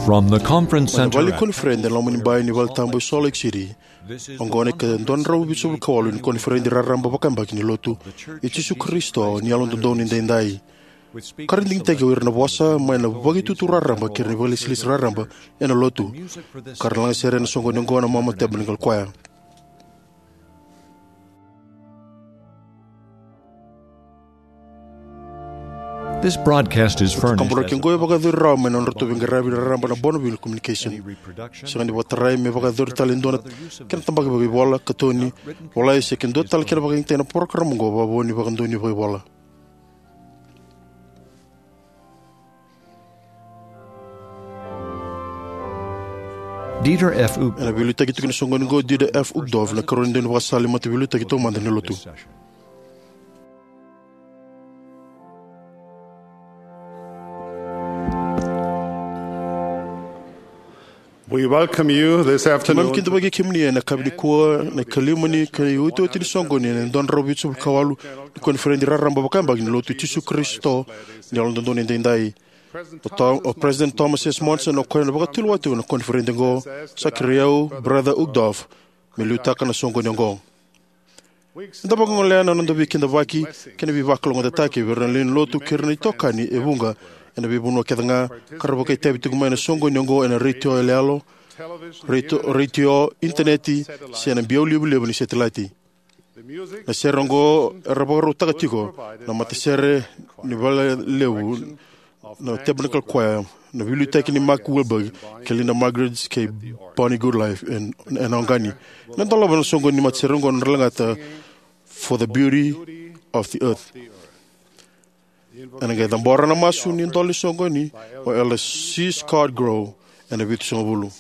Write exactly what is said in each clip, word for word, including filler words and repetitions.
From the conference center. Mai na vale ni koniferedi ena loma ni bai ni valetabu e Salt Lake City. Oqo na ika dua na drau vitusagavulu ka walu ni koniferedi raraba vakayabaki ni Lotu i Jisu Karisito ni Yalododonu Edaidai. Ka ra digitaki o ira na vosa mai na vakaitutu raraba kei ira na vakailesilesi raraba ena Lotu. Ka ra lagasere ena soqoni oqo na Mama Tabernacle Choir. This broadcast is furnished. Kaburaki oqo e vakayacori rawa mai na nodratou veiqaravi raraba na Bonneville Communication. Sega ni vakatarai me vakayacori tale e dua na kena tabaki vakaivola, katoni, volai se ke dua tale kena vakayagataki na porokaramu oqo vakavo ni vakadonui vakaivola. Dieter F. Uchtdorf. Ena veiliutaki tiko ni soqoni oqo o Dieter F. Uchtdorf, na ikarua ni daunivakasala ni mataveiliutaki taumada ni Lotu. We welcome you this afternoon. Keimami kidavaki kemuni ena yakavi nikua, na ikalima ni ka iotioti ni soqoni ena dua na drau vitusagavulu ka walu ni koniferedi raraba vakayabaki ni Lotu i Jisu Karisito ni Yalododonu Edaidai. O To-, o President Thomas S. Monson, o koya na vakatulewa tiko na koniferedi oqo, sa kerei au, Brother Uchtdorf, me liutaka na soqoni oqo. Eda vakagolea na noda veikidavaki kei na veivakalougatataki vei ira na lewe ni Lotu kei ira na itokani e vuqa ena veivanua kece ga ka ra vakaitavi tiko mai na soqoni oqo ena retio yaloyalo, retio, retio, initaneti, se na biau livaliva ni setilaiti. Na sere oqo era vakarautaka tiko na matasere ni valelevu na Tabernacle Choir, na veiliutaki ni Mark Wilberg kei Linda Margreds kei Bonnie Goodlife en-, ena oqani. Na dolava na soqoni ni matasere oqo na nodra lagata For the Beauty of the Earth. Ena qai cabora na masu ni dola ni soqoni o Elder C. Scott Grow ena vitusagavulu.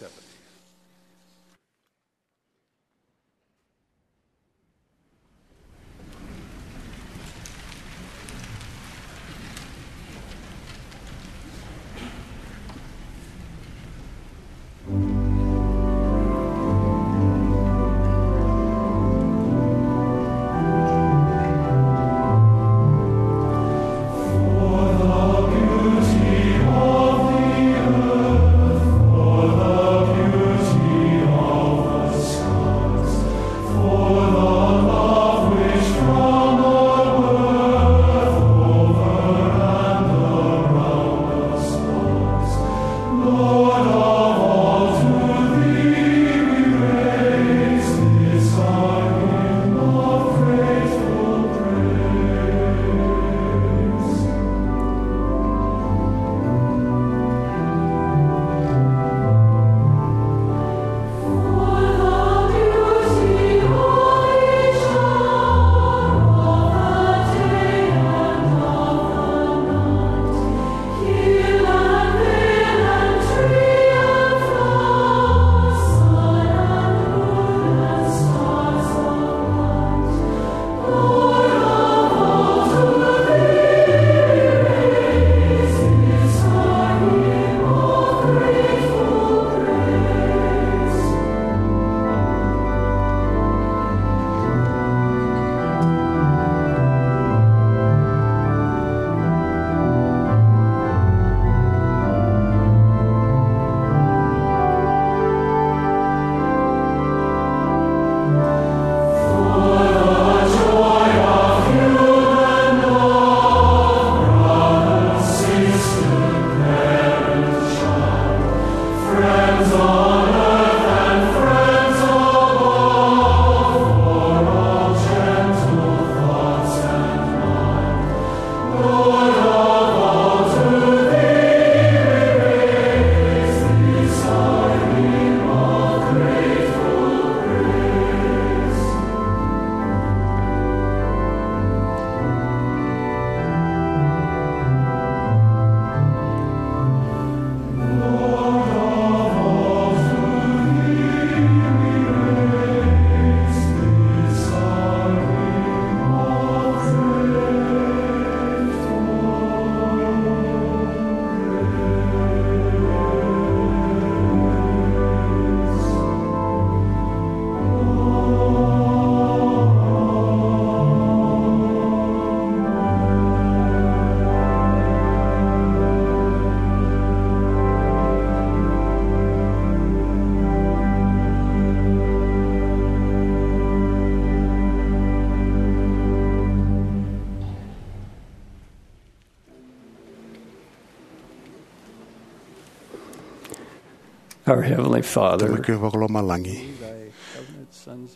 Our Heavenly Father, Tamai keimami vakalomalagi,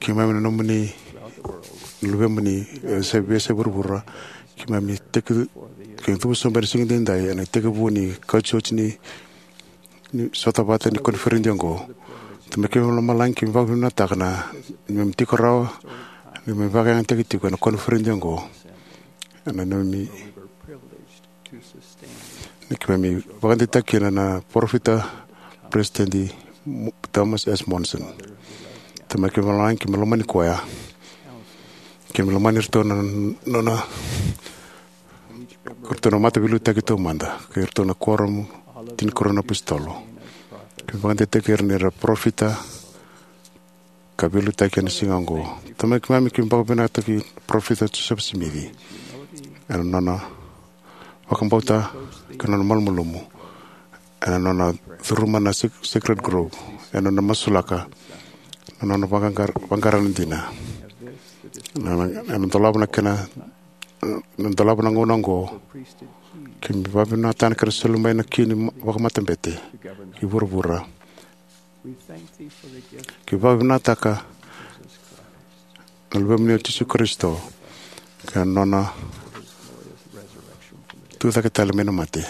keimami na nomuni luvemuni e se veiyasai vuravura. Keimami tekivu, keimami cuva sobu ena siga edaidai ena itekivu ni kauti oti ni, ni sota vata ni koniferedi oqo. Tamai keimami lomalagi, keimami vakavinavinakataka na neimami tiko rawa, neimami vakayagataki tiko ena koniferedi oqo. Ena neimami Ni keimami vakadeitaka kina na parofita, Peresitedi Mo-, Thomas S. Monson. Tamai keimami lomalagi, keimami lomani koya. Keimami lomani iratou na nona, iratou na mataveiliutaki taumada, kei iratou na kuoramu, tinikarua na apositolo. Keimami vakadeitaki ira ni ra parofita ka veiliutaki ena siga oqo. Tamai keimami, keimami vakavinavinakataki Parofita Josefa Simici ena nona vakabauta kei na nona malumalumu, ena nona curuma na Sac-, Sacred Grove, ena nona masulaka na nona vaqaqara, vaqara na dina, na, na, ena dolava na kena, na dolava na gauna oqo. Keimami vakavinavinakataka na kena soli mai na ki ni ma-, vakamatabete ki vuravura. Keimami vakavinavinakataka na Luvemuni o Jisu Karisito kei na nona tucake tale mai na mate.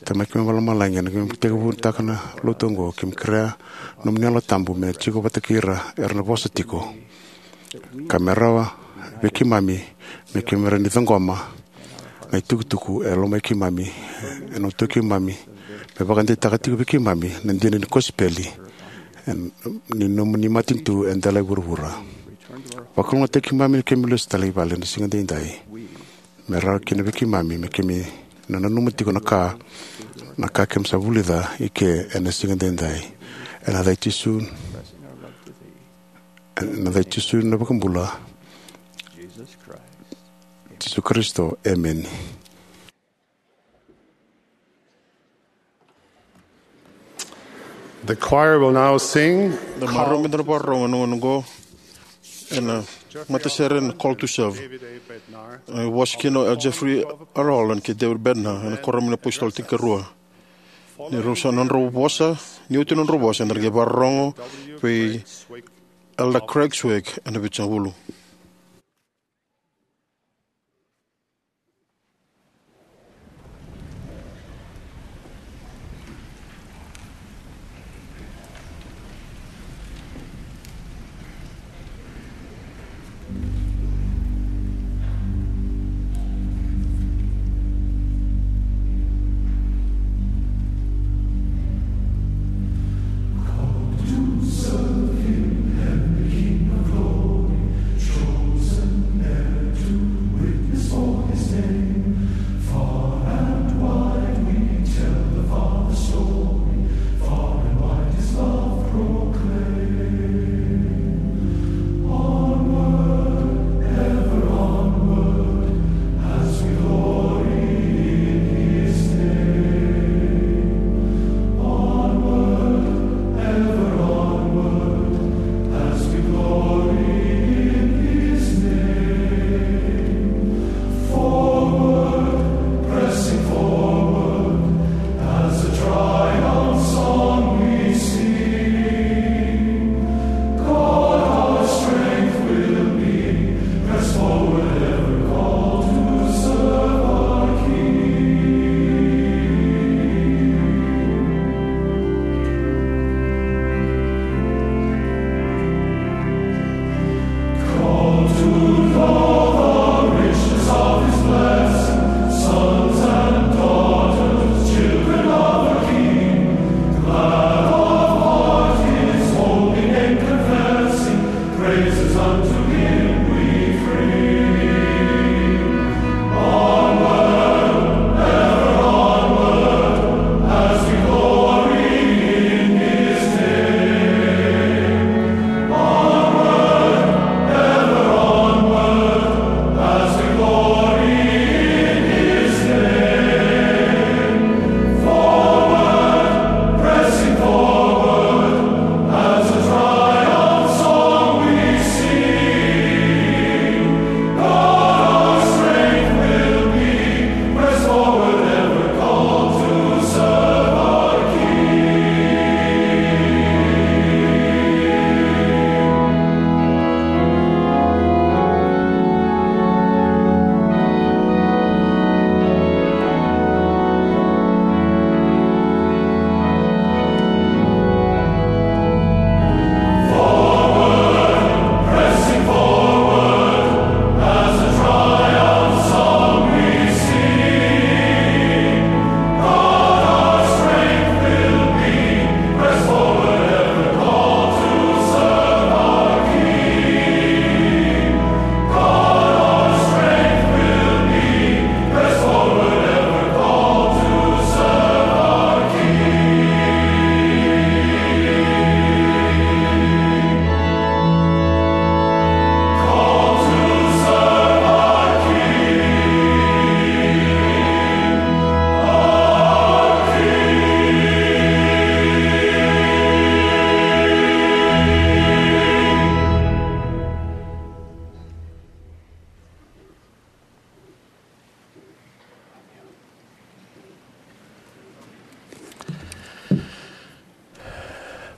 Tamai keimami vakalomalagi, ena keimami tekivutaka na lotu oqo, keimami kerea na nomuni Yalo Tabu me tiko vata kei ira era na vosa tiko, ka me rawa vei keimami me keimami rawa ni ciqoma na itukutuku e lomai keimami, ena uto keimami, me vakadeitaka tiko vei keimami na dina ni kosipeli, e, ni nomuni matanitu e dela i vuravura. Vakalougatataki keimami ni keimami lesu tale i vale ena siga edaidai. Me rawa kina vei keimami me keimami na nanuma tiko na ka, na ka keimami sa vulica i ke ena siga edaidai. Ena yaca i Jisu, ena yaca i Jisu na iVakabula, Jisu Karisito, emeni. The choir will now sing. Na marama meda na vakarorogo ena gauna oqo ena matasere na Call to Serve. E vosa kina o Jeffrey R. Holland kei David Bednar ena Kuoramu ni iApositolo Tinikarua. Ni rau sa nodrau vosa, ni oti nodrau vosa, eda na qai vakarorogo vei Elder Craig Swig ena Vitusagavulu.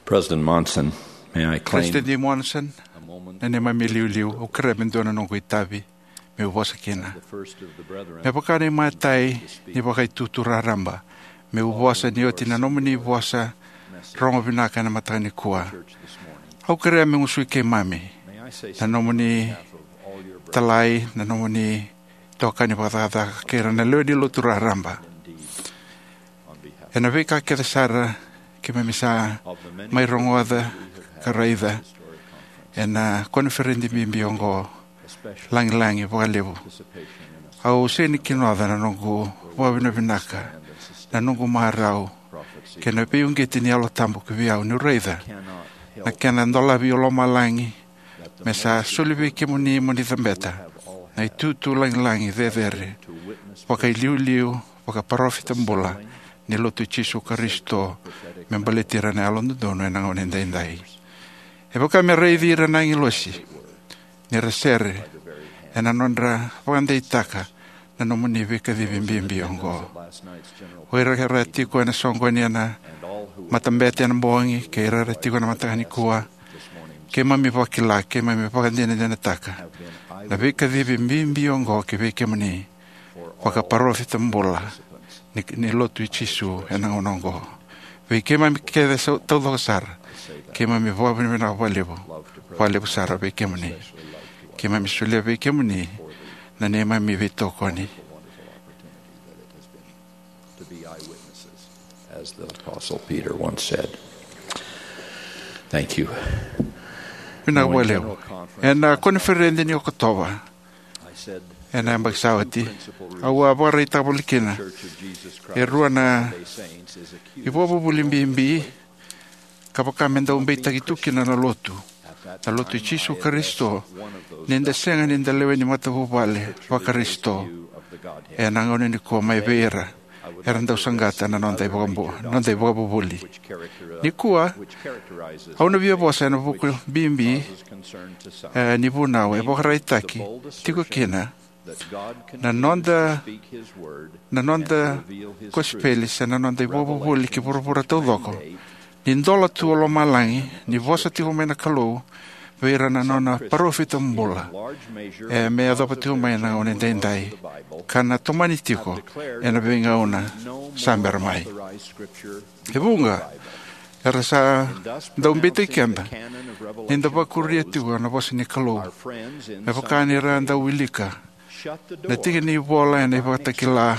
President Monson, may I claim President Monson, na neimami liuliu, au kerea me dua na noqu itavi meu vosa kina. Me vaka na imatai ni vakaitutu raraba meu vosa ni oti na nomuni vosa rogo vinaka ena mataka nikua. Au kerea me gusui keimami na nomuni talai, na nomuni tokani vakacakacaka kei ira na lewe ni lotu raraba. Ena veika kece sara keimami sa mai rogoca ka raica ena koniferedi bibi oqo, lagilagi vakalevu, au sega ni kinoca na noqu vakavinavinaka, na noqu marau kei na veiuqeti ni Yalo Tabu ki vei au niu raica na kena dolavi o lomalagi me sa soli vei kemuni mo ni cabeta na itutu lagilagi cecere, vakailiuliu, vakaparofita bula ni Lotu i Jisu Karisito me baleti ira na yalododonu ena gauna edaidai. E vaka me raici ira na agilosi ni ra sere ena nodra vakadeitaka na nomuni veikacivi bibi oqo. O ira era tiko ena soqoni ena matabete ena bogi kei ira era tiko ena mataka nikua, keimami vakila, keimami vakadinadinataka na veikacivi bibi oqo ki vei kemuni, vakaparofita bula ni, ni Lotu i Jisu ena gauna oqo. Vei keimami kece sa taucoko sara, keimami vakavinavinaka vakalevu, vakalevu sara vei kemuni. Keimami solia vei kemuni na neimami veitokoni. To be eyewitnesses, as the Apostle Peter once said. Thank you. Vinaka vakalevu. Ena koniferedi ni Okotova ena yabaki sa oti, au a vakaraitaka voli kina e rua na ivakavuvuli bibi ka vaka me dau beitaki tu kina na Lotu, na Lotu i Jisu Karisito, ni da sega ni da lewe ni matavuvale vaKarisito ena gauna nikua mai vei ira era dau saqata na noda ivakabu-, noda ivakavuvuli. Nikua au na via vosa ena vuku bibi, e, ni vunau e vakaraitaki tiko kina na noda, na noda kosipeli se na noda ivakavuvuli ki vuravura taucoko, ni dola tu o lomalagi ni vosa tiko mai na Kalou vei ira na nona parofita bula, e, me yacova tiko mai na gauna edaidai ka na tomani tiko ena veigauna sa bera mai. E vuqa era sa dau beitaki keda ni da vakuria tiko na vosa ni Kalou, me vaka ni ra dau wilika na tiki ni ivola ena iVakatakila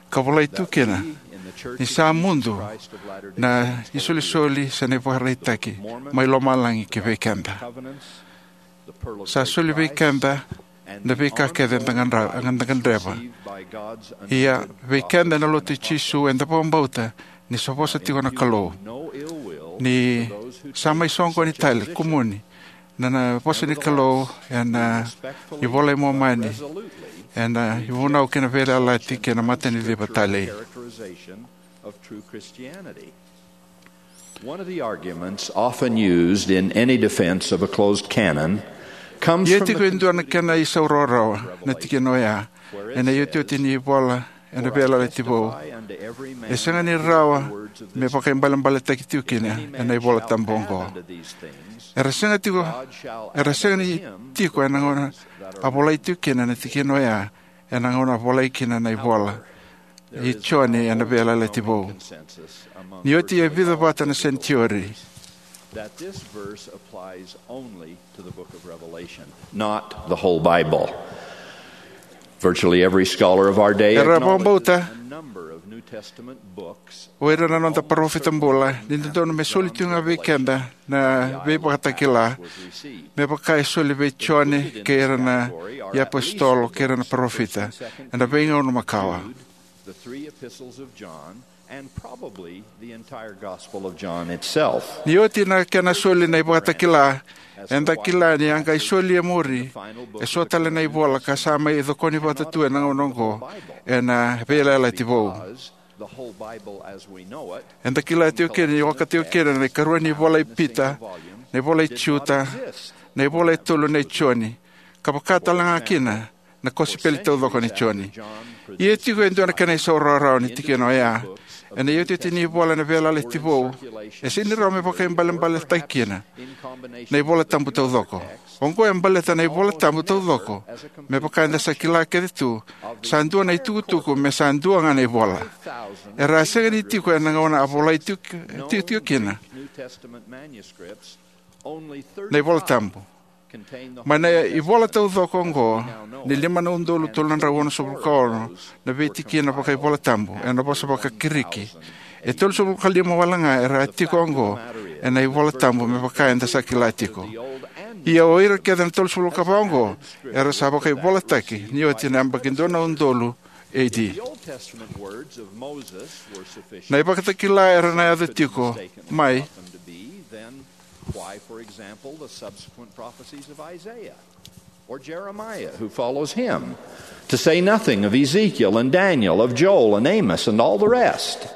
ka volai tu kina ni sa mudu na isolisoli se na ivakaraitaki mai lomalagi ki vei keda. Sa soli vei keda na veika kece eda gadra-, eda gadreva. Ia, vei keda na Lotu i Jisu, eda vakabauta ni sa vosa tiko na Kalou, ni sa mai soqoni tale kumuni na, na vosa ni Kalou ena iVola i Momani, ena ivunau kei na veiyalayalati kei na mataniciva talei. One of the arguments often used in any defense of a closed canon comes Ia from tiko the e dua na kena isau rawarawa na tikina oya ena iotioti ni ivola ena Veiyalayalati Vou. E sega ni rawa me vakaibalebaletaki tiko kina ena iVola Tabu oqo. Era sega tiko, era sega ni tiko ena gauna a volai tiko kina na tikina oya, ena gauna a volai kina na ivola i Joni ena Veiyalayalati Vou. Ni oti e vica vata na senitiori, that this verse applies only to the book of Revelation, not the whole Bible. Virtually every scholar of our day Era acknowledges vakabauta a number of New Testament books o ira na noda parofita bula ni dodonu me soli tu ga vei keda na Veivakatakila, me vaka e soli vei Joni kei ira na iapositolo kei ira na parofita ena veigauna makawa. The three epistles of John, and probably the entire Gospel of John itself. Ni oti na kena soli na iVakatakila, eda kila ni a qai soli e muri e so tale na ivola ka sa mai cokoni vata tu ena gauna oqo ena Veiyalayalati Vou. The whole Bible as we know it, eda kila tiko kina ni oka tiko kina na ikarua ni ivola i Pita, na ivola i Juta, na ivola e tolu nei Joni, ka vaka tale ga kina na kosipeli taucoko nei Joni. Ia tiko e dua na kena isau rawarawa ni tikina oya, Ena iotioti ni ivola ena Veiyalayalati Vou, e sega ni rawa me vakaibalebaletaki kina na iVola Tabu taucoko. Oqo e baleta na iVola Tabu taucoko, me vaka eda sa kila kece tu, sa dua na itukutuku me sa dua ga na ivola. Era a sega ni tiko ena gauna a volai tiko, tiko, tiko kina na iVola Tabu. Mai na ivola taucoko oqo, ni lima na udolu tolu na drau onosagavulu ka ono na veitikina vakaivola tabu ena vosa vakaKirisi, e tolusagavulu ka lima wale ga era a tiko oqo ena iVola Tabu me vaka eda sa kila tiko. Ia o ira kece na tolusagavulu ka va oqo era sa vakaivolataki ni oti na yabaki dua na udolu A D. Na ivakatakila era na yaco tiko mai Why, for example, the subsequent prophecies of Isaiah or Jeremiah, who follows him, to say nothing of Ezekiel and Daniel, of Joel and Amos and all the rest?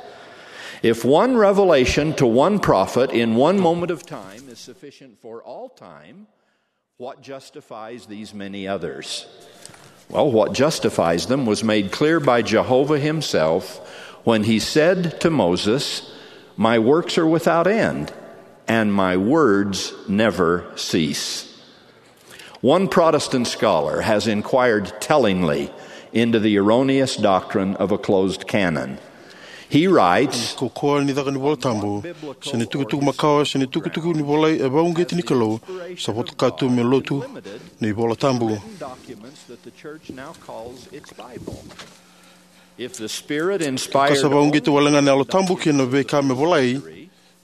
If one revelation to one prophet in one moment of time is sufficient for all time, what justifies these many others? Well, what justifies them was made clear by Jehovah himself when he said to Moses, "My works are without end, and my words never cease." One Protestant scholar has inquired tellingly into the erroneous doctrine of a closed canon. He writes, Ko koya ni caka ni iVola Tabu, se ni tukutuku makawa, se ni tukutuku ni volai e vakauqeti ni Kalou, sa votoka tu me lotu ni iVola Tabu. If the Spirit Ka sa inspired vakauqeti wale ga na Yalo Tabu kina veika me volai,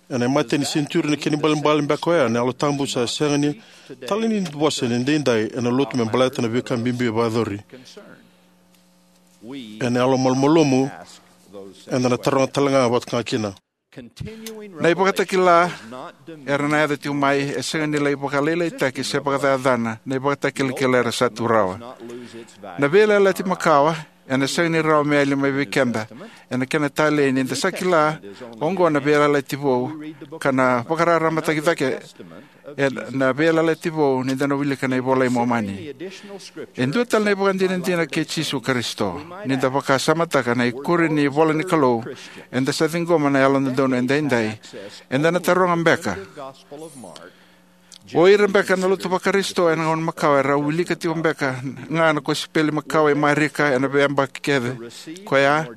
ena imatai ni senituri na kena ibalebale beka oya na Yalo Tabu sa sega ni talei ni vosa ni daidai ena lotu me baleta na veika bibi e vakayacori. Ena yalo malumalumu, eda na taroga tale ga vata ga kina. Na ivakatakila era na yaco tiko mai e sega ni lai vakalailaitaki se vakacacana na ivakatakilakila era sa tu rawa. Na Veiyalayalati Makawa ena sega ni rawa me yali mai vei keda ena kena talei ni da sa kila oqo na Veiyalayalati Vou ka na vakararamataki cake ena Veiyalayalati Vou ni da na wilika na iVola i Momani. E dua tale na ivakadinadina kei Jisu Karisito. Ni da vakasamataka na ikuri ni ivola ni Kalou, eda sa ciqoma na Yalododonu Edaidai. Eda na taroga beka, o ira beka na lotu vaKarisito ena gauna makawa era wilika tiko beka ga na kosipeli makawa i Marika ena veiyabaki kece koya,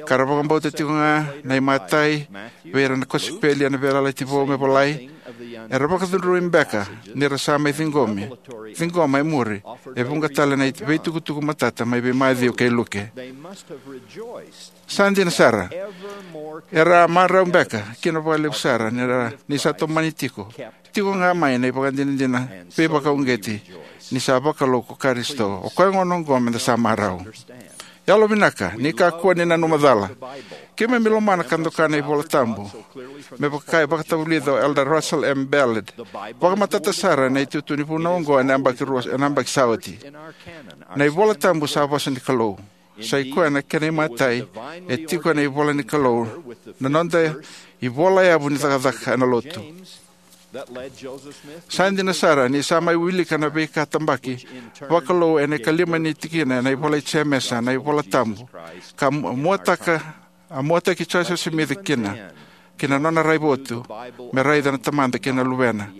ka ra vakabauta tiko ga na imatai vei ira na kosipeli ena Veiyalayalati Vou me volai? Era vakacudrui beka ni ra sa mai ciqomi, ciqoma e muri e vuqa tale na veitukutuku matata mai vei Maciu kei Luke. Sa dina sara, era a marau beka kina vakalevu sara ni ra, ni sa tomani tiko, tiko ga mai na ivakadinadina veivakauqeti ni sa vakalou ko Karisito. O koya gona oqo meda sa marau. Yalovinaka, ni kakua ni nanuma cala. Keimami lomana ka doka na iVola Tabu. Me vaka e vakatavulica o Elder Russell M. Ballard, vakamatata sara na itutu ni vunau oqo ena yabaki rua, ena yabaki sa oti. Na iVola Tabu sa vosa ni Kalou. Sa i koya na kena imatai e tiko ena ivola ni Kalou, na noda ivola yavu ni cakacaka ena lotu. Sa dina sara ni sa mai wilika na veika tabaki vakalou ena ikalima ni tikina ena ivola i Jemesa, na iVola Tabu, ka mu-, muataka, a muataki Joseph Smith kina, ki na nona raivotu me raica na Tamada kei na Luvena,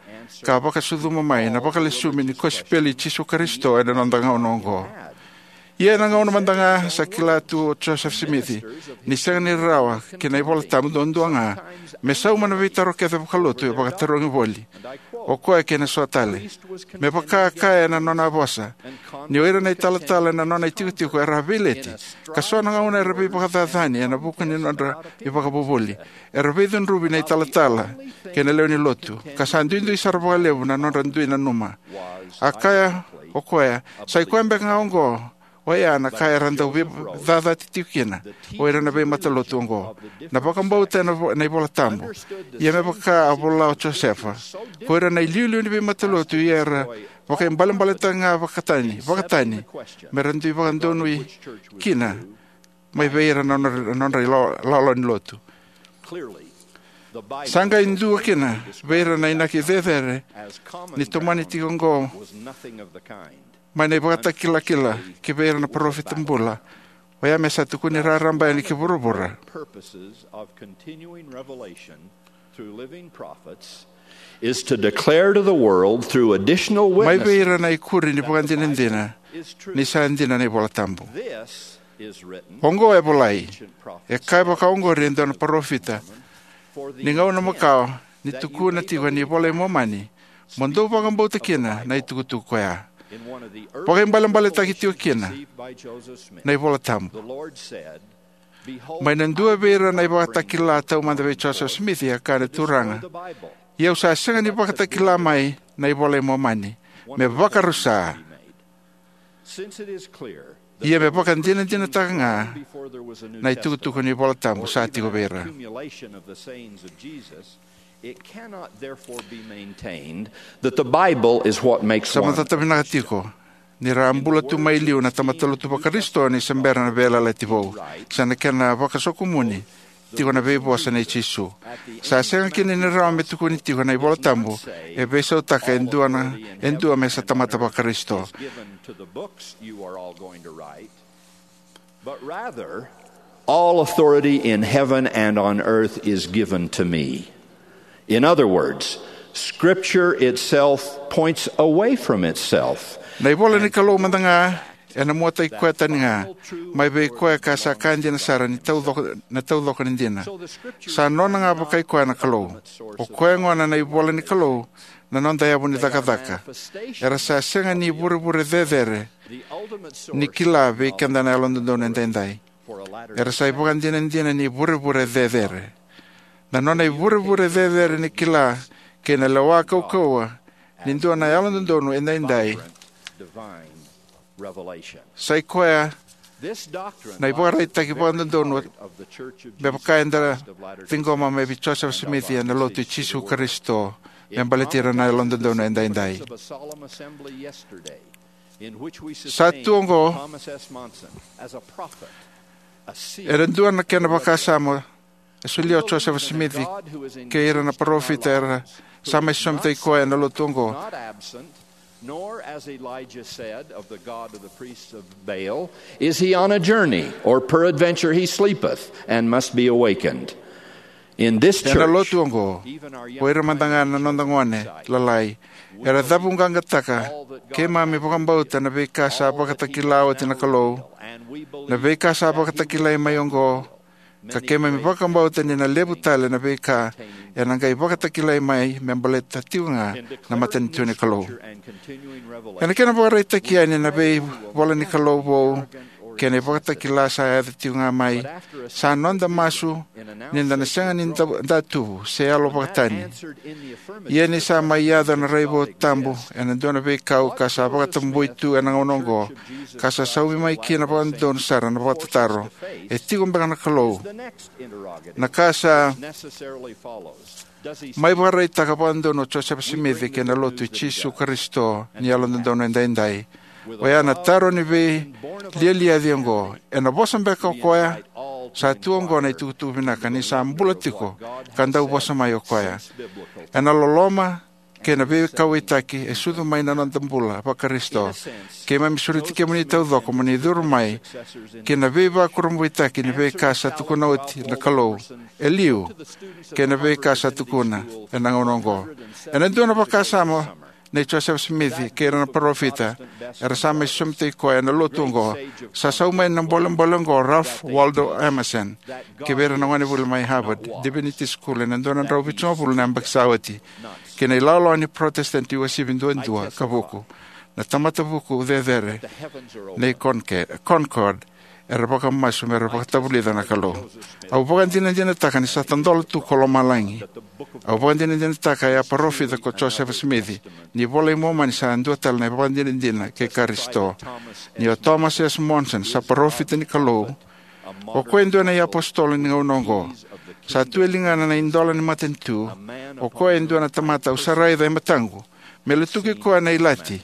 ka vakasucuma mai na vakalesui ni kosipeli i Jisu Karisito ena noda gauna oqo. Ia ena gauna mada ga sa kila tu o Joseph Smith ni sega ni rawa ki na iVola Tabu duadua ga me sauma na veitaro kece vakalotu e vakatarogi voli o koya kei na so tale. Me vaka kaya ena nona vosa, ni o ira na italatala ena nona itikotiko era a veileti, ka so na gauna era veivakacacani ena vuku ni nodra ivakavuvuli. Era veicudruvi na italatala kei na lewe ni lotu, ka sa duidui sara vakalevu na nodra dui nanuma. A kaya o koya, sa i koya beka ga oqo oya na ka era dau veicacati tiko kina o ira na veimatalotu oqo. Na vakabauta ena vo-, na iVola Tabu. Ia me vaka a vola o Josefa, ko ira na iliuliu ni veimatalotu ia era vakaibalebaletaka ga vakatani, vakatani, me ra dui vakadonui kina mai vei ira na nodra, nodra ilo-, lawalawa ni lotu. Sa qai dua kina vei ira na inaki cecere ni tomani tiko oqo mai na ivakatakilakila ki vei ira na parofita bula. Oya me sa tukuni raraba yani ki vuravura. Purposes of continuing revelation through living prophets is to declare to the world through additional witnesses. Mai vei ira na ikuri ni vakadinadina ni sa dina na iVola Tabu. This is written. Oqo e volai. E kaya vaka oqori e dua na parofita. Ni gauna makawa ni tukuna tiko ni iVola i Momani, mo dou vakabauta kina na itukutuku koya. Vakaibalebaletaki tiko kina na iVola Tabu. Mai na dua vei ira na ivakatakila taumada vei Joseph Smith, e kaya na Turaga, ia au sa sega ni vakatakila mai na iVola i Momani me vakarusa. Ia me vakadinadinataka ga na itukutuku ni iVola Tabu sa tiko vei ira. It cannot therefore be maintained that the Bible is what makes one. Sa matata vinaka tiko ni ra a bula tu mai liu na tamata lotu vaKarisito ni se bera na Veiyalayalati Vou, se na kena vakasokumuni tiko na veivosa nei Jisu. Sa sega kina ni rawa me tukuni tiko na iVola Tabu e veisautaka e dua na, e dua me sa tamata vaKarisito. But rather, all authority in heaven and on earth is given to me. In other words, Scripture itself points away from itself. Na iVola ni Kalou mada ga ena muataki koya tani ga mai vei koya ka sa ka dina sara ni taucoko, na taucoko ni dina. Sa nona ga vakai koya na Kalou. O koya gona na iVola ni Kalou na noda yavu ni cakacaka. Era sa sega ni vurevure cecere ni kila vei keda na yalododonu edaidai. Era sa ivakadinadina ni vurevure cecere. Na nona ivurevure cecere ni kila kei na lewa kaukauwa ni dua na yalododonu edaidai. Sa i koya na ivakaraitaki vakadodonu me vaka eda ciqoma mai vei Joseph Smith ena Lotu i Jisu Karisito me baleti ira na yalododonu edaidai. Sa tu oqo ena dua na kena vakasama e solia o Joseph Smith kei ira na parofita era sa mai sosomitaki koya ena lotu oqo. Nor, as Elijah said of the God of the priests of Baal, is he on a journey, or peradventure he sleepeth, and must be awakened. In this church, ena lotu oqo, o ira mada ga na noda gone lalai era cavuqaqataka keimami vakabauta na veika sa vakatakila oti na Kalou, na veika sa vakatakilai mai oqo, ka keimami vakabauta ni na levu tale na veika ena qai vakatakilai mai me baleta tiko ga na matanitu ni Kalou. Ena kena vakaraitaki yani na veivola ni Kalou vou kei na ivakatakila sa yaco tiko ga mai, sa noda masu ni da na sega ni da, da tuvu se yalo vakatani. Ia ni sa mai yaco na raivotu tabu ena dua na veikau ka sa vakatabui tu ena gauna oqo, ka sa saumi mai kina vakadodonu sara na vakatataro: E tiko beka na Kalou? Na ka sa mai vakaraitaka vakadodonu o Josefa Simici kei na Lotu i Jisu Karisito ni Yalododonu Edaidai, oya na taro ni veilialiaci oqo: Ena vosa beka o koya? Sa tu oqo na itukutuku vinaka ni sa bula tiko ka dau vosa mai o koya. Ena loloma kei na veikauwaitaki e sucu mai na noda bula vaKarisito, keimami sureti kemuni taucoko mo ni curu mai ki na veivakurabuitaki ni veika sa tukuna oti na Kalou e liu kei na veika sa tukuna ena gauna oqo. Ena dua na vakasama nei Josefa Simici kei ira na parofita era sa mai sosomitaki koya ena Lotu oqo, sa sau mai na bolebole oqo o Ralph Waldo Emerson ki vei ira na gonevuli mai Harvard Divinity School ena dua na drau vitusagavulu na yabaki sa oti, ki na ilawalawa ni Protestant uasivi duadua ka vuku, na tamata vuku cecere nei Conca-, Concord, era vakamasu mera vakatavulica na Kalou. Au vakadinadinataka ni sa tadola tu ko lomalagi. Au vakadinadinataka e a parofita ko Josefa Simici ni iVola i Momani sa dua tale na ivakadinadina kei Karisito. Ni o Thomas S. Monson sa parofita ni Kalou, o koya e dua na iapositolo ni gauna oqo, sa tu e ligana na idola ni matanitu, o koya e dua na tamata au sa raica e mataqu me lutuki koya na ilati.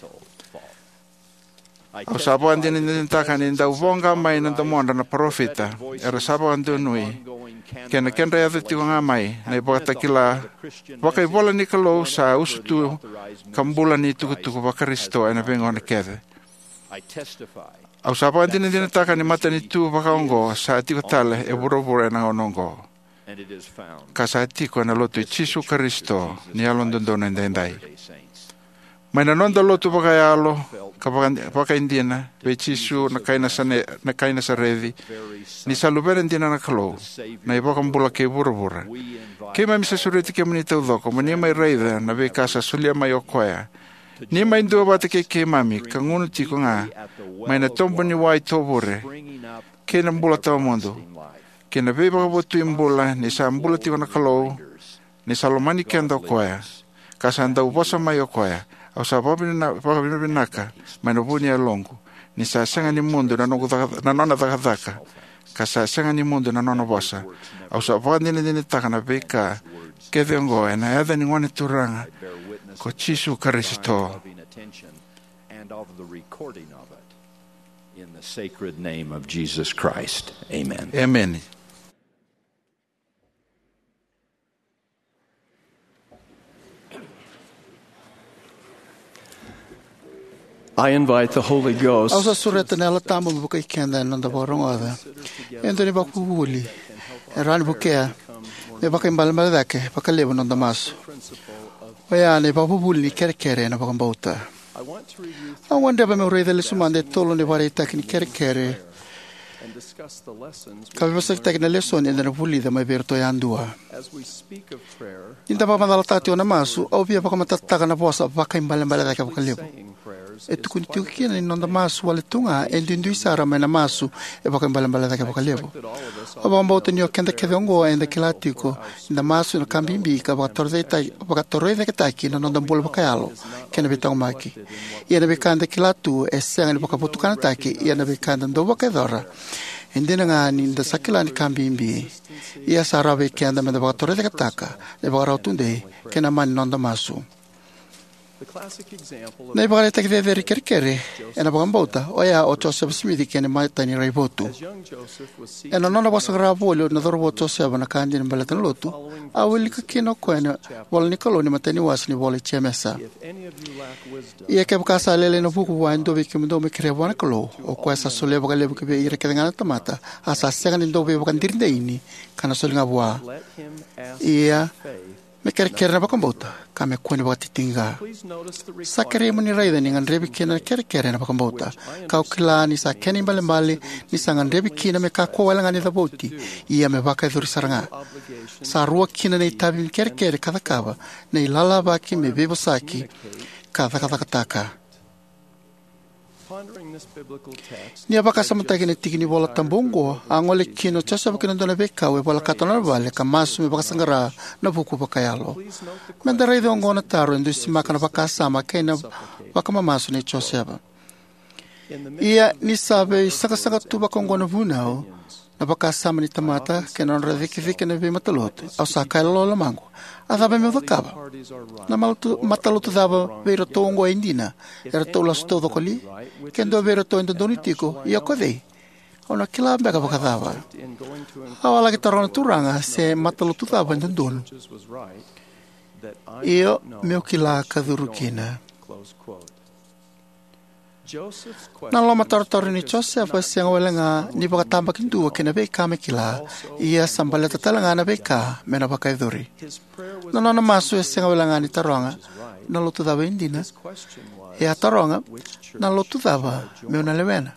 Au sa vakadinadinataka ni dau voqa mai na domodra na parofita era sa vakadonui, kei na kedra yaco tiko ga mai na ivakatakila vakaivola ni Kalou sa usutu ka bula ni tukutuku vaKarisito ena veigauna kece. Au sa vakadinadinataka ni matanitu vakaoqo sa tiko tale e vuravura ena gauna oqo, ka sa tiko ena Lotu i Jisu Karisito ni Yalododonu Edaidai. Mai na noda lotu vakayalo ka vaka, vakaidina vei Jisu na kai Nasane, na kai Nasareci, ni sa Luvena dina na Kalou, na iVakabula kei vuravura, keimami sa sureti kemuni taucoko mo ni mai raica na veika sa solia mai o koya. Ni mai duavata kei keimami ka gunu tiko ga mai na tobu ni wai tovure kei na bula tawamudu, kei na veivakavotui bula ni sa bula tiko na Kalou, ni sa lomani keda o koya, ka sa dau vosa mai o koya. Au sa vakavinavinaka mai na vu ni yaloqu ni sa sega ni mudu na noqu caka, na nona cakacaka, ka sa sega ni mudu na nona vosa. Au sa vakadinadinataka na veika kece oqo ena yaca ni Gone Turaga ko Jisu Karisito. Emeni. I invite the Holy Ghost. Au sa sureta na Yalo Tabu me vukei keda ena noda vakarogoca e dua na ivakavuvuli e rawa ni vukea me vakaibalebale cake vakalevu na noda masu. Oya na ivakavuvuli ni kerekere ena vakabauta. Au gadreva meu raica lesu mada e tolu na ivakaraitaki ni kerekere ka veivosakitaki na lesoni eda na vulica mai vei iratou yadua. Ni da vakamacalataka tiko na masu, au via vakamatatataka na vosa vakaibalebale cake vakalevu. E tukuni tiko kina ni noda masu wale tu ga e duidui sara mai na masu e vakaibalebale cake vakalevu. Au vakabauta ni o keda kece oqo eda kila tiko ni da masu na ka bibi ka vakatorocaketaki, vakatorocaketaki na noda bula vakayalo kei na veitaqomaki. Ia na veika eda kila tu e sega ni vakavotukanataki, ia na veika eda dau vakayacora e dina ga ni da sa kila ni ka bibi. Ia sa rawa vei keda me da vakatorocaketaka na ivakarau tudei kei na mani noda masu. Na ivakaraitaki cecere ni kerekere ena vakabauta oya o Josefa Simici kei na imatai ni raivotu. Ena nona vakasaqara voli na cauravou o Josefa na ka dina baleta na lotu, a wilika kina o koya na ivola ni Kalou ni matai ni wase ni ivola i Jemesa. Ia kevaka sa lailai na vuku vua e dua vei kemudou me kerea vua na Kalou, o koya sa solia vakalevu ki vei ira kece ga na tamata, a sa sega ni dau veivakadiridaini, ka na soli ga vua. Ia me kerekere na vakabauta, ka me kua ni vakatitiqa. Sa kerei mo ni raica ni gadrevi kina na kerekere na vakabauta, ka au kila ni sa kena ibalebale ni sa gadrevi kina me kakua wale ga ni cavuti, ia me vakayacori sara ga. Sa rua kina na itavi ni kerekere ka cakava, na ilalavaki me veivosaki ka cakacakataka. Ni a vakasamataki na tiki ni iVola Tabu oqo, a gole kina o Josefa ki na dua na veikau e volekata na nona vale ka masu me vakasaqara na vuku vakayalo. Me da raica oqo na taro e dusimaka na vakasama kei na vakamamasu nei Josefa. Ia ni sa veisaqasaqa tu vakaoqo na vunau, na vakasama ni tamata kei na nodra cikecike na veimatalotu, au sa kaya lo lomaqu, a cava meu cakava? Na malotu, matalotu cava vei iratou oqo e dina? Eratou lasu taucoko li? Ke dua vei iratou e dodonu tiko, ia ko cei? Au na kila beka vakacava? Au a laki taroga na Turaga se matalotu cava e dodonu, io meu kila ka curu kina. Na lomatarotaro nei Josefa e sega wale ga ni vakatabakidua kei na veika me kila, ia sa baleta tale ga na veika me na vakayacori. Na nona masu e sega wale ga ni taroga, na lotu cava e dina? E a taroga, na lotu cava meu na lewena?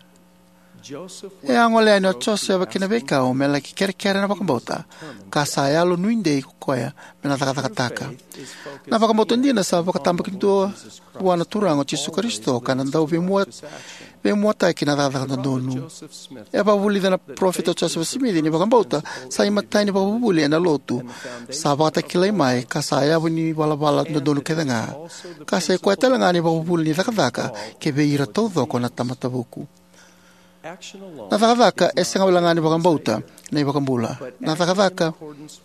E a gole yani o Josefa ki na veikau me laki kerekere na vakabauta, ka sa yalo nuidei ko koya me na cakacakataka. Na vakabauta dina sa vakatabakidua vua na Turaga o Jisu Karisito, ka na dau veimua, veimuataki na cakacaka dodonu. E a vakavulica na parofita o Josefa Simici ni vakabauta sa imatai ni vakavuvuli ena lotu sa vakatakilai mai, ka sa yavu ni valavala dodonu kece ga, ka sa i koya tale ga na ivakavuvuli ni cakacaka ki vei ira taucoko na tamata vuku. Na cakacaka e sega wale ga ni vakabauta na iVakabula. Na cakacaka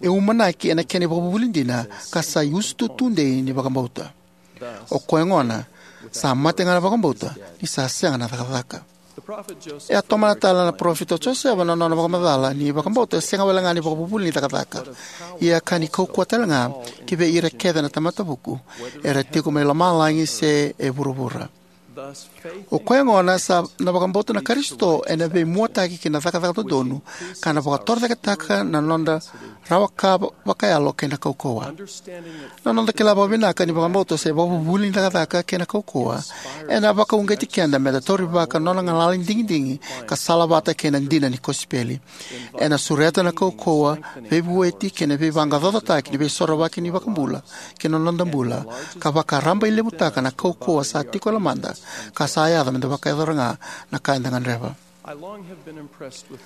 e umanaki ena kena ivakavuvuli dina, ka sa iusutu tudei ni vakabauta. O koya gona, sa mate ga na vakabauta ni sa sega na cakacaka. E a tomana tale na parofita o Josefa na nona vakamacala ni vakabauta e sega wale ga ni vakavuvuli ni cakacaka, ia ka ni kaukauwa tale ga ki vei ira kece na tamata vuku, era tiko mai lomalagi se e vuravura. O koya gona sa na vakabauta na Karisito ena veimuataki ki na cakacaka dodonu, ka na vakatorocaketaka na noda rawa ka vakayalo kei na kaukauwa. Na noda kila vakavinaka ni vakabauta se vakavuvuli ni cakacaka kei na kaukauwa ena vakauqeti keda meda taurivaka nona galala ni digidigi ka salavata kei na dina ni kosipeli. Ena sureta na kaukauwa, veivueti kei na veivaqaqacotaki ni veisorovaki ni vakabula ki na noda bula, ka vakarabailevutaka na kaukauwa sa tiko e lomada ka sa yaco meda vakayacora ga na ka eda gadreva.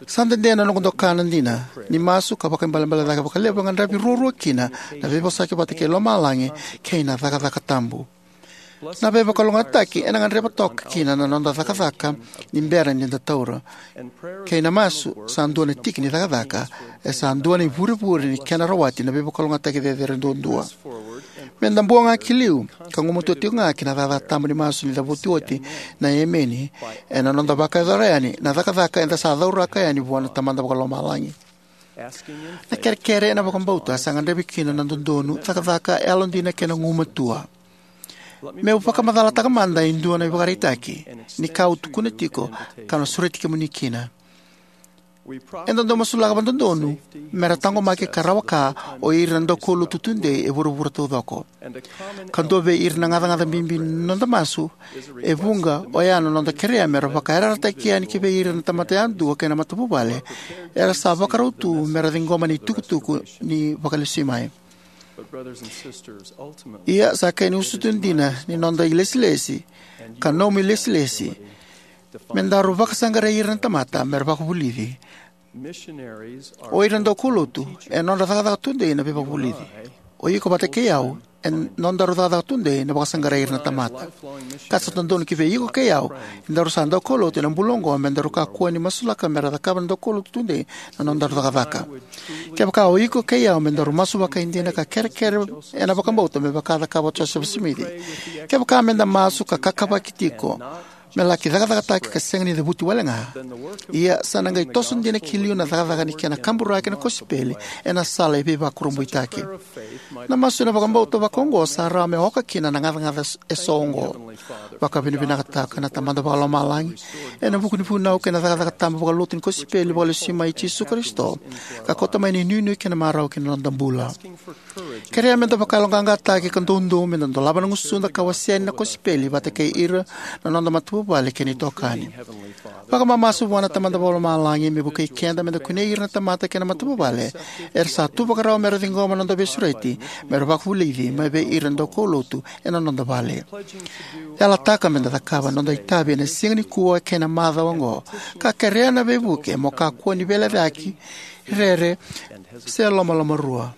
Sa dede na noqu doka na dina ni masu ka vakaibalebale cake vakalevu e gadrevi ruarua kina na veivosaki vata kei lomalagi kei na cakacaka tabu. Na veivakalougatataki ena gadreva toka kina na noda cakacaka ni bera ni da taura, kei na masu sa dua na tiki ni cakacaka, e sa dua na ivurevure ni kena rawati na veivakalougatataki cecere duadua. Meda bua ga ki liu ka gumatua tiko ga ki na cakacaka tabu ni masu ni cavuti oti na emeni, ena noda vakayacora yani na cakacaka eda sa cauraka yani vua na Tamada Vakalomalagi. Na kerekere ena vakabauta sa gadrevi kina na dodonu, cakacaka yalodina kei na gumatua. Meu vakamacalataka mada e dua na ivakaraitaki ni ka au tukuna tiko ka na sureti kemuni kina. Eda dau masulaka vakadodonu mera taqomaki ka rawa ka o ira na daukaulotu tudei e vuravura taucoko. Ka dua vei ira na gacagaca bibi ni noda masu e vuqa oya na noda kerea mera vakayarayarataki yani ki vei ira na tamata yadua kei na matavuvale era sa vakarau tu mera ciqoma na itukutuku ni Vakalesuimai. Ia sa kena usutu dina ni noda ilesilesi, ka nomu ilesilesi, me daru vakasaqarai ira na tamata mera vakavulici. O ira na daukaulotu e nodra cakacaka tudei na veivakavulici. O iko vata kei au e nodaru cakacaka tudei na vakasaqarai ira na tamata. Ka sa dodonu ki vei iko kei au, e daru sa daukaulotu ena bula oqo, me daru kakua ni masulaka mera cakava na daukaulotu tudei na nodaru cakacaka. Kevaka o iko kei au me daru masu vakaidina ka kerekere ena vakabauta me vaka a cakava o Josefa Simici, kevaka meda masu ka kakavaki tiko me laki cakacakataki ka sega ni cavuti wale ga, ia sa na qai toso dina ki liu na cakacaka ni kena kaburaki na kosipeli ena sala e veivakurabuitaki. Na masu ena vakabauta vakaoqo sa rawa me oka kina na gacagaca eso oqo. Vakavinavinakataka na Tamada Vakalomalagi ena vuku ni vunau kei na cakacaka tabu vakalotu ni kosipeli vakalesuimai i Jisu Karisito, ka kauta mai na inuinui kei na marau ki na noda bula. Kerea meda vakayaloqaqataki ka doudou meda dolava na gusuda ka wasea yani na kosipeli vata kei ira na noda matavuvale kei na itokani. Vakamamasu vua na Tamada Vakalomalagi me vukei keda meda kunei ira na tamata kei na matavuvale era sa tu vakarau mera ciqoma na noda veisureti mera vakavulici mai vei ira na daukaulotu ena noda vale. Yalataka meda cakava na noda itavi ena siga nikua kei na macawa oqo, ka kerea na veivuke mo kakua ni veilecayaki, rere, se lomalomarua.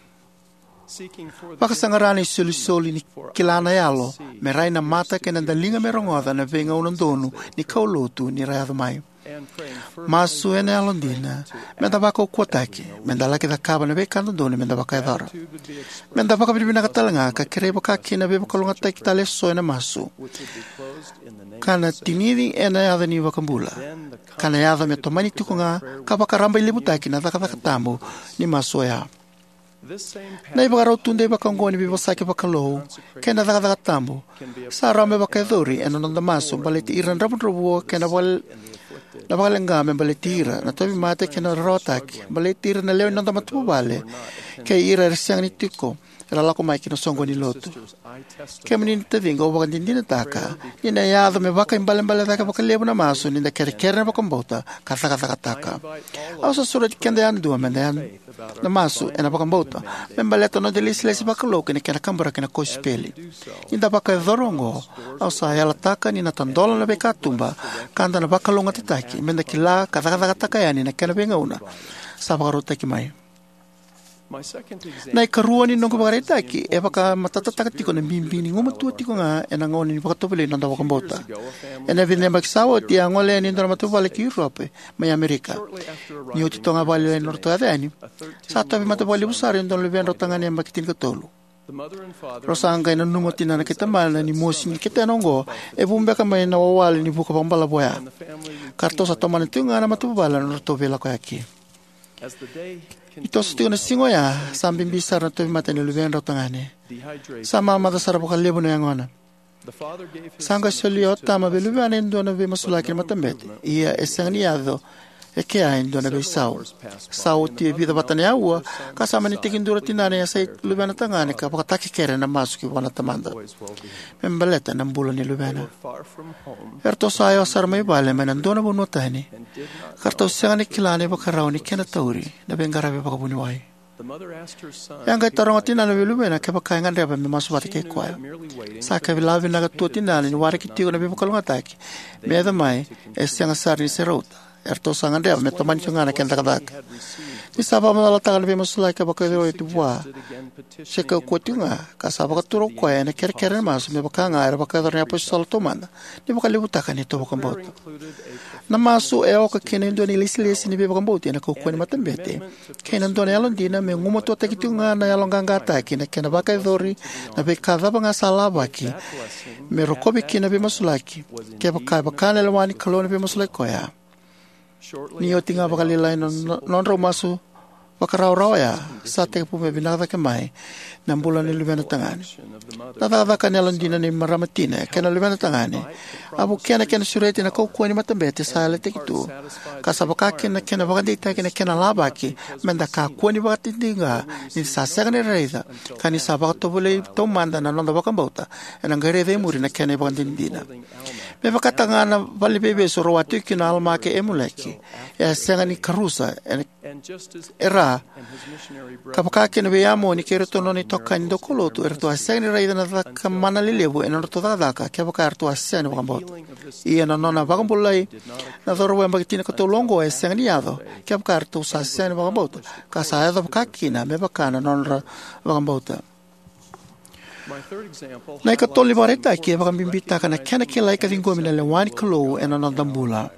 Vakasaqara na isolisoli ni kila na yalo me rai na mata kei na daliga me rogoca na veigauna donu ni kaulotu ni ra yaco mai. Masu ena yalodina meda vakaukauwataki meda laki cakava na veika dodonu meda vakayacora. Meda vakavinavinaka talega ka kerei vakakina na veivakalougatataki tale eso ena masu, ka na tinici ena yaca ni iVakabula, ka na yaco me tomani tiko ga ka vakarabailevutaki na cakacaka tabu ni masu oya. Na ivakarau tudei vakaoqo ni veivosaki vakalou kei na cakacaka tabu sa rawa me vakayacori ena noda masu baleti ira na dravudravua kei na vakale, na vakaleqa me baleti ira na tauvimate kei na rarawataki, baleti ira na lewe ni noda matavuvale kei ira era sega ni tiko era lako mai ki na soqoni ni lotu. Kemuni na taciqu, au vakadinadinataka ni na yaco me vakaibalebale cake vakalevu na masu ni da kerekere ena vakabauta ka cakacakataka. Au sa sureti keda yadua meda yad na masu ena vakabauta me baleta na noda ilesilesi vakalou kei na kena kaburaki na kosipeli. Ni da vakayacora oqo, au sa yalataka ni na tadola na veikatuba ka da na vakalougatataki meda kila ka cakacakataka yani na kena veigauna sa vakarautaki mai. Na ikarua ni noqu ivakaraitaki e vakamatatataka tiko na bibi ni gumatua tiko ga ena gauna ni vakatovolei ni noda vakabauta. Ena vica na yabaki sa oti, a gole yani e dua na matavuvale ki Europe mai Amerika. Ni oti toka ga vakalailai na nodratou yaco yani, sa tauvimate vakalevu sara e dua na luvedrau tagane yabaki tinikatolu. Rau sa qai nanuma o tinana kei tamana ni mosi ni ketena oqo e vu beka mai na wawale ni vuka vakabalavu oya, ka ratou sa tomana tiko ga na matavuvale na nodratou veilakoyaki. Ni toso tiko na siga oya, sa bibi sara na tauvimate ni luvedrau tagane. Sa mamaca sara vakalevu na yagona. Sa qai solia o tama vei luvena e dua na veimasulaki ni matabete, ia e sega ni yaco e kea e dua na veisau. Sa oti e vica vata na aua, ka sa mani tekiduru o tinana e yasai luvena tagane ka vakatakekere ena masu ki vua na tamada me baleta na bula ni luvena. Eratou sa yawa sara mai vale mai na dua na vanua tani, ka ratou sega ni kila na ivakarau ni kena tauri na veiqaravi vakavuniwai. E a qai taroga o tinana vei luvena kevaka e gadreva me masu vata kei koya. Sa kila vinaka tu o tinana ni waraki tiko na veivakalougatataki me yaco mai, e sega sara ni se rauta. Eratou sa gadreva me tomani tiko ga na kena cakacaka. Ni sa vakamacalataka na veimasulaki ka vakayacori oti vua se kaukauwa tiko ga, ka sa vakatura o koya ena kerekere na masu, me vaka ga era vakayacora na iapositolo taumada ni vakalevutaka na neitou vakabauta. Na masu e oka kina e dua na ilesilesi ni veivakabauti ena kaukauwa ni matabete kei na dua na yalodina me gumatuataki tiko ga na yaloqaqataki na kena vakayacori na veika cava ga sa lavaki me rokovi kina na veimasulaki. Kevaka e vaka na lewa ni Kalou na veimasulaki koya, ni oti ga vakalailai na no- nodrau masu vakarawarawa oya, sa tekivu me vinaka cake mai na bula ni luvena tagane. Na cakacaka ni yalodina ni marama tina kei na luvena tagane a vukea na kena sureti na kaukauwa ni matabete sa yalataki tu, ka sa vaka kina na kena vakadeitaki na kena lavaki meda kakua ni vakadidike ni sa sega ni raica, ka ni sa vakatovolei taumada na noda vakabauta, ena qai raica e muri na kena ivakadinadina. Me vakataka ga na valeniveivesu rau a tiko kina o Alama kei Amuleki, e a sega ni karusa ena e ra, ka vaka kina vei Amoni kei iratou na nona itokani daukaulotu, eratou a sega ni raica na cakamana lelevu ena nodratou cakacaka kevaka eratou a sega ni vakabauta. Ia na nona vakabulai na cauravou yabaki tinikaciwa oqo e sega ni yaco kevaka eratou sa sega ni vakabauta, ka sa yaco vaka kina me vaka na nodra vakabauta. Na ikatolu ni ivakaraitaki e vakabibitaka na kena kilai ka ciqomi na lewa ni Kalou ena noda bula.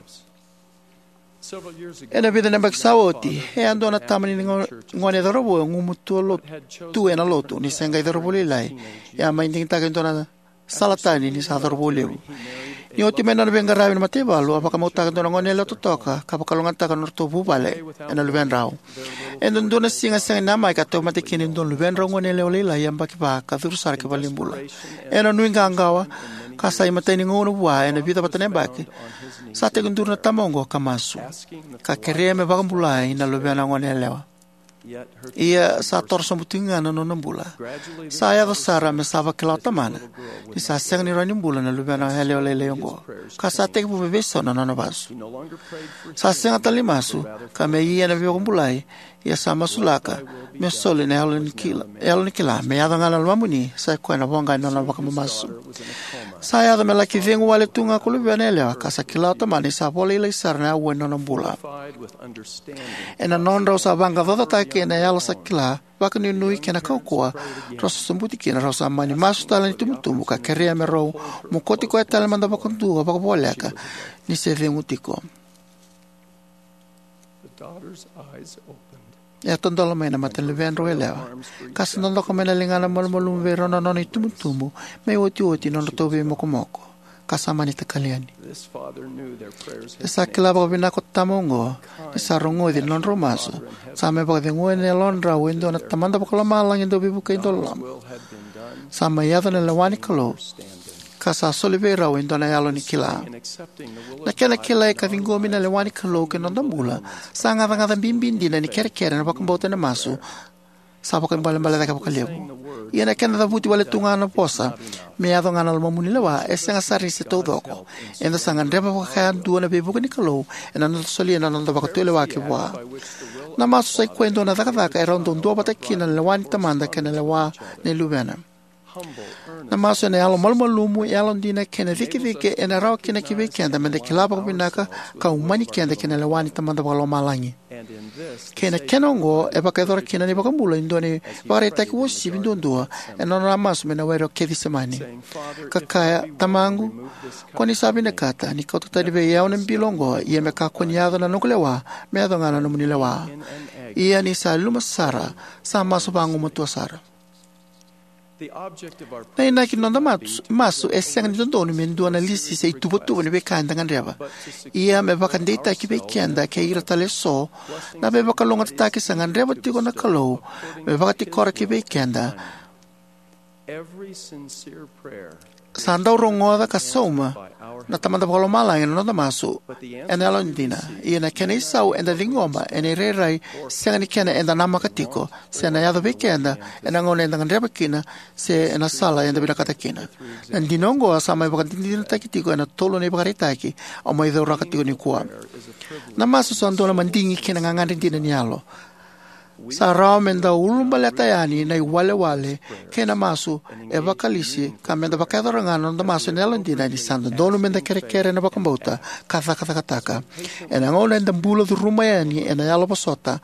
Ena vica na yabaki sa oti, e a dua na tama ni gone cauravou e gumatua tu ena lotu ni se qai cauravou lailai. E a mai digitaka e dua na sala tani ni sa cauravou levu. Ni oti mai nona veiqaravi na mataivalu, a vakamautaka e dua na goneyalewa totoka ka vakalougatataka na nodratou vuvale ena luvedrau. E dua na siga sega ni namaki a tauvimate kina e dua na luvedrau goneyalewa lailai yabaki va ka curu sara ki valenibula. Ena nuiqawaqawa ka sa imatai ni gauna vua ena vica vata na yabaki, sa tekiduru na tama oqo ka masu, ka kerea me vakabulai na luvena goneyalewa. Ia sa toro sobu tiko ga na nona bula. Sa yaco sara me sa vakila o tamana ni sa sega ni rawa ni bula na luvena yalewa lailai oqo, ka sa tekivu me veisau na nona vasu. Sa sega tale ni masu ka me ia na veivakabulai, ia sa masulaka me soli na yalo ni kila, yalo ni kila me yaco ga na lomamuni, sa i koya na voqa ni nona vakamamasu. Sa yaco me laki cegu wale tu ga ko luvena yalewa, ka sa kila o tamana ni sa vo lailai sara na aua ni nona bula. Ena nodrau sa vaqaqacotaki ena yalo sa kila, vakanuinui kei na kaukauwa, rau sa sobuti kina, rau sa mani masu tale na itubutubu ka kerea me rau mokoti koya tale mada vakadua vakavoleka ni se cegu tiko. E a tadola mai na mata ni luvedrau yalewa, ka sa dodoka mai na ligana malumalumu vei rau na nona itubutubu me iotioti na nodratou veimokomoko, ka sa mani takali yani. E sa kila vakavinaka o tama oqo ni sa rogoci na nodrau masu, sa mai vakacegua ena yalodrau e dua na Tamada Vakalomalagi dau veivuke, dau loloma. Sa mai yaco na lewa ni Kalou, ka sa soli vei rau e dua na yalo ni kila. Na kena kilai ka ciqomi na lewa ni Kalou ki na noda bula sa gacagaca bibi dina ni kerekere, na vakabauta, na masu, sa vakaibalebale cake vakalevu. Ia na kena cavuti wale tu ga na vosa me yaco ga na lomamuni lewa e sega sara ni se taucoko. Eda sa gadreva vakayadua na veivuke ni Kalou ena noda solia na noda vakatulewa ki vua. Na masu sa i koya e dua na cakacaka e rau dau duavata kina na lewa ni Tamada kei na lewa ni Luvena. Na masu ena yalo malumalumu, yalodina kei na cikecike ena rawa kina ki vei keda meda kila vakavinaka ka umani keda ki na lewa ni Tamada Vakalomalagi. Kei na kena oqo e vakayacora kina na iVakabula e dua na ivakaraitaki uasivi duadua ena nona a masu mai na were o Kecisemani, ka kaya, "Tamaqu, ko ni sa vinakata ni kauta tani vei au na bilo oqo, ia me kakua ni yaco na noqu lewa, me yaco ga na nomuni lewa." Ia ni sa yaluma sara, sa masu vagumatua sara. Na inaki ni noda masu, masu e sega ni dodonu me dua na lisi se ituvatuva ni veika eda gadreva. Ia me vakadeitaki vei keda kei ira tale eso na veivakalougatataki sa gadreva tiko na Kalou me vakatikora ki vei keda. Sa dau rogoca ka sauma na Tamada Vakalomalagi na noda masu ena yalodina. Ia na kena isau eda ciqoma ena irairai sega ni kena eda namaka tiko se na yaco vei keda ena gauna eda gadreva kina se ena sala eda vinakata kina. Na dina oqo sa mai vakadinadinataki tiko ena tolu na ivakaraitaki au mai cauraka tiko nikua. Na masu sa dua na madigi kei na gagadre dina ni yalo. Sa rawa me da ulubaleta yani na iwalewale kei na masu e vakalisi ka me da vakayacora ga na noda masu ena yalodina ni sa dodonu me da kerekere ena vakabauta ka cakacakataka. Ena gauna eda bula curuma yani ena yalo vosota,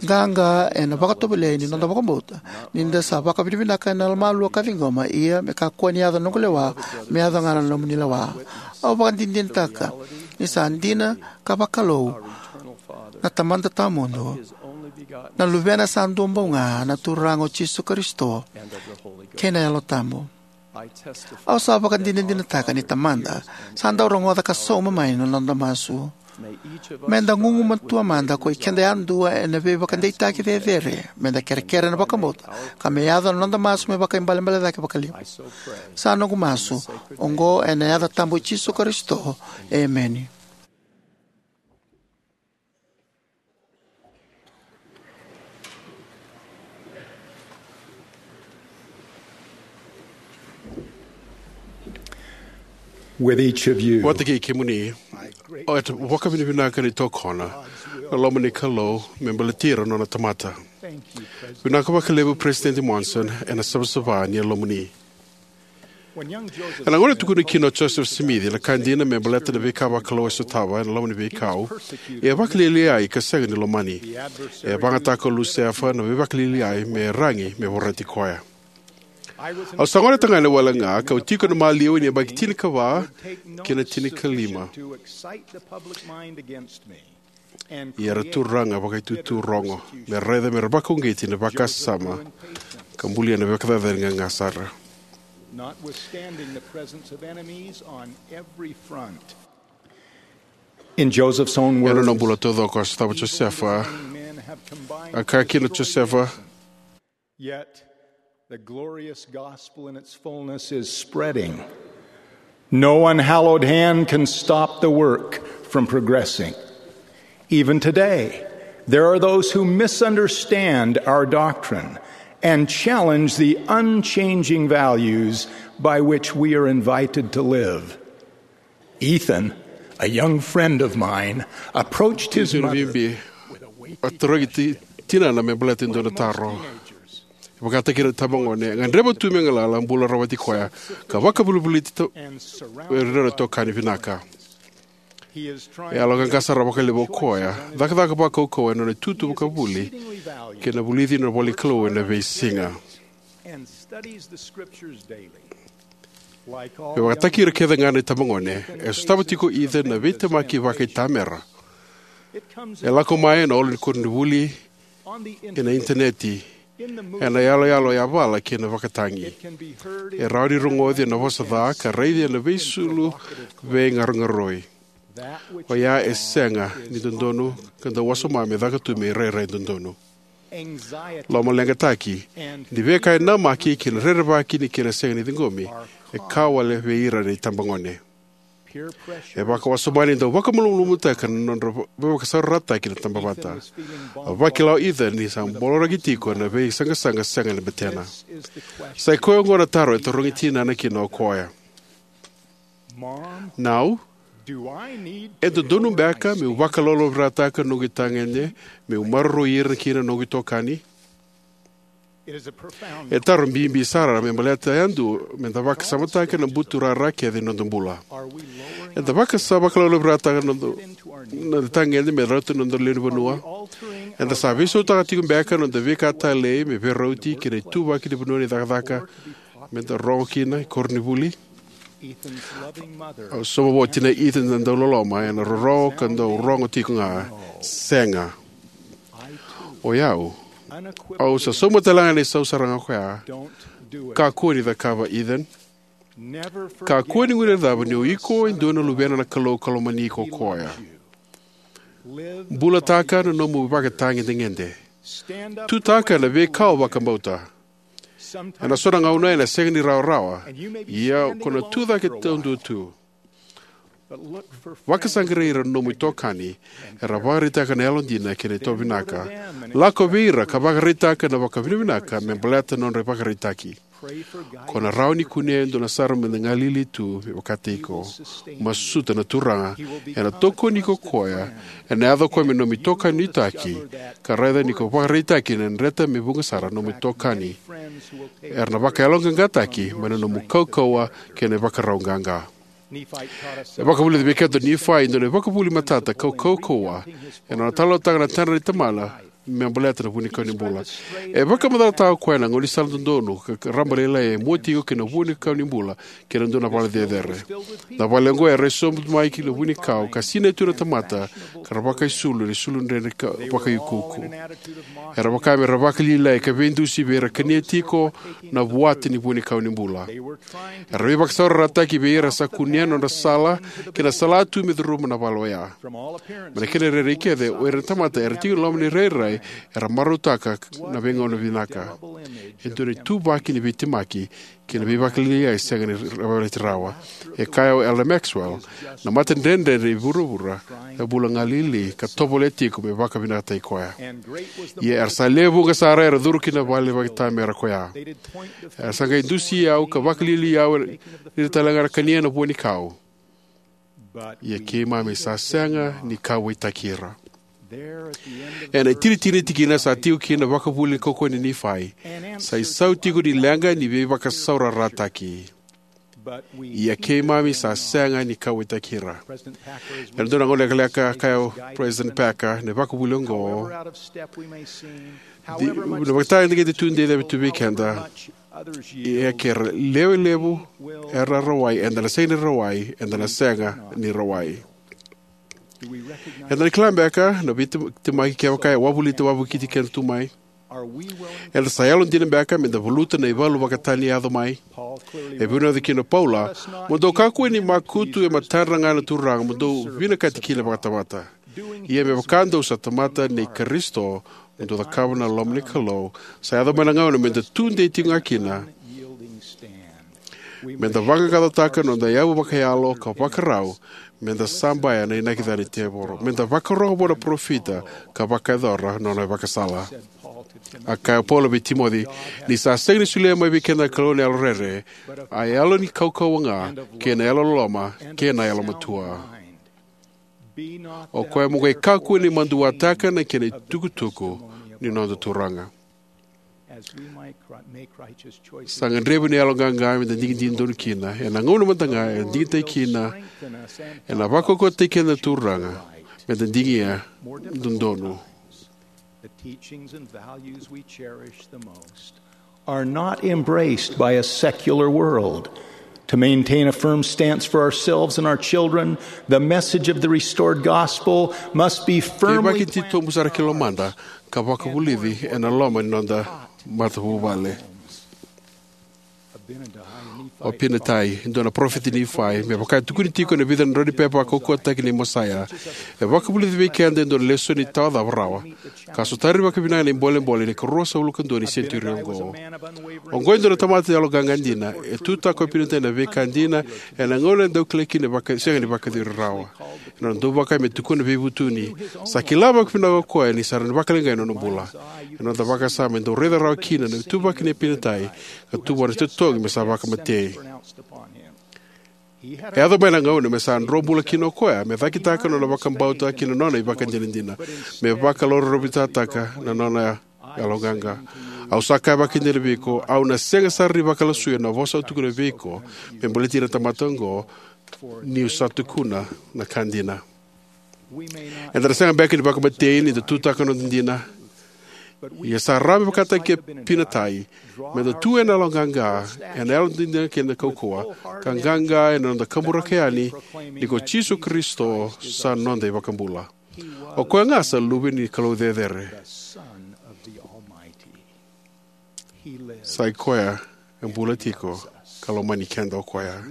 qaqa ena vakatovolei ni noda vakabauta, ni da sa vakavinavinaka ena yalomalua ka ciqoma, ia me kakua ni yaco na noqu lewa, me yaco ga na nomuni lewa. Au vakadinadinataka ni sa dina ka vakalou na Tamada Tawamudu, na Luvena sa dua bau ga, na Turaga o Jisu Karisito, kei na Yalo Tabu. Au sa vakadinadinataka ni Tamada sa dau rogoca ka sauma mai na noda masu. Me da gugumatua mada ko i keda yadua ena veivakadeitaki cecere, me da kerekere na vakabauta, ka me yaco na noda masu me vakaibalebale cake vakalevu. Sa noqu masu oqo ena yaca tabu i Jisu Karisito. Emeni. With each of you, vata kei kemuni, au vakavinavinaka ni tokona na loma ni Kalou me baleti ira na nona tamata. Vinaka vakalevu President Monson ena savasava ni yalomuni. Ena gauna e tukuna kina o Joseph Smith na ka dina me baleta na veika vakalou e sotava ena loma ni veikau, e a vakalialiai ka sega ni lomani. E a vagataka o Lusefa na veivakalialiai me ragi me vorati koya. Au sa gone tagane wale ga kau tiko ena maliwa ni yabaki tinikava kei na tinikalima. Ia era turaga vakaitutu rogo me raica me ra vakauqeti na vakasama ka bulia na veikacacani gaga sara. Notwithstanding the presence of enemies on every front. In Joseph's own words, ena nona bula taucoko a sotava Josefa, a kaya kina o Josefa, yet the glorious gospel in its fullness is spreading. No unhallowed hand can stop the work from progressing. Even today, there are those who misunderstand our doctrine and challenge the unchanging values by which we are invited to live. Ethan, a young friend of mine, approached his mother. Bibi a tarogi tinana me baleta e dua na taro. E vakataki ira na tabagone, gadreva tu me galala, bula rawati koya, ka vakavolivoliti ira na itokani vinaka. E yaloqaqa sara vakalevu o koya, cakacaka vakaukauwa ena nona itutu vakavuli kei na vulici na ivolanikalou ena veisiga. E vakataki ira kece ga na itabagone, e sotava tiko o Ethan na veitemaki vakaitamera. E lako mai ena olo ni koronivuli, ena initaneti, ena yaloyalo yavala kei na vakatagi. E rawa ni rogoci ena vosa ca ka raici ena veisulu veigarogaroi. Oya e sega ni dodonu ka dau wasoma me caka tu me irairai dodonu. Lomaleqataki ni veika e namaki kei na rerevaki ni kena sega ni ciqomi e ka wale vei ira na itabagone. E vakawasoma ni dau vakamalumalumutaka na nodra veivakasaurarataki na tabavata. A vakila o Ethan ni sa boloraki tiko na veisaqasaqa sega ni betena. Sa i koya oqo na taro e tarogi tinana kina o koya. Nau, e dodonu beka meu vakalolovirataka noqu itagede meu maroroi ira kina noqu itokani? E taro bibi sara me baleta yadua me da vakasamataka na buturara kece ni noda bula. Eda vakasa vakalolovirataka na noda, na itagede me rauta na noda lewe ni vanua. Eda sa veisautaka tiko beka na noda veika talei me veirauti kei na ituvaki ni vanua ni cakacaka me da rogo kina e koronivuli. Au sauma vua o tinai Ethan na dauloloma ena rorogo ka dau rogo tiko ga. Sega. O yau, au sa sauma tale ga na isau sara ga koya. Kakua ni cakava, Ethan. Kakua ni guilecava ni o iko e dua na luvena na Kalou ka lomani iko o koya. Bulataka na nomu vakatagedegede. Tutaka na veika o vakabauta. Ena so na gauna ena sega ni rawarawa, ia ko na tucake taudua tu. Vakasaqarai ira na nomu itokani era vakaraitaka na yalodina kei na itovinaka. Lako vei ira ka vakaraitaka na vakavinavinaka me baleta na nodra ivakaraitaki. Ko na rawa ni kunea e dua na sara meda galili tu me vakataki iko. Masuta na Turaga, ena tokoni iko o koya. Ena yaco o koya me nomu itokani nuitaki, ka raica ni ko vakaraitaki ena dreta me vuqa sara na nomu itokani. Era na vakayaloqaqataki mai na nomu kaukauwa kei na ivakarau qaqa. E vakavulica vei keda o Nifai e dua na ivakavuvuli matata ka kaukauwa ena nona talanoataka na tadra nei tamana me baleta na vuanikau ni bula. E vakamacalataka o koya na gaunisala dodonu ka raba lailai e mua tiko kei na vuanikau ni bula kei na dua na vale cecere. Na vale oqo e rai sobu mai ki na vuanikau ka sinai tu na tamata ka ra vakaisulu ena isulu dredre ka vakaiukuuku. Era vaka me ra vakalialiai ka veidusi vei ira kania tiko na vuata ni vuanikau ni bula. Era veivakasaurarataki vei ira sa kunea na nodra sala kei na sala tu me curuma na vale oya. Mai na kena rairai kece, o ira na tamata era tiko ena loma ni rairai era marautaka na veigauna vinaka. E dua na ituvaki ni veitemaki kei na veivakalialiai e sega ni vakaraitaki rawa. E kaya o Elder Maxwell, na matadredredre ni vuravura e bula galili ka tovolea tiko me vakavinakataki koya. Ia era sa lewe vuqa sara era curu ki na vale vakaitamera koya. Era sa qai dusi au ka vakalialiai au ni ra talega era kania na vuanikau. Ia keimami sa sega ni kauwaitaki ira. Ena itinitini ni tikina sa tiko kina na vakavuvuli kaukauwa nei Nifai. Sa isau tiko ni leqa ni veivakasaurarataki. Ia keimami sa sega ni kauwaitaki ira. Ena dua na gauna lekaleka, kaya o President Packer, na ivakavuvuli oqo, di, na vakatagedegede tu, de cava tu vei keda. Ia ke ra lewe levu era rawai, eda na sega ni rawai, eda na sega ni rawai. Eda na kila beka na veitemaki kevaka e wavolita, wavokiti keda tu mai? Eda sa yalodina beka meda valuta na ivalu vakatani e yaco mai? E vunauci kina o Paula, mo dou kakua ni makutu e matadra ga na Turaga, mo dou vinakati kina vakatamata. Ia me vaka dou sa tamata nei Karisito, mo dou cakava na loma ni Kalou. Sa yaco mai na gauna meda tudei tiko ga kina. Meda vaqaqacotaka na noda yavu vakayalo ka vakarau, meda sabaya na inaki ca ni tevoro, meda vakarogo vua na parofita ka vakayacora na nona ivakasala. A kaya o Paula vei Timoci, ni sa sega ni solia mai vei keda na Kalou na yalo rere, a yalo ni kaukauwa ga, kei na yalo loloma, kei na yalo matua. O koya mo qai kakua ni maduataka na kena itukutuku ni noda Turaga. Sa gadrevi na yalo qaqa meda digidigi donu kina. Ena gauna mada ga e digitaki kina, ena vakaukauwataki keda na Turaga meda digia dodonu. The teachings and values we cherish the most are not embraced by a secular world. To maintain a firm stance for ourselves and our children, the message of the restored gospel must be firmly planted. Kevaka e titobu sara ki lomada ka vakavulici ena loma ni noda matavuvale. O Apinatai, e dua na parofita ni Nifai, me vaka e tukuni tiko ena vica na draunipepa vakaukauwataki nei Mosaia, e vakavulici vei keda e dua na lesoni tawa cava rawa ka sotari vakavinaka na ibolebole ni ikaruasagavulu ka dua ni senitiuri oqo. Oqo e dua na tamata yaloqaqa dina. E tutaka o Apinatai na veika dina ena gauna e dau kilai kina e vaka, sega ni vakayacori rawa. Ena nona dau vaka me tukuna veivutuni, sa kila vakavinaka o koya ni sa rawa ni vakaleqai na nona bula. Ena noda vakasama, e dau raica rawa kina na ituvaki nei Apinatai ka tu vua na itotogi me sa vakamatei. E yaco mai na gauna me sa dro bula kina o koya me cakitaka na nona vakabauta kei na nona ivakadinadina, me vakalauravitaka na nona yaloqaqa. Au sa kaya vakaidina vei iko, au na sega sara ni vakalasuya na vosa au tukuna vei iko me baleti ira na tamata oqo, niu sa tukuna na ka dina. Eda na sega beka ni vakamatei ni da tutaka na noda dina. Ia sa rawa me vakataki Apinatai, meda tu ena yaloqaqa, ena yalodina kei na kaukauwa, ka qaqa ena noda kaburaka yani ni ko Jisu Karisito sa noda iVakabula. O koya ga sa Luve ni Kalou Cecere. Sa i koya e bula tiko ka lomani keda o koya.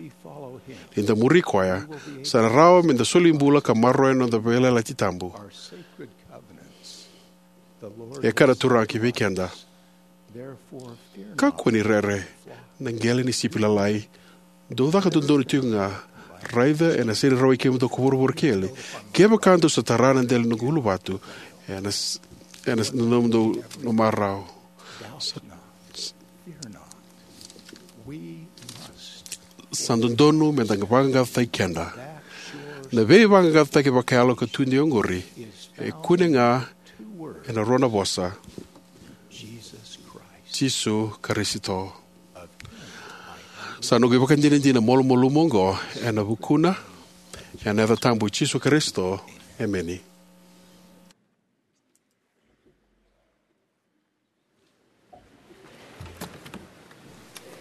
Ni da muri koya, sa na rawa meda soli bula ka maroroya na noda veiyalayalati tabu. E kaya na Turaga ki vei keda, Kakua ni rere, na qele ni sipi lalai. Dou caka dodonu tiko ga. Raica ena sega ni rawai kemudou ko vuravura kece, kevaka dou sa tara na dela ni noqu uluvatu ena, ena nomudou na marau. Sa, sa dodonu me da vaqaqacotaki keda. Na veivaqaqacotaki vakayalo ka tu ni oqori e kune ga ena rua na vosa: Jisu Karisito. Sa noqu ivakadinadina malumalumu oqo ena vukuna, ena yaca tabu i Jisu Karisito, emeni.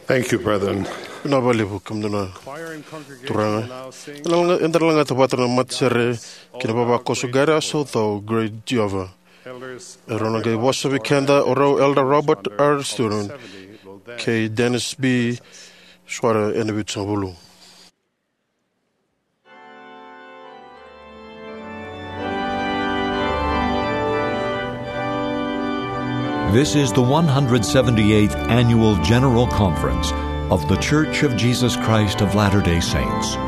Thank you, brethren. Vinaka vakalevu, kemudou na turaga. Eda na laga-, eda na lagata vata na matasere kei na vavakoso Guide Us, O Thou Great Jehovah. Erau na qai vosa vei keda o rau Elder Robert R. Stone kei Dennis B. Schroeder ena vitusagavulu. This is the one hundred seventy-eighth Annual General Conference of The Church of Jesus Christ of Latter-day Saints.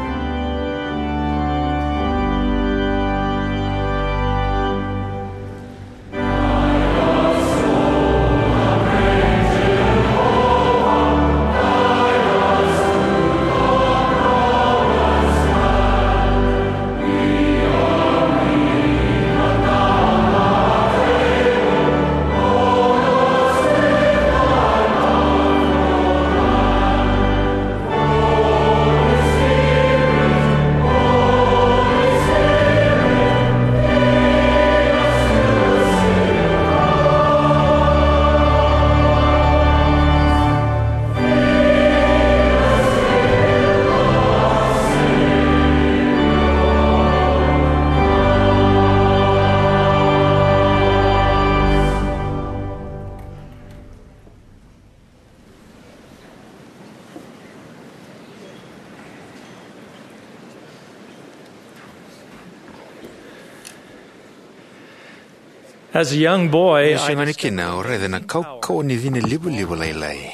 As a young boy, I discovered... Ni se gone kina, au raica na kaukauwa ni cina livaliva lailai.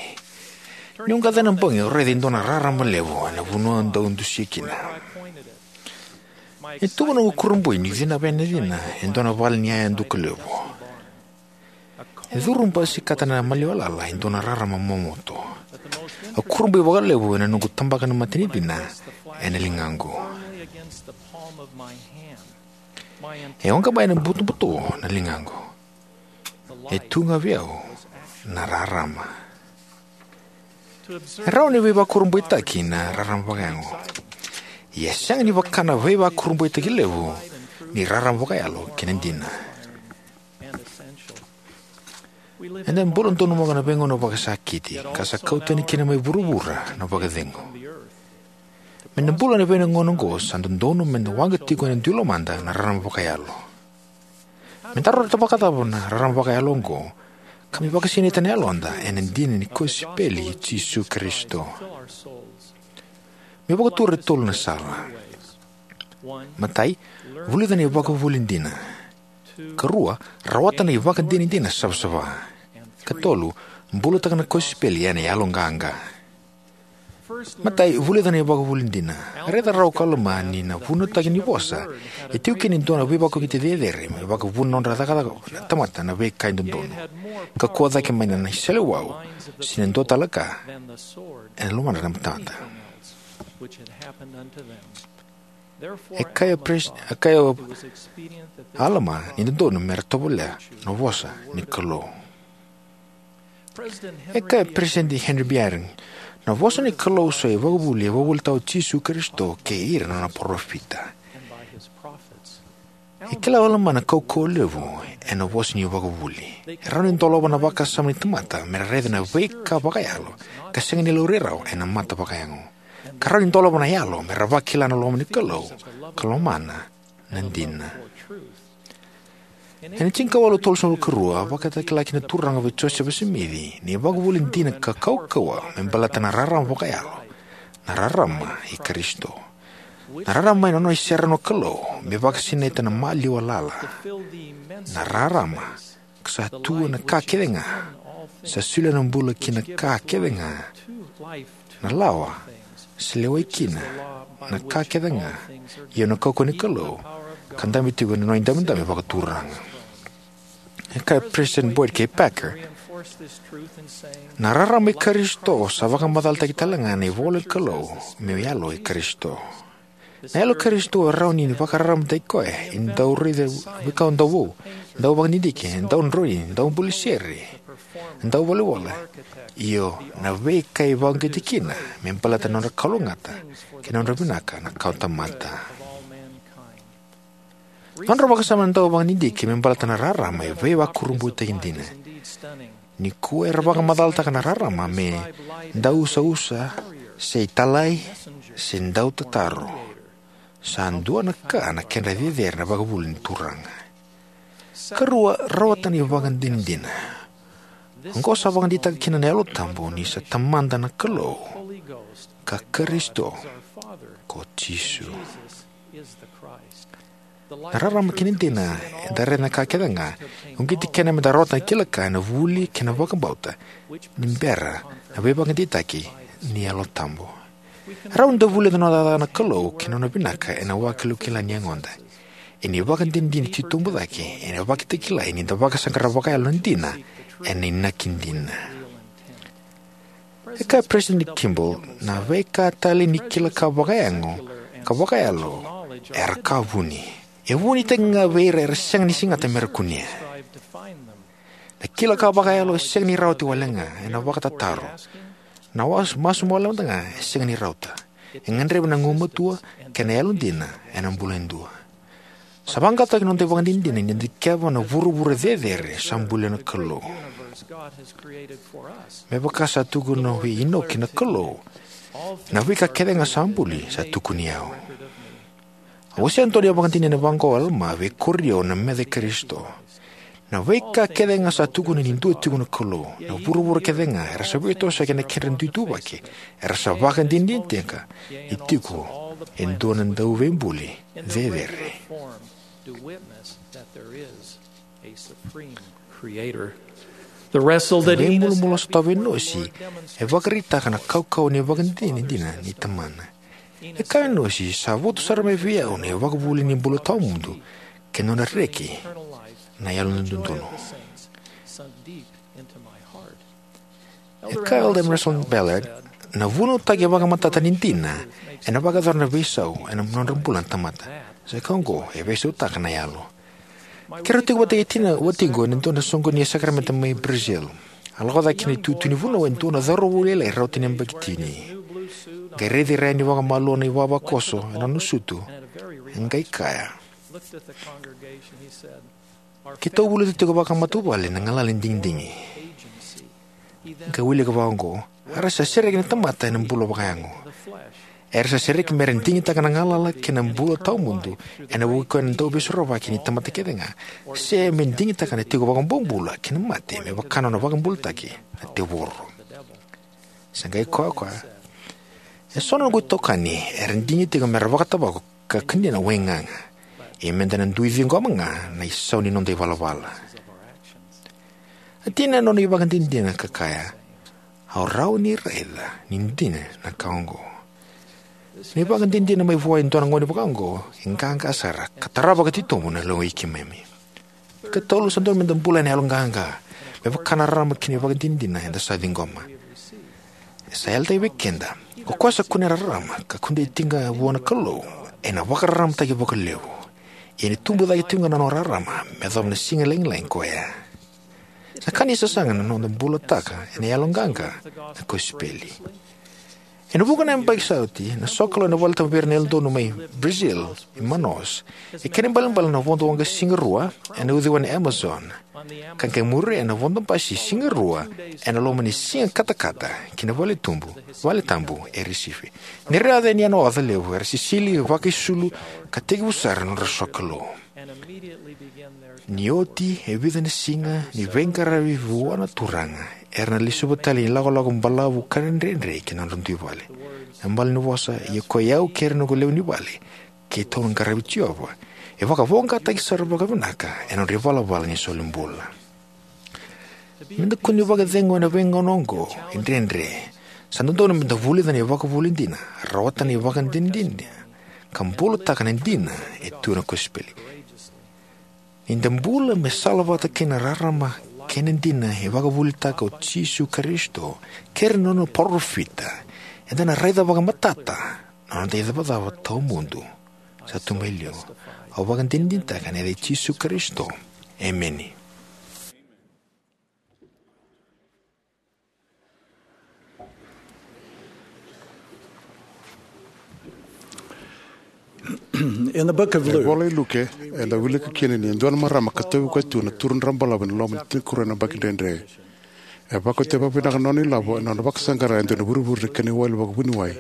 Niu qai yaco na bogi, au raica e dua na rarama levu ena vanua au dau dusia kina. E tukuna noqu kurabui niu cinava na cina e dua na vale ni yaya duka levu. E curu basikata na maliwa lala e dua na rarama momoto. Au kurabui vakalevu ena noqu tabaka na matanicina ena ligaqu. E oqa mai na butobuto na ligaqu. E tu ga vei au na rarama. E rawa ni veivakurabuitaki na rarama vakayago. Ia e sega ni vaka na veivakurabuitaki levu ni rarama vakayalo kei na dina. Eda bula donumaka na veigauna vakasakiti, ka sa kau tani kina mai vuravura na vakacegu. Me da bula ena veigauna oqo, sa dodonu me da waqa tiko ena dui lomada na rarama vakayalo. Me da rauta vakacava na rarama vakayalo oqo, ka me vakasinaita na yaloda ena dina ni kosipeli i Jisu Karisito? Me vakatura e tolu na sala. Matai, vulica na ivakavuvuli dina. Karua, rawata na ivakadinadina savasava. Katolu, bulataka na kosipeli ena yaloqaqa. Matai, vulica na ivakavuvuli dina. Raica rawa ko Alama ni na vunautaki ni vosa e tiko kina e dua na veivakauqeti cecere me vakavuna na nodra cakacaka na tamata na veika e dodonu. Kakua cake mai na, na iseleiwau se na dua tale ka ena lomadra na tamata. E kaya o Pres-, e kaya o Alama ni dodonu me ra tovolea na vosa ni Kalou. E kaya o Peresitedi Henry B. Eyring, na vosa ni Kalou sa ivakavuvuli e vakavuvulitaka o Jisu Karisito kei ira na nona parofita. E kila o Alama na kaukauwa levu ena vosa ni ivakavuvuli. E rawa ni dolava na vakasama ni tamata me ra raica na veika vakayalo ka sega ni laurai rawa ena mata vakayago. Ka rawa ni dolava na yalo me ra vakila na loma ni Kalou ka lomana na dina. Ena tinikawalu tolusagavulu ka rua, a vakatakila kina na Turaga vei Josefa Simici na ivakavuvuli dina ka kaukauwa me baleta na rarama vakayalo, na rarama i Karisito. Na rarama ena nona iserau na Kalou me vakasinaita na maliwa lala. Na rarama ka sa tu ena ka kece ga Sa solia na bula ki na ka kece ga, na lawa, sa lewai kina na ka kece ga, io na kaukauwa ni Kalou, ka dabe tiko ena nona idabedabe vakaturaga. E kaya o President Boyd K. Packer, na rarama i Karisito sa vakamacalataki tale ga na ivola ni Kalou, meu yalo i Karisito. Na yalo i Karisito e rawa ni vakararamataki koya e dau raica veika dau vou, dau vakadidike, dau droini, dau buli sere, dau volavola, io na veika e vakauqeti kina me baleta na nodra kalougata kei na nodra vinaka na kawatamata. Nodra vakasama na dau vakadidike me baleta na rarama e veivakurabuitaki dina. Nikua era vakamacalataka na rarama me dausausau, se italai, se dautataro. Sa dua na ka na kedra cecere na ivakavuvuli ni Turaga. Karua, rawata na ivakadinadina. Oqo sa vakadeitaka kina na Yalo Tabu ni sa Tamada na Kalou, ka Karisito ko Jisu. Na rarama kei na dina eda raica na ka kece ga e uqeti kina meda rawata na kila ka ena vuli kei na vakabauta ni bera na veivakadeitaki ni Yalo Tabu. E rawa ni da vulica na nona cakacaka na Kalou kei na nona vinaka ena vakilakila ni yagoda. Ena ivakadinadina titobu cake, ena ivakatakilai ni da vakasaqara vakayalo na dina ena inaki dina. E kaya o President Kimball, na veika talei ni kila ka vakayago ka vakayalo era ka vuni. E vunitaki ga vei ira era sega ni segata mera kunea. Na kila ka vakayalo e sega ni rawati wale ga ena vakatataro. Na was- masu mada ga e sega ni rauta. E gadrevi na gugumatua kei na yalodina ena bula e dua. Sa vaqaqacotaki na noda ivakadinadina ni da dikeva na vuravura cecere sa bulia na Kalou. Me vaka sa tukuna vei Inoki na Kalou, na veika kece ga sa buli sa tukuni au. Au wasea e dua na ivakadinadina vaqo o Alama vei Korinito na meca i Karisito. Na veika kece ga sa tukuni ni dua tiko na Kalou, na vuravura kece ga era sa veitosoyaki ena kedra dui ituvaki, era sa vakadinadinataka ni tiko e dua na dauveibuli cecere. The wrestle that Enos veimulumulu sa tau vei Enosi e vakaraitaka na kaukauwa ni vakadinadina ni tamana. E kaya o Enosi, sa votu sara mai vei au na ivakavuvuli ni bula tawamudu kei na nodra reki na yalododonu. E kaya o Elder Russell Ballard, na vunautaki e vakamatata ni dina ena vakayacora na veisau ena nodra bula na tamata. Sa ka oqo e veisautaka na yalo. Keirau tiko vata kei tina watiqu ena dua na soqoni ni sakaramede mai Brazil. A lako cake ki na itutu ni vanua e dua na cauravou lailai rauta ni yabaki tini. Qai raici ira yani vakamalua na ivavakoso ena nona sutu. E qai kaya, keitou vulica tiko vakamatavuvale na galala ni digidigi. Qai wilika vaqo, era sa sereki na tamata ena bula vakayago. Era sa sereki mera digitaka na galala kei na bula tawamudu ena vuku ni dauveisorovaki ni tamata kece ga, se me digitaka na tiko vakabobula kei na mate me vaka na nona vakabulataki na tevoro. Sa qai kaya o koya, eso na noqu itokani era digi tiko mera vakatavako ka kania na waigaga. Ia meda na dui ciqoma ga na isau ni noda ivalavala. A tina na nona ivakadinadina ka kaya, au rawa ni raica ni dina na ka oqo. Na ivakadinadina mai vua e dua na gone vaka oqo e qaqa sara ka tarava ka titobu na lewe i keimami. Katolu, sa dodonu meda bula ena yaloqaqa me vaka na rarama kei na ivakadinadina eda sa ciqoma. E sa yalataki vei keda, ko koya sa kunea na rarama ka kunei tiko ga vua na Kalou ena vakararamataki vakalevu. Ia ena tubu cake tiko ga na nona rarama me yacova na siga lagilagi ko ya. Sa ka ni sasaga na noda bulataka ena yaloqaqa na kosipeli. Ena vuqa na yabaki sa oti, na sokalou ena valetabu vei ira na Yalododonu mai Brazil, i Manaus, e kena ibalebale na vodo waqasigara ena uciwai ni Amazon, ka qai muria ena vodo basi sigara ena loma ni siga katakata ki na vale tubu, vale tabu e Recife. Ni ra yaco yani ena oca levu, era sisili, vakaisulu, ka tekivu sara na nodra sokalou. Ni oti e vica na siga ni veiqaravi vua na Turaga, era na lesuva tale na ilakolako balavu ka dredre ki na nodra dui vale. Na malanivosa, ia ko i au kei ira na noqu lewe ni vale, keitou na qaravi Jiova, e vakavoqataki sara vakavinaka ena nodra ivalavala ni solibula. Me da kua ni vakacegu ena veigauna oqo e dredre, sa dodonu me da vulica na ivakavuvuli dina, rawata na ivakadinadina, ka bulataka na dina e tu ena kosipeli. Ni da bula me salavata kei na rarama kei na dina e vakavuvulitaka o Jisu Karisito kei ira na nona parofita, eda na raica vakamatata na noda icavacava tawamudu sa tu mai liu. Au vakadinadinataka ena yaca i Jisu Karisito. Emeni. In the book of Luke, ivola i Luke, eda wilika kina ni dua na marama ka tauvi koya tu na turu drabalavu ena loma ni tinikarua na yabaki dredre. E vakauta vakavinaka na nona ilavo ena nona vakasaqara e dua na vurevure ni kena iwali vakavuniwai.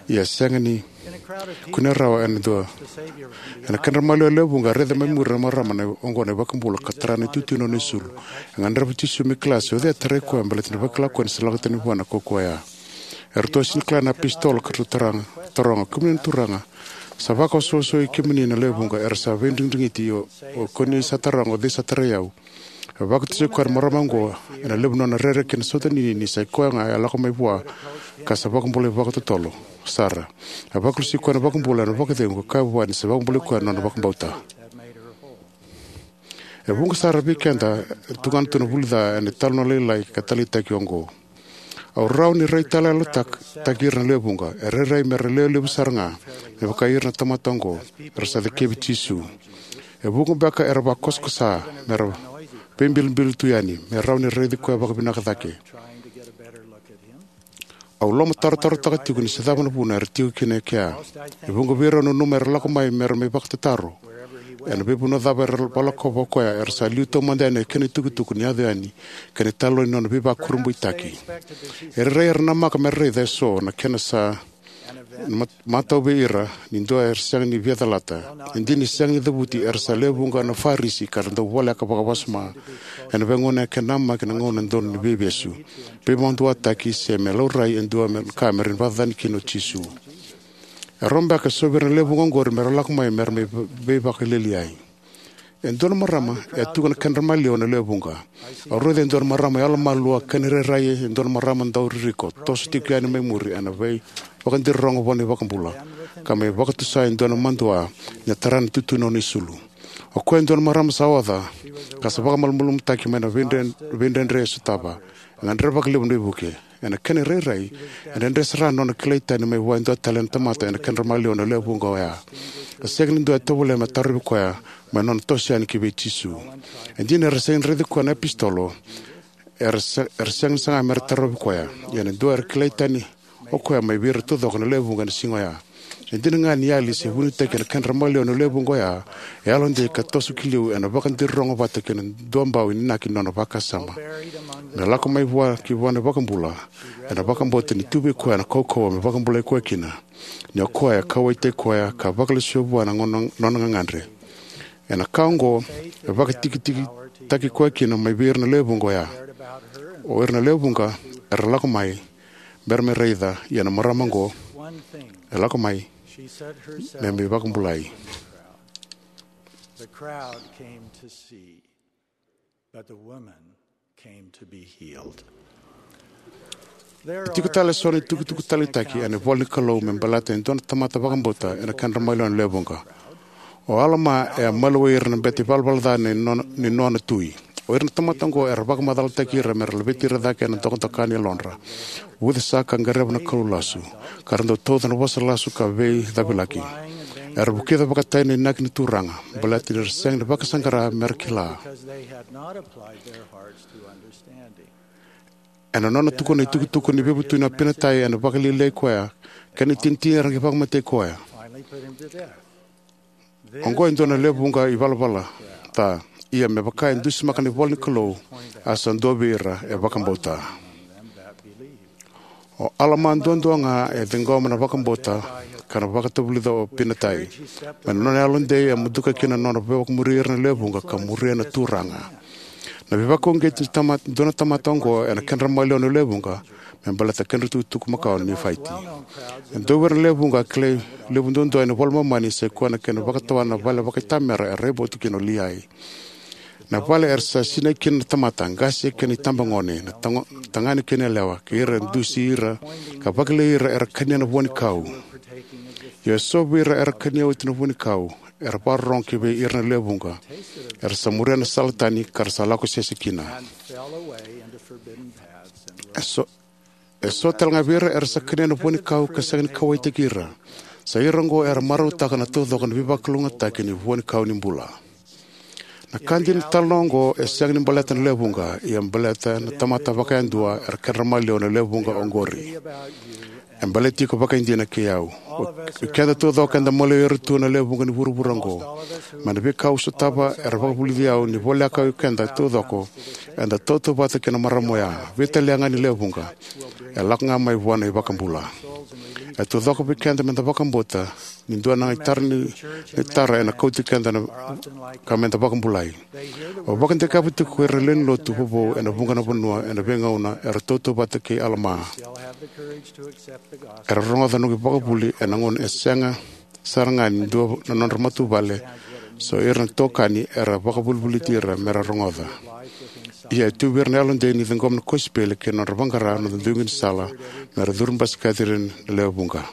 Ia e sega ni kunea rawa ena dua. Ena kedra maliwa na lewe vuqa, e raica mai muri na marama na oqo na iVakabula ka tara na itutu ni nona isulu. E gadreva o Jisu me kila se o cei e tarai koya, baleta ni vakila o koya ni sa lako tani vua na kaukauwa oya. Eratou a sega ni kila na iapositolo ka ratou taroga, taroga, kemuni na Turaga, sa vakaosoosoi kemuni na lewe vuqa era sa veidrigidrigiti, o, o kemuni sa taroga o cei sa tarai au. E vakatusa o koya na marama oqo ena levu ni nona rere kei na sautaninini ni sa i koya ga e lako mai vua ka sa vakabulai vakatotolo sara. E vakalesui koya na iVakabula ena vakacegu ka kaya vua ni sa vakabulai koya na nona vakabauta. E vuqa sara vei keda e tukuna tu na vuli ca ena italanoa lailai ka taleitaki oqo. Au rawa ni raitayaloyalotaki ira na lewe vuqa. E rairai me ra lewe levu sara ga me vaka ira na tamata oqo era sa cakevi Jisu. E vuqa beka era vakosakosa me ra veibilibili tu yani, me rawa ni raici koya vakavinaka cake. Au lomatarotaraotaka tiko ni se cava na vuna era tiko kina e kea. E vuqa vei rau nanuma era lako mai me ra mai vakatataro. Ena veivanua cava era vakalakova o koya, era sa liu taumada yani na kena itukutuku ni yaco yani kei na italanoa ni nona veivakurabuitaki. E rairai era namaka me ra raica eso na kena sa mat-, matau vei ira ni dua era sega ni via calata. E dina ni sega ni cavuti, era sa lewe vuqa na Farisi ka ra dau voleka vakawasoma ena veigauna e kena namaki na gauna donu ni veivesu, veivakaduataki, se me laurai e dua me ka me ra vakacacani kina o Jisu. E rawa beka eso vei ira na lewe vuqa oqori me ra lako mai me ra mai veivakalialiai. E dua na marama e a tuku ena kedra maliwa na lewe vuqa. Au raica e dua na marama yalomalua, kena irairai e dua na marama dau ririko, toso tiko yani mai muri ena veivakadirogo vua na iVakabula, ka mai vakatusa e dua na madua ni a tara na itutu ni nona isulu. O koya e dua na marama sa oca ka sa vakamalumalumutaki mai na veidre-, veidredre e sotava. E gadreva vakalevu na veivuke. Ena kena irairai, e dredre sara na nona kilai tani mai vua e dua tale na tamata ena kedra maliwa na lewe vuqa oya. E sega ni dua e tovolea me tarovi koya mai na nona toso yani ki vei Jisu. E dina era sega ni raici koya na iapositolo, era se-, era sega ni saga me ra tarovi koya. Ia na dua era kilai tani o koya mai vei ira taucoko na lewe vuqa ena siga oya. E dina ga ni yali se vunitaki ena kedra maliwa na lewe vuqa oya, e yalodei ka toso ki liu ena vakadirogo vata kei na duabau inaki ni nona vakasama. Me lako mai vua ki vua na iVakabula, ena vakabauta ni tu vei koya na kaukauwa me vakabulai koya kina, ni o koya e kauwaitaki koya ka vakalesuya vua na gona-, nona gagadre. Ena ka oqo, e vakatikitikitaki koya kina mai vei ira na lewe vuqa oya. O ira na lewe vuqa era lako mai me ra mai raica, ia na marama oqo e lako mai me mai vakabulai. The crowd came to see, but the woman came to be healed. E tiko tale eso na itukutuku taleitaki ena ivola ni Kalou me baleta e dua na tamata vakabauta ena kedra maliwa na lewe vuqa. O Alama e a maliwai ira na bete ivalavala ca ni nona, ni nona tui. O ira na tamata oqo era vakamacalataki ira me ra laveti ira cake ena dokadoka ni yalodra, vucesa ka qaravi na kalou lasu, ka ra dau tauca na vosa lasu ka veicavilaki. Era vukica vakatai na inaki ni Turaga baleta ni ra sega ni vakasaqara me ra kila. Ena nona tukuna na itukutuku ni veivutuni o Apinatai ena vakalialiai koya, kei na itinitini era qai vakamatei koya. Oqo e dua na lewe vuqa ivalavala ca. Ia me vaka e dusimaka na ivola ni Kalou, a sa dua vei ira e vakabauta. O Alama duadua ga e ciqoma na vakabauta ka na vakatavulica o Apinatai. Mai na nona yalodei e muduka kina na nona veivakamuri ira na lewe vuqa ka muria na Turaga. Na veivakauqeti ni tama-, dua na tamata oqo ena kedra maliwa na lewe vuqa me baleta kedra itukutuku makawa na Nifaiti. E dua vei ira na lewe vuqa kilai levu duadua ena iVola i Momani sa i koya na kena vakatawa na vale vakaitamera e raivotu kina o Liai. Na vale era sa sinai kina na tamata, qase kei na itabagone, na tago-, tagane kei na yalewa, kei ira e dusi ira, ka vakilai ira era kania na vuanikau. Ia eso vei ira era kania oti na vuanikau, era vakarorogo kivei ira na lewe vuqa, era sa muria na sala tani ka ra sa lako sese kina. Eso, eso tale ga vei ira era sa kania na vuanikau ka sega ni kauwaitaki ira. Sa ira oqo era marautaka na taucoko na veivakalougatataki ni vuanikau ni bula. Na ka dina ni talanoa oqo e sega ni baleta na lewe vuqa, ia baleta na tamata vakayadua era kedra maliwa na lewe vuqa oqori. E baleti iko vakaidina kei au. O keda taucoko eda maliwai ira tu na lewe vuqa ni vuravura oqo. Mai na veika au sotava era vakavulici au ni voleka o keda taucoko eda tautauvata kei na marama oya. Veitalia ga ni lewe vuqa. E lako ga mai vua na iVakabula. E taucoko vei keda meda vakabauta ni dua na itara ni, ni tara ena kauti keda na ka meda vakabulai. Au vakadikeva tiko ko ira na lewe ni lotu vovou ena vuqa na vanua ena veigauna era tautauvata kei Alama. Era rogoca na noqu ivakavuvuli ena gauna e sega sara ga ni dua na nodra matavuvale, so ira na itokani era vakavolivoliti ira mera rogoca. Ia e tu vei ira na yalodei ni ciqoma na kosipeli kei na nodra vaqara na duidui ni sala mera curu basikati ira na lewe vuqa.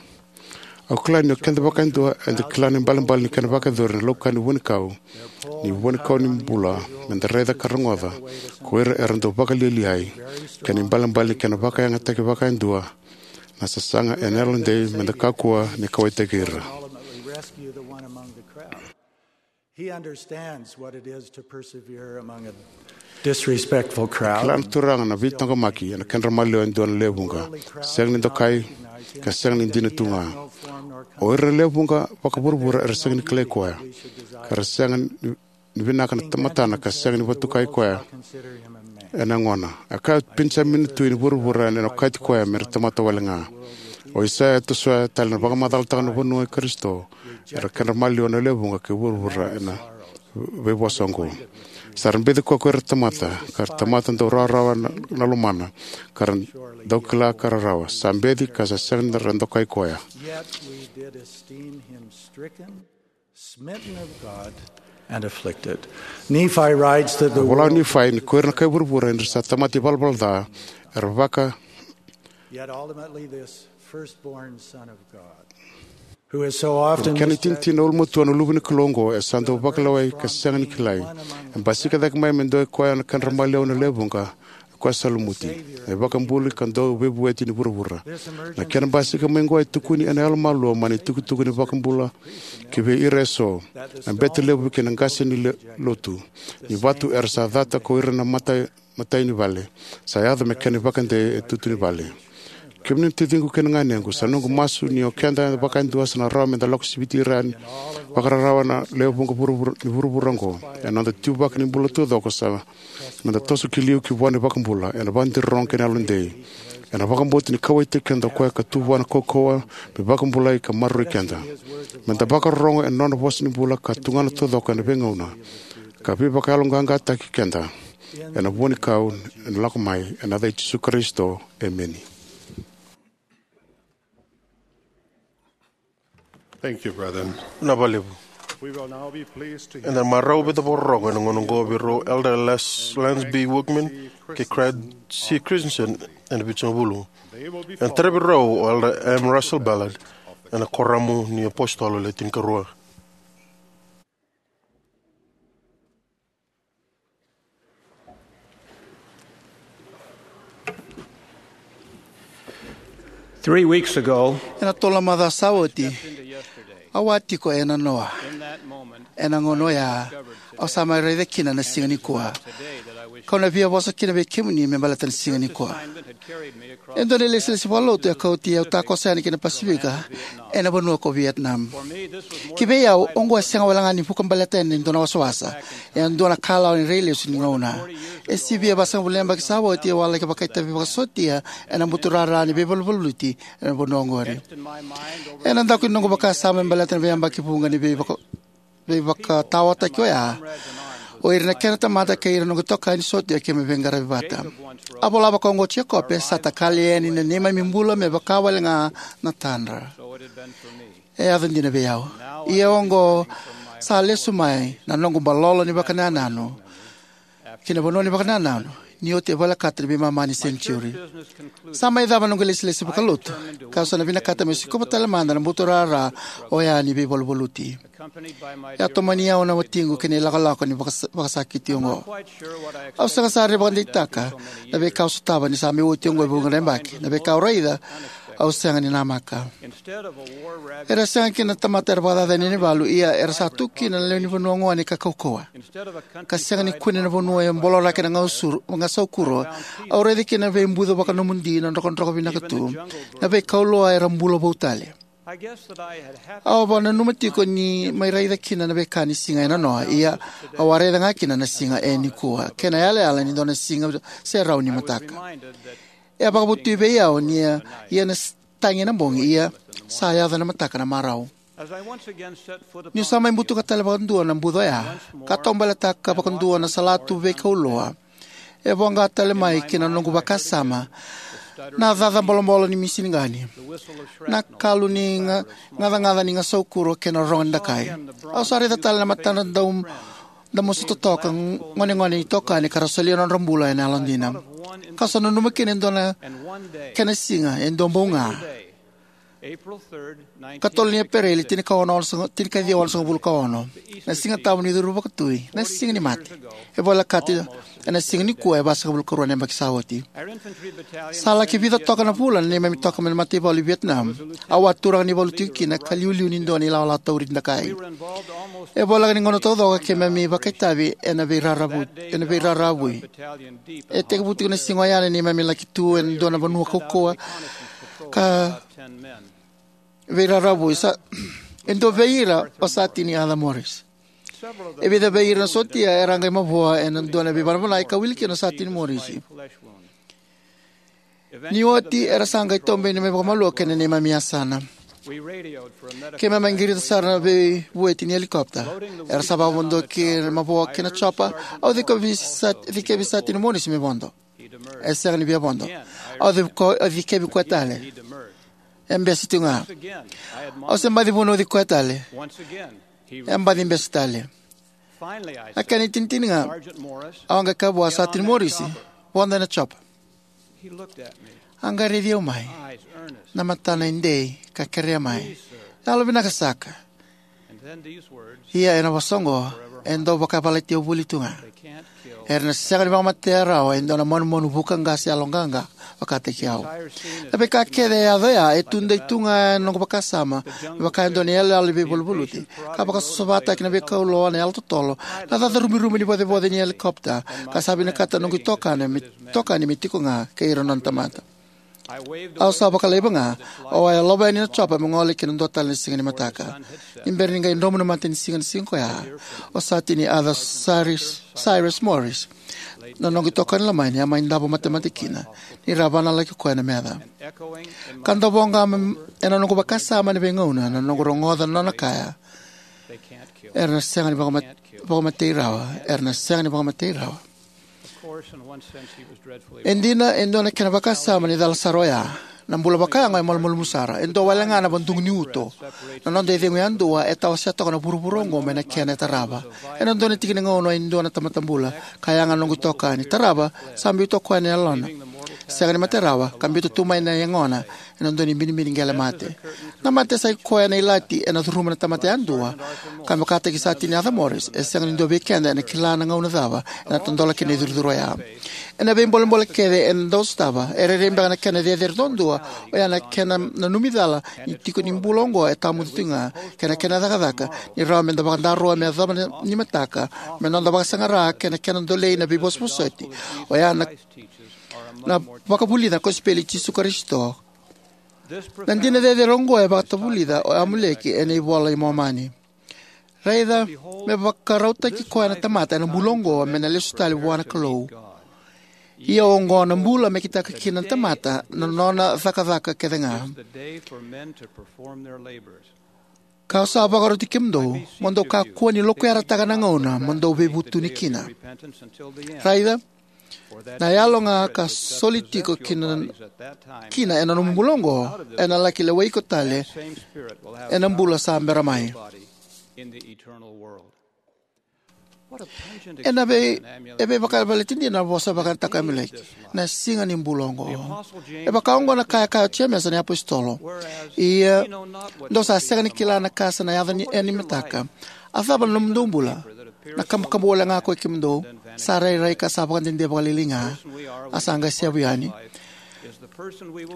Au kila ni o keda vakayadua eda kila na ibalebale ni kena vakayacori na laukani vuanikau, ni vuanikau ni bula, meda raica ka rogoca ko ira era dau vakalialiai, kei na ibalebale ni kena vakayagataki vakayadua na sasaga ena yalodei meda kakua ni kauwaitaki ira. He understands what it is to persevere among a disrespectful crowd. Kila na Turaga na veitaqomaki ena kedra maliwa e dua na lewe vuqa, sega ni dokai, ka sega ni dina tu ga. O ira na lewe vuqa vakavuravura era sega ni kilai koya, ka ra sega ni, ni vinaka na tamatana, ka sega ni vatukai koya ena yagona. A kaya o Penijamini na tui ni vuravura ena okati koya mera tamata wale ga. O Aisea e tosoya tale na vakamacalataka na vanua i Karisito, era kedra maliwa na lewe vuqa kei vuravura ena veivosa oqo. Sa ra beci koya ko ira tamata, ka ra tamata dau rawarawa na, na lomana, ka ra dau kila ka rarawa. Sa beci ka sa sega ni ra dokai koya. Yet we did esteem him stricken, smitten of God, and afflicted. Nephi writes that the Vola o world Nifai ni ko ira na kai vuravura era sa tamata ivalavala ca, era vaka Yet ultimately, this firstborn Son of God, who is so often kena misled, tinitina ulumatua na Luve ni Kalou oqo e sa dau vakalewai ka sega ni kilai. E basika cake mai me dua koya na kedra maliwa na lewe vuqa, o koya sa lumuti. Na iVakabula ka dau veivueti ni vuravura. Na kena basika mai oqo e tukuni ena yalomalua mai na itukutuku ni iVakabula kivei ira eso, na bete levu kei na qase ni le-, lotu, ni vatu era sa cata ko ira na mata matai ni vale. Sa yaco me kena ivakadei e tutu ni vale. Kemuni na taciqu kei na ganequ, sa noqu masu ni o keda vakayadua sa na rawa meda lako siviti ira yani vakararawa na lewe vuqa vuravura, ni vuravura oqo. Ena noda tuvaki ni bula taucoko sa meda toso ki liu ki vua na iVakabula, ena vakadirorogo kei na yalodei. Ena vakabauta ni kauwaitaki keda o koya ka tu vua na kaukauwa me vakabulai ka maroroi keda. Meda vakarorogo ena nona vosa ni bula ka tugana taucoko ena veigauna ka veivakayaloqaqataki keda ena vuanikau ena lako mai, ena yaca i Jisu Karisito. Emeni. Thank you, brethren. Vinaka vakalevu. We will now be pleased to hear Eda marau vei na vakarorogo ena gauna oqo vei rau Elder Les, Lance B. Wickman kei Craig C. Christensen ena Vitusagavulu. Ena tara vei rau o Elder M. Russell Ballard ena Kuoramu ni Apositolo Le Tinikarua. Three weeks ago, Ena tolu na macawa sa oti, au a tiko e Nanoa. Ena gauna oya, au sa mai raica kina na siga nikua. Kau na via vosa kina vei kemuni me baleta na siga nikua. E dua na ilesilesi vakalotu e kauti au takoso yani ki na Pasifika, ena vanua ko Vietnam. Ki vei au, oqo e sega wale ga ni vuka baleta yani e dua na wasawasa, e a dua na kalawa ni rai lesu ni gauna. E sivia vasagavulu na yabaki sa oti au a laki vakaitavi vakasotia ena buturara ni veivaluvaluti ena vanua oqori. Ena daku ni noqu vakasama me baleta na veiyabaki vuqa ni veivaka-, veivakataotaki oya, o ira na kena tamata kei ira na noqu itokani sotia keimami veiqaravi vata. A vola vakaoqo o Jacob, sa takali yani na neimami bula me vaka wale ga na tadra. E yaco dina vei au. Ia oqo sa lesu mai na noqu balolo ni vakanananu. Ki na vanua ni vakanananu, ni oti e volekata na veimama ni senitiuri. Sa mai cava na noqu ilesilesi vakalotu, ka sa na vinakata meu sikova tale mada na buturara oya ni veivaluvaluti. E a tomani au na watiqu ki na ilakolako ni vakasa-, vakasakiti oqo. Au sega sara ni vakadeitaka na veika au sotava ni sa mai oti oqo e vuqa na yabaki. Na veika au raica, au sega ni namaka. Era sega kina na tamata era vakacacani na valu, ia era sa tu kina na lewe ni vanua gone ka kaukauwa, ka sega ni kune na vanua e boloraki na gausuru, gasaukuro. Au raica kina na veibuca vakanomodi, na drokadroka vinaka tu, na veikauloa era bula vou tale. Au a vakananuma tiko ni mai raica kina na veika ni siga e nanoa, ia au a raica ga kina na siga e nikua, kei na yalayala ni dua na siga serau ni mataka. E a vakavotui vei au ni a, ia na s-, tagi ena bogi, ia sa yaco ena mataka na marau. Niu sa mai butuka tale vakadua na buca oya, ka taubaletaka vakadua na salatu veikauloa, e voqa tale mai ki na noqu vakasama na caca bolobolo ni misini qani, na kalu ni ga-, gacagaca ni gasaukuro kei na rogo ni dakai. Au sa raica tale na matana dau damusa totoka, gonegonei itokani ka ra solia na nodra bula ena yalodina. Ka sa nanuma kina e dua na kena siga, e dua bau ga. Ka tolu ni Epereli, tinikaono, tinikaciwa onosagavulu ka ono. Na Siga Tabu ni Curu Vakatui, na Siga ni Mate. E volekata ena siga nikua e vasagavulu ka rua na yabaki sa oti. Sa laki vica toka na vula na neimami toka mai na mataivalu i Vietnam. Au a turaga ni valu tiko kina ka liuliu ni dua na ilawalawa tauri dakai. E voleka ni gauna taucoko keimami vakaitavi ena veiraravu, ena veiraravui. E tekivu tiko na siga oya na neimami laki tu ena dua na vanua kaukauwa ka veiraravui. Sa, e dua vei ira o Satini Arthur Morris. E vica vei ira na sotia era a qai mavoa ena dua na veivanavanai ka wili kina o Satini Morisi. Ni oti era sa qai taubeni mai vakamalua ki na neimami yasana. Keimami a qirita sara na veivueti ni helikopita. Era sa vakavodo ki na mavoa ki na chopa. Au cikevi Sat-, cikevi Satini Morisi me vodo. E sega ni via vodo. Au ciko-, au cikevi koya tale. E bese tu ga. Au se baci vunauci koya tale. E baci bese tale. Na kena itinitini ga, au a qai kaya vua Satini Morisi, "Vodo ena chopa." A qai raici au mai, na matana e dei, ka kerea mai, "Yalovinaka saka." Ia ena vosa oqo, e dau vakavalati au voli tu ga. "Era na sega ni vakamatea rawa e dua na manumanu vuka qase yaloqaqa vakataki au." Na veika kece e yaco oya e tudei tu ga ena noqu vakasama, me vaka e dua na iyaloyalo ni veivaluvaluti. Ka vakasosovataki na veikauloa, na yalototolo, na caca rumirumu ni vocevoce ni helikopita, ka sa vinakata na noqu itokani me, itokani me tiko ga kei ira na nona tamata. Au sa vakalaiva ga, au a yalova yani na chopa me gole ki na dua tale na siga ni mataka. Ni bera ni qai dromu na matanisiga na siga koya, o Satini Arthur Cyrus, Cyrus Morris, na noqu itokani lomani, a mai davo matemate kina, ni ra vakanalaki koya na meca. Ka davo ga me, ena noqu vakasama ena veigauna, na noqu rogoca na nona kaya, "Era na sega ni vakama-, vakamatei rawa, era na sega ni vakamatei rawa." E dina, e dua na kena vakasama ni cala sara oya. Na bula vakayago e malumalumu sara. E dua wale ga na vadugu ni uto. Na noda icegu yadua e tawasea toka na vuravura oqo mai na kena e tarava. Ena dua na tiki ni gauna e dua na tamata bula, ka yaga na noqu itokani. "Tarava, sa biuta o koya na yalona. Sega ni mate rawa, ka biuta tu mai na yagona ena dua na ibinibini qele mate." Na mate sa i koya na ilati ena curuma na tamata yadua. Ka me vakataki Satini Arthur Morris, e sega ni dua vei keda ena kila na gauna cava ena tadola kina na icurucuru oya. Ena veibolebole kece eda dau sotava, e rairai beka na kena cecere duadua, oya na kena nanumi cala ni tiki ni bula oqo e tawamudu tu ga, kei na kena cakacaka ni rawa meda vakadaroa me yacova ni mataka, me noda vakasaqara kei na kena dolei na veivosovosoti, oya na, na vakavulica na kosipeli i Jisu Karisito. Na dina cecere oqo e vakatavulica o Amuleki ena iVola i Momani. "Raica, me vakarautaki koya na tamata ena bula oqo me na lesu tale vua na Kalou. Ia oqo na bula me kitaka kina na tamata na nona cakacaka kece ga. Ka'u sa vakaroti kemudou, mo dou kakua ni lokuyarataka na gauna mo dou veivutuni kina. Raica, na yalo ga ka soli tiko kina, kina ena nomu bula oqo, ena laki lewai iko tale ena bula sa bera mai." Ena vei, e veivakalevaleti dina na vosa vakayagataka o Amuleki, na siga ni bula oqo. E vaka oqo na ka e kaya o Jemesa na iapositolo: Ia, dou sa sega ni kila na ka sa na yaco ni, e, ni mataka. A cava na nomudou bula? Na kabukabu wale ga ko i kemudou? Sa rairai ka sa vakadede vakalailai ga, a sa qai sevu yani.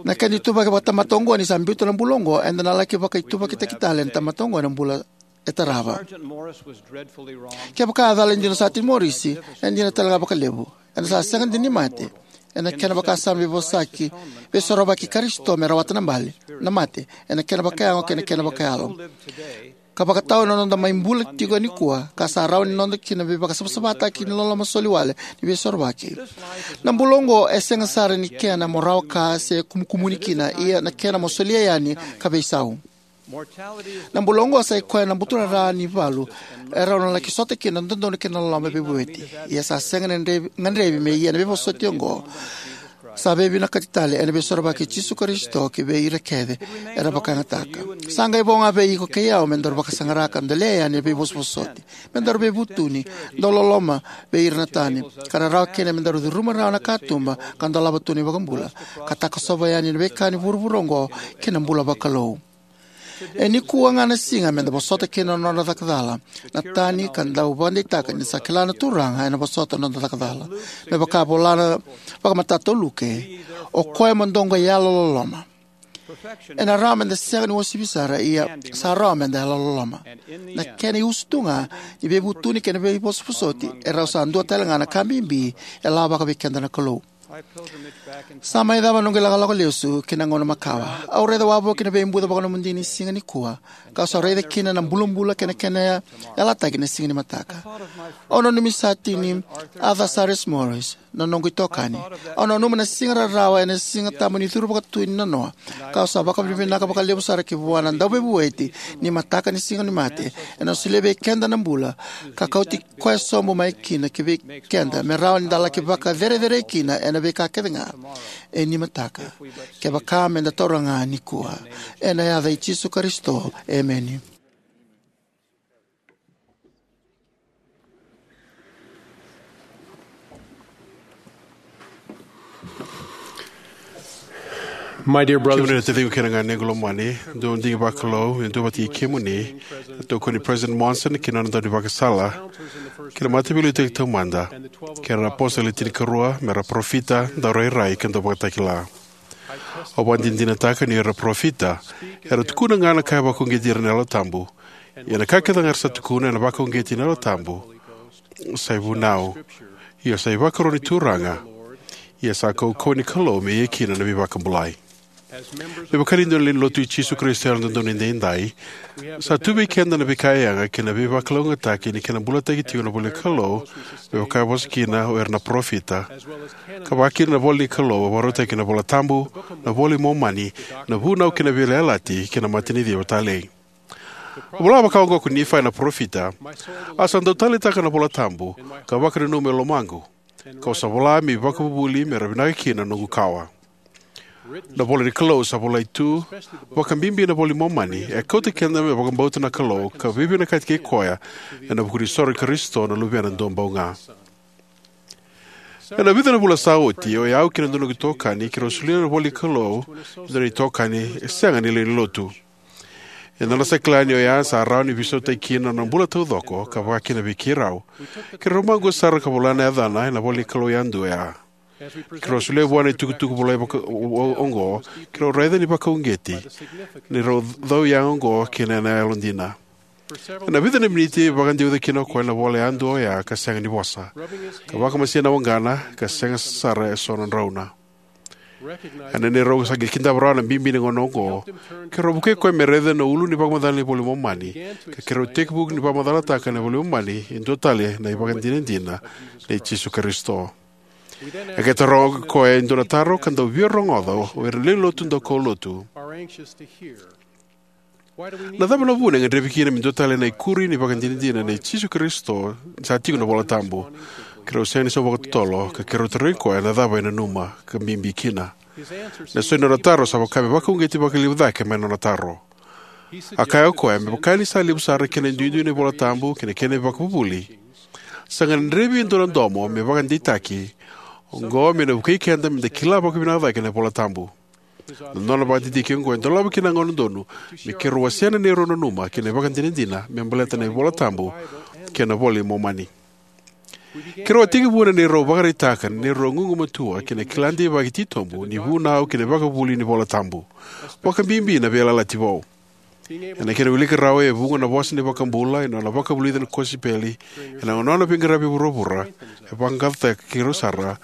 Na kena ituvaki vakatamata oqo ni sa biuta na bula oqo, eda na laki vakaituvakitaki tale na tamata oqo ena bula e tarava. Kevaka a cala e dina o Satini Morisi, e dina tale ga vakalevu. Ena sa sega dina ni mate. Ena kena vakasama veivosaki, veisorovaki Karisito me rawata na bale, na mate, ena kena vakayago kei na kena vakayalo. Ka vakatau ena noda mai bula tiko nikua, ka sa rawa ni noda kina veivakasavasavataki ni loloma soli wale ni veisorovaki. Na bula oqo e sega sara ni kena mo rawa ka se kumukumuni kina, ia na kena mo solia yani ka veisau. Na bula oqo sa i koya na buturara ni valu e rau na laki sota kina na dodonu kei na loloma veivueti. Ia sa sega na gadrevi, gadrevi me ia na veivosoti oqo. Sa veivinakati tale ena veisorovaki i Jisu Karisito ki vei ira kece era vakayagataka. Sa qai vo ga vei iko kei au me daru vakasaqara ka dolea yani na veivosovosoti, me daru veivutuni, dau loloma vei ira na tani, ka na rawa kina me daru curuma rawa na katuba ka dolava tu na iVakabula, ka takosova yani na veika ni vuravura oqo ki na bula vakalou. E nikua ga na siga me da vosota kina na nodra cakacala na tani ka dau vakadeitaka ni sa kila na Turaga ena vosota na noda cakacala. Me vaka vola na vakamatata o Luke, o koya mo dou qai yalololoma. Ena rawa me da sega ni uasivi sara, ia sa rawa me da yalololoma. Na kena iusutu ga ni veivutuni kei na veivosovosoti e rau sa dua tale ga na ka bibi e lavaka vei keda na Kalou. Sa mai cava noqu ilakolako lesu ki na gauna makawa. Au raica wavoki na veibuca vakanomodi ni siga nikua, ka au sa raica kina na bulabula kei na kena yalataki na siga ni mataka. Au nanumi Satini Arthur Cyrus Morris, na noqu itokani. Au nanuma na siga rarawa ena Siga Tabu ni curu vakatui ni nanoa, ka au sa vakavinavinaka vakalevu sara ki vua na Dauveivueti ni mataka ni Siganimate, ena solia vei keda na bula ka kauti koya sobu mai kina ki vei keda, me rawa ni da laki vakacerecerei kina ena veika kece ga e ni mataka, kevaka me da taura ga nikua. Ena yaca i Jisu Karisito, emeni. My dear brothers, kemuni na taciqu kei na ganequ lomani, dou digi vakalou, e dua vata kei kemuni, na tokoni President Monson kei na nona daunivakasala, kei na Mataveiliutaki Taumada, kei na apositolo e tinikarua, me ra parofita, daurairai, ka dauvakatakila. Au vakadinadinataka ni o ira na parofita era tukuna ga na ka e vakauqeti ira na Yalo Tabu. Ia na ka kece ga era sa tukuna ena vakauqeti na Yalo Tabu, sa ivunau. Ia sa ivakaro ni Turaga. Ia sa kaukauwa ni Kalou me ia kina na veivakabulai. Me vaka ni dua na lewe ni Lotu i Jisu Karisito ni Yalododonu Edaidai, sa tu vei keda na veika yaga kei na veivakalougatataki ni kena bulataki tiko na ivola ni Kalou, me vaka e vosa kina o ira na parofita, ka vakakina na ivola ni Kalou e vakarautaki ena iVola Tabu, na iVola i Momani, na Vunau kei na Veiyalayalati, kei na Mataniciva Talei. A vola vaka oqo ko Nifai na parofita: A sa dau taleitaka na iVola Tabu, ka vakananuma e lomaqu, kau sa vola me ivakavuvuli me ra vinaka kina na noqu kawa. Na ivola ni Kalou sa volai tu, vakabibi na iVola i Momani, e kauta keda me vakabauta na Kalou ka veivinakati kei koya ena vuku ni isoro i Karisito na Luvena Duabau Ga. Ena vica na vula sa oti, o yau kei na dua na noqu itokani keirau solia na ivola ni Kalou e dua na itokani e sega ni lewe ni Lotu. E dua na sa kila ni oya sa rawa ni veisautaki kina na nona bula taucoko, ka vakakina vei keirau, keirau maqua sara ka vola na yacana ena ivola ni Kalou yadua oya. Keirau solia vua na itukutuku volai vaka o, o, oqo, keirau raica ni vakauqeti ni rau cau yaga oqo kina ena yalodina. Ena vica na miniti, vakadeuca kina o koya na ivola yadua oya ka sega ni vosa, ka vakamasei na waqana, ka sega sara eso na drauna. Ena neirau sa qai kidava rawa na bibi ni gauna oqo, keirau vukei koya me raica na ulu ni vakamacala ni iVola i Momani, ka keirau tekivu ni vakamacalataka na iVola i Momani e dua tale na ivakadinadina nei Jisu Karisito. E qai taroga o koya e dua na taro ka dau via rogoca o ira na lewe ni Lotu daukaulotu. Na cava na vuna e gadrevi kina me dua tale na ikuri ni ivakadinadina nei Jisu Karisito ni sa tiko ena iVola Tabu? Keirau sega ni sauma vakatotolo, ka keirau tarogi koya na cava e nanuma ka bibi kina. Na so ni nona taro sa vaka me vakauqeti vakalevu cake mai na nona taro. A kaya o koya, me vaka ni sa levu sara kina e duidui na iVola Tabu kei na kena ivakavuvuli, Sa gadrevi e dua na domo me vakadeitaki oqo me na vukei keda me da kila vakavinaka cake na iVola Tabu. Na nona vakadidike oqo e dolava kina na gauna donu me keirau wasea na neirau nanuma kei na ivakadinadina me baleta na iVola Tabu kei na iVola i Momani. Keirau a tekivu na neirau vakaraitaka na neirau gugumatua kei na kila deivaki titobu ni vunau kei na ivakavuvuli ni iVola Tabu, vakabibi na Veiyalayalati Vou. Ena kena wiliki rawa e vuqa na vosa ni iVakabula ena nona vakavulica na kosipeli ena nona veiqaravi e vuravura, e vaqaqacotaka keirau sara,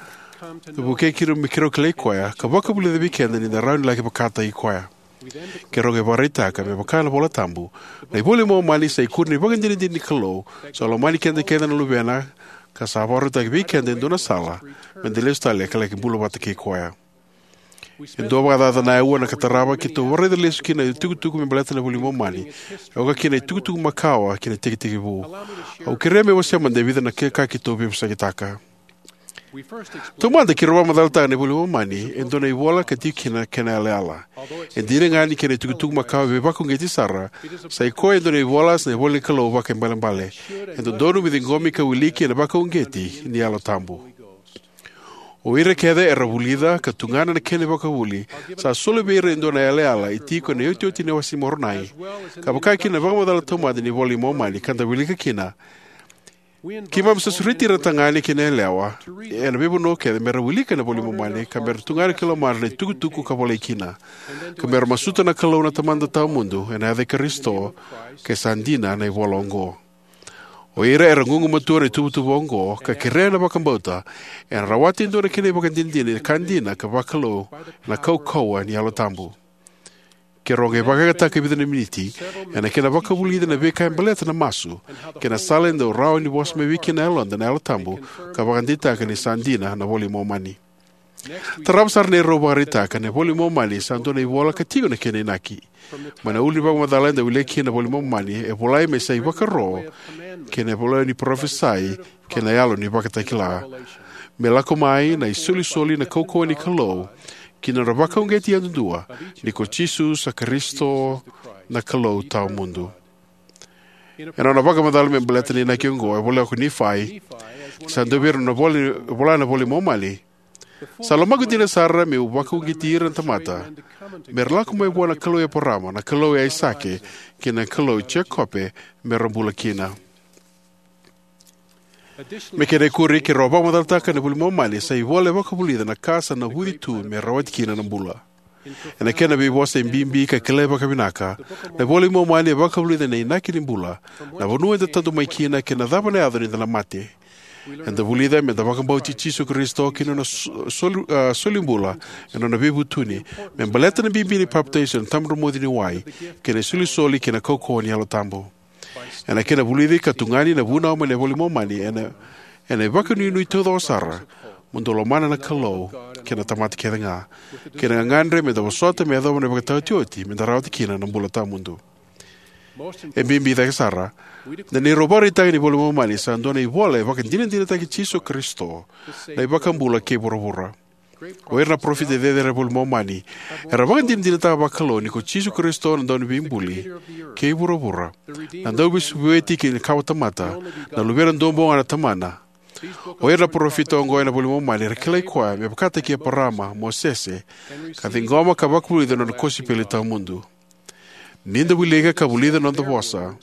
vukei keirau me keirau kilai Koya, ka vakavulica vei keda ni da rawa ni laki vakataki Koya. Keirau qai vakaraitaka, me vaka na iVola Tabu, na iVola i Momani sa ikuri ni ivakadinadina ni Kalou sa lomani keda kece na Luvena, ka sa vakarautaki vei keda e dua na sala me da lesu tale ka laki bula vata kei Koya. E dua vakacaca na aua na ka tarava keitou vakaraica lesu kina na itukutuku me baleta na iVola i Momani, e oka kina na itukutuku makawa kei na itekitekivu. Au kerea meu wasea mada e vica na ka keitou veivosakitaka. Taumada, keirau vakamacalataka na iVola i Momani e dua na ivola ka tiko kina na kena yalayala. E dina ga ni kena itukutuku makawa e veivakauqeti sara, sa i koya e dua na ivola, sa na ivola ni Kalou vakaibalebale. E dodonu me ciqomi ka wiliki ena vakauqeti ni Yalo Tabu. O ira kece era vulica ka tugana na kena ivakavuvuli, sa soli vei ira e dua na yalayala e tiko ena iotioti ni wase i Moronai, ka vaka kina na vakamacala taumada ni iVola i Momani ka da wilika kina. Keimami sa sureti ira na tagane kei na yalewa ena veivanua kece me ra wilika na iVola i Momani, ka me ra tugana ki lomadra na itukutuku ka volai kina, ka me ra masuta na Kalou na Tamada Tawamudu ena yaca i Karisito, ke sa dina na ivola oqo. O ira era gugumatua ena ituvatuva oqo ka kerea na vakabauta, ena rawata e dua na kena ivakadinadina ni ka dina ka vakalou ena kaukauwa ni Yalo Tabu. Keirau qai vakayagataka e vica na miniti ena kena vakavulica na veika e baleta na masu kei na sala e dau rawa ni vosa mai vei keda na yaloda na Yalo Tabu ka vakadeitaka ni sa dina na iVola i Momani. Tarava sara na neirau vakaraitaka, na iVola i Momani sa dua na ivola ka tiko na kena inaki. Mai na ulu ni vakamacala eda wilika kina na iVola i Momani e volai me sa ivakaro kei na ivola ni parofisai kei na yalo ni ivakatakila, me lako mai na isolisoli, na kaukauwa ni Kalou ki na nodra vakauqeti yadudua, ni ko Jisu sa Karisito, na Kalou Tawamudu. Ena nona vakamacala me baleta na inaki oqo e voleka ko Nifai, sa dua vei ira na vola, vola na iVola i Momani: Sa lomaqu dina sara meu vakauqeti ira na tamata, me ra lako mai vua na Kalou i Eparama, na Kalou i Aisake, kei na Kalou i Jekope, me ra bula kina. Me kena ikuri, keirau vakamacalataka na iVola i Momani sa ivola e vakavulica na ka sa navuci tu me rawati kina na bula. Ena kena veivosa e bibi ka kilai vakavinaka, na iVola i Momani e vakavulica na inaki ni bula, na vanua eda tadu mai kina, kei na cava na yaco ni da na mate. Eda vulica me da vakabauti Jisu Karisito kei na nona so-, soli, a, solibula, ena nona veivutuni, me baleta na bibi ni papitaiso ena tabadromuci ni wai, kei na isolisoli kei na kaukauwa ni Yalo Tabu. Ena kena vulici ka tugani na vunau mai na iVola i Momani, ena, ena ivakanuinui taucoko sara, mo dou lomana na Kalou kei na tamata kece ga, kei na gagadre me da vosota me yacova na ivakataotioti me da rawata kina na bula tawamudu. E bibi cake sara, na neirau vakaraitaka ni iVola i Momani sa dua na ivola e vakadinadinataki Jisu Karisito, na iVakabula kei vuravura. O ira na parofita cecere ena iVola i Momani era vakadinadinataka vakalou ni ko Jisu Karisito na Dauniveibuli kei vuravura, na Dauveisobueti kei na kawatamata, na Luvena Duabau Ga na Tamana. O ira na parofita oqo ena iVola i Momani era kilai koya me vakataki Eparama, Mosese, ka ciqoma ka vakavulica na nona kosipeli tawamudu. Ni da wilika ka vulica na noda vosa,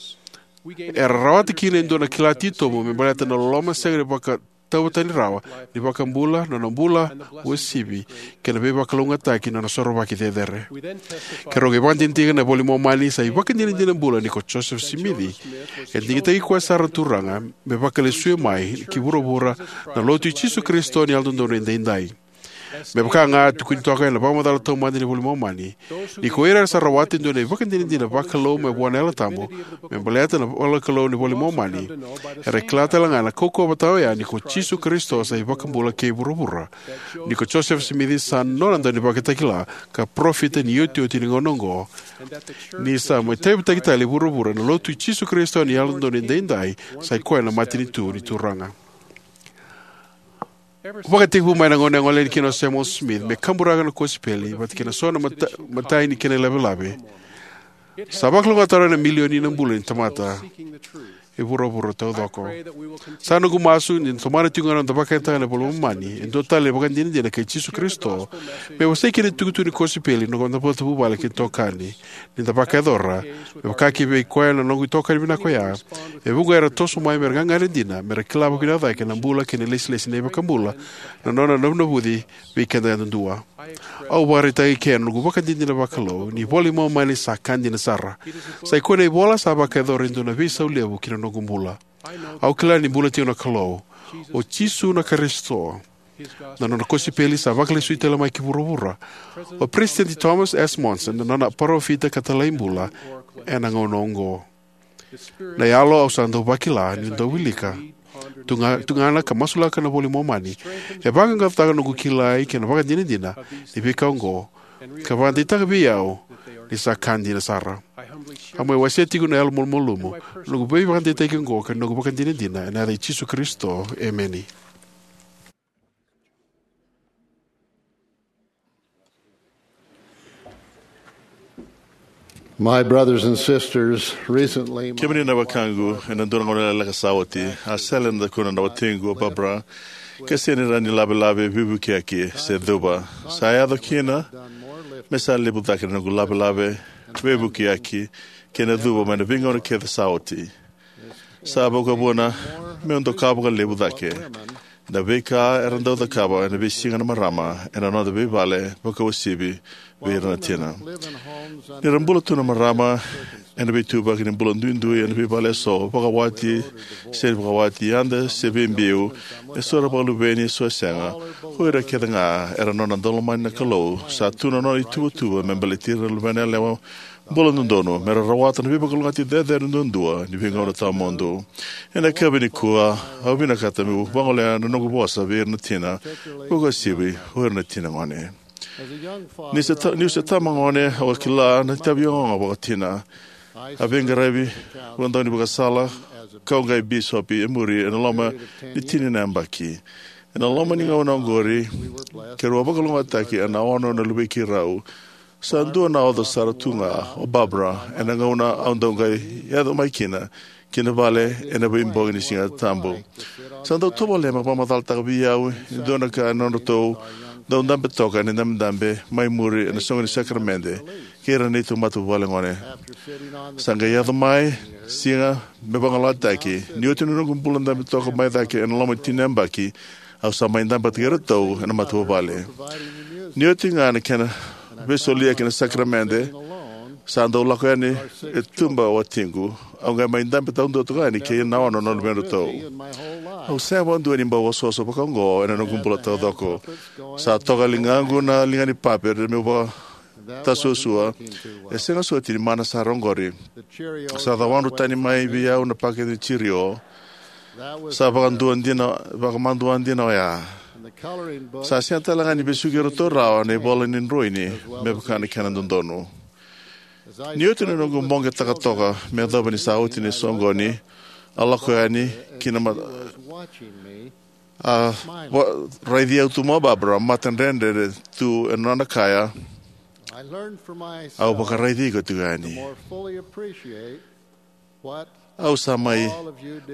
era rawata kina e dua na kila titobu me baleta na loloma sega ni vakatauvatani rawa ni iVakabula, nona bula uasivi, kei na veivakalougatataki ni nona sorovaki cecere. Keirau qai vakadinadinataka na iVola i Momani sa ivakadinadina bula ni ko Josefa Simici, e digitaki koya sara na Turaga me vakalesuya mai ki vuravura na Lotu i Jisu Karisito ni Yalododonu Edaidai. Me vaka ga e tukuni toka ena vakamacala taumada ni iVola i Momani, ni ko ira era sa rawata e dua na ivakadinadina vakalou mai vua na Yalo Tabu me baleta na ivolanikalou ni iVola i Momani, era kila tale ga na kaukauwa vata oya ni ko Jisu Karisito sa iVakabula kei vuravura, ni ko Josefa Simici sa nona daunivakatakila ka parofita ni iotioti ni gauna oqo, ni sa mai tauyavutaki tale e vuravura na Lotu i Jisu Karisito ni Yalododonu Edaidai, sa i koya na matanitu ni Turaga. Vakatekivu mai na gauna e gole yani kina o Samuel Smith me kaburaka na kosipeli vata kei na so na mata-, imatai ni kena ilavelave, sa vakalougatataka na milioni na bula ni tamata. e vuravura taucoko. Sa noqu masu ni da tomana tiko ga na noda vakayagataka na iVola i Momani e dua tale na ivakadinadina kei Jisu Karisito, me wasei kina na itukutuku ni kosipeli ena noda matavuvale kei na itokani. Ni da vakayacora me vaka kivei koya na noqu itokani vinaka oya, e vuqa era toso mai mera gagadre dina, mera kila vakavinaka cake na bula kei na ilesilesi ni iVakabula na nona navunavuci vei keda yadudua. Au vakaraitaka eke na noqu ivakadinadina vakalou ni iVola i Momani sa ka dina sara. Sa i koya na ivola sa vakayacora e dua na veisau levu ki na noqu bula. Au kila ni bula tiko na Kalou, o Jisu na Karisito. Na nona kosipeli sa vakalesui tale mai ki vuravura. O Peresitedi Thomas S. Monson na nona parofita ka talai bula ena gauna oqo. Na yalo au sa dau vakila niu dau wilika, tuga-, tugana ka masulaka na iVola i Momani, e vaqaqacotaka na noqu kilai kei na vakadinadina ni veika oqo, ka vakadeitaka vei au ni sa ka dina sara. Au mai wasea tiko na yalo malumalumu na noqu veivakadeitaki oqo kei na noqu ivakadinadina ena yaca i Jisu Karisito. Emeni. My brothers and sisters, recently, my Kemuni na wekaqu, ena dua na gauna lekaleka sa oti, a sele ena dakuna na watiqu o Barbara, ka sega ni rawa ni lavelave, veivukiyaki se cuva. Sa yaco kina me sa levu cake na noqu lavelave, veivukiyaki kei na cuva mai na veigauna kece sa oti. Sa vakavuna meu doka vakalevu cake na veika era dau cakava ena veisiga na marama ena noda veivale, vakauasivi vei ira na tina. Ni ra bula tu na marama ena veituvaki ni bula duidui ena veivale eso, vakawati se vakawati, yada se veibiu, eso era vakaluveni, eso e sega, o ira kece ga era nona daulomani na Kalou. Sa tu na nona ituvatuva me baleti ira na luvena yalewa bula dodonu, me ra rawata na veivakalougatataki cecere duadua ni veigauna tawamudu. Ena yakavi nikua, au vinakata meu vagolea na noqu vosa vei ira na tina, vakauasivi o ira na tina gone. Ni se ta-, niu se tama gone, au a kila na itavi ogaoga vakatina. A veiqaravi vakadaunivakasala, kau qai bisopi e muri ena loma ni tini na yabaki. Ena loma ni gauna oqori, keirau a vakalougatataki ena ono na luvei keirau. Sa dua na oca sara tu ga o Barbara ena gauna au dau qai yaco mai kina ki na vale ena veibogi ni Siga Tabu. Sa dau tovolea me vakamacalataka vei au e dua na ka ena nodratou dau dabe toka ena idabedabe mai muri ena soqo ni sakaramede kei ira na neitou matavuvale gone. Sa qai yaco mai siga me vagalalataki. Ni oti na noqu bula dabe toka mai cake ena loma ni tini na yabaki, au sa mai dabe kei iratou ena matavuvale. Ni oti ga na kena veisolia ki na sakaramede, sa dau lako yani e tuba o watiqu. Au qai mai dabe taudua toka yani kei na ono na luvedratou. Au sega vakadua ni bau osooso vakaoqo ena noqu bula taucoko. Sa toka e ligaqu na liga ni paper meu vakatasuasua. E sega soti ni mana sara oqori. Sa cawadru tani mai vei au na pakete ni Cheerio. Sa vakadua dina, vakamadua dina oya. Sa sega tale ga ni vesuki iratou rawa na ivola ni droini me vaka na kena dodonu. Ni oti na noqu boqetaka toka me yacova ni sa oti na soqoni, a lako yani ki na ma-, a va-, raici au tu mai o Barbara, mata dredre tu ena nona kaya. Au vakaraici iko tiko yani. Au sa mai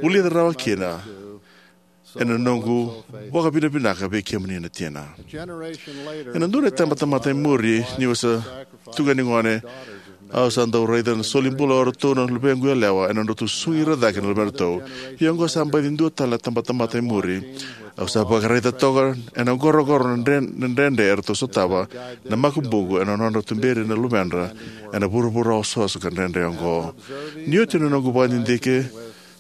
vulica rawa kina ena noqu vakavinavinaka vei kemuni na tina. Ena dua na itabatamata e muri, niu se tu ga ni gone, au sa dau raica na solibula o iratou na luvequ yalewa ena nodratou susugi ira cake na luvedratou. Ia oqo sa baici dua tale na tabatamata e muri. Au sa vakaraica toka ena qoroqoro na dre-, na dredre eratou sotava na makubuqu ena nodra tuberi na luvedra ena vuravura osooso ka dredre oqo. Ni oti na noqu vakadidike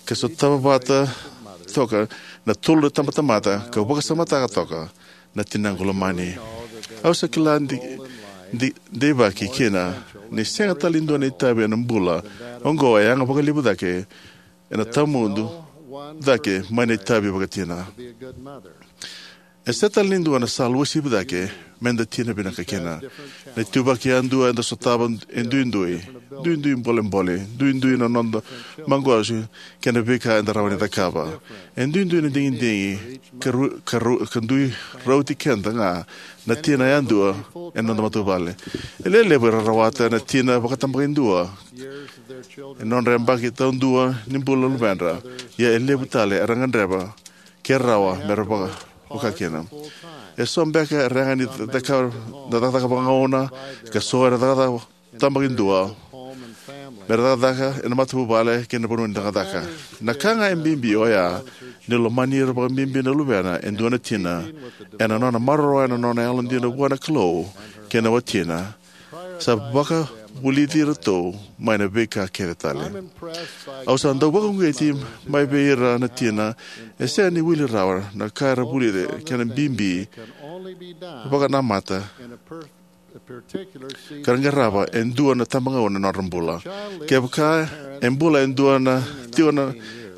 ka sotava vata toka na tolu na tabatamata, kau vakasamataka toka na tinaqu lomani. Au sa kila di-, di-, deivaki kina ni sega tale ni dua na itavi ena bula oqo e yaga vakalevu cake ena tawamudu cake mai na itavi vakatina. E sega tale ni dua na sala uasivi cake meda tina vinaka kina. Na ituvaki yadua eda sotava e duidui, duidui bolebole, duidui na noda maqosi kei na veika eda rawa ni cakava. E duidui na digidigi ka ru-, ka ru-, ka dui rauti keda ga na tina yadua ena noda matavuvale. E lewe levu era rawata na tina vakatabakidua e nodra yabaki taudua ni bula na luvedra, ia e levu tale era gadreva ke rawa me ra vaka, vaka kina. E so beka e rawa ni caka na cakacaka vakagauna, ka so era cakacaka tabakidua me ra cakacaka ena matavuvale kei na vanua ni cakacaka. Na ka ga e bibi oya ni lomani ira vakabibi na luvena e dua na tina ena nona maroroya na nona yalodina vua na Kalou kei na watina, sa vakavulici iratou mai na veika kece tale. Au sa dau vakauqeti mai vei ira na tina e sega ni wili rawa na ka era vulica, kena bibi vakanamata ka ra qarava e dua na tabagauna na nodra bula. Kevaka e bula e dua na tiko na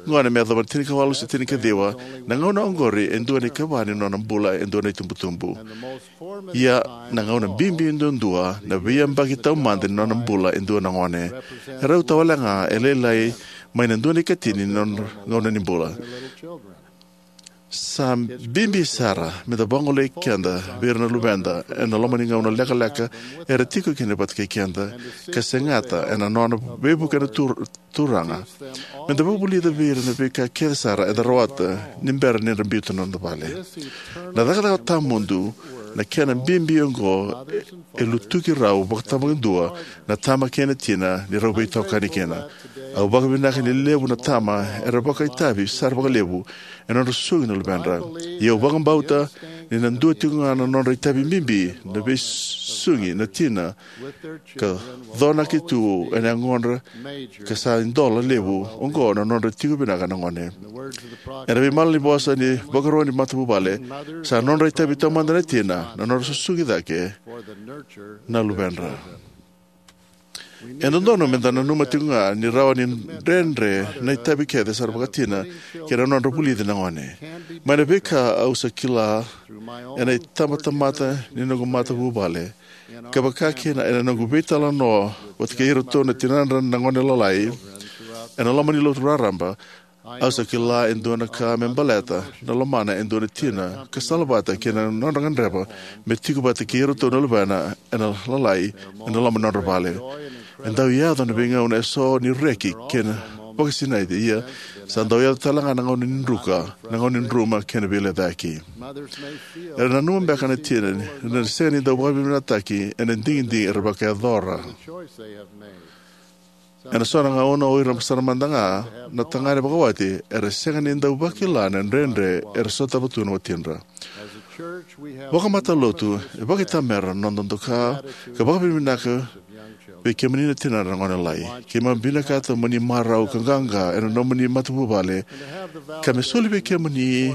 gone me yacova na tinikawalu se tinikaciwa, na gauna oqori e dua na ikava ni nona bula e dua na itubutubu. Ia na gauna bibi duadua, na veiyabaki taumada ni nona bula e dua na gone, e rauta wale ga e lailai mai na dua na ikatini ni nona gauna ni bula. Sa bibi sara me da vagolei keda vei ira na luveda ena loma ni gauna lekaleka era tiko kina vata kei keda, ka segata ena nona veivuke na Tur-, Turaga. Me da vakavulica vei ira na veika kece sara eda rawata ni bera ni ra biuta na noda vale. Na cakacaka tawamudu na kena bibi oqo, e lutuki rau vakatabakidua na tama kei na tina ni rau veitokani kina. Au vakavinaka ni levu na tama era vakaitavi sara vakalevu ena nodra susugi na luvedra. Ia au vakabauta ni na dua tiko ga na nodra itavi bibi na veisugi na tina ka conaki tu ena yagodra, ka sa idola levu oqo na nodra tiko vinaka na gone. Ena veimalanivosa ni vakarua ni matavuvale, sa nodra itavi taumada na tina na nodra susugi cake na luvedra. E dodonu me da nanuma tiko ga ni rawa ni dredre na itavi kece sara vakatina kei na nodra vulici na gone. Mai na veika au sa kila ena itabatamata ni noqu matavuvale, ka vaka kina ena noqu veitalanoa vata kei iratou na tinadra na gone lalai ena loma ni lotu raraba, au sa kila e dua na ka me baleta na lomana e dua na tina ka salavata kei na nodra gadreva me tiko vata kei iratou na luvena ena lalai ena loma ni nodra vale. E dau yaco na veigauna eso ni reki kei na vakasinaiti, ia sa dau yaco tale ga na gauna ni druka, na gauna ni druma kei na veilecayaki. Era nanuma beka na tina ni na sega ni dau vakavinavinakataki ena digidigi era vakayacora. Ena so na gauna o ira sara mada ga na tagane vakawati era sega ni dau vakila na dredre era sotava tu na watidra. Vakamatalotu, e vakaitamera na noda doka ka vakavinavinaka vei kemuni na tinadra na gone lalai. Keimami vinakata mo ni marau ka qaqa ena nomuni matavuvale, ka me soli vei kemuni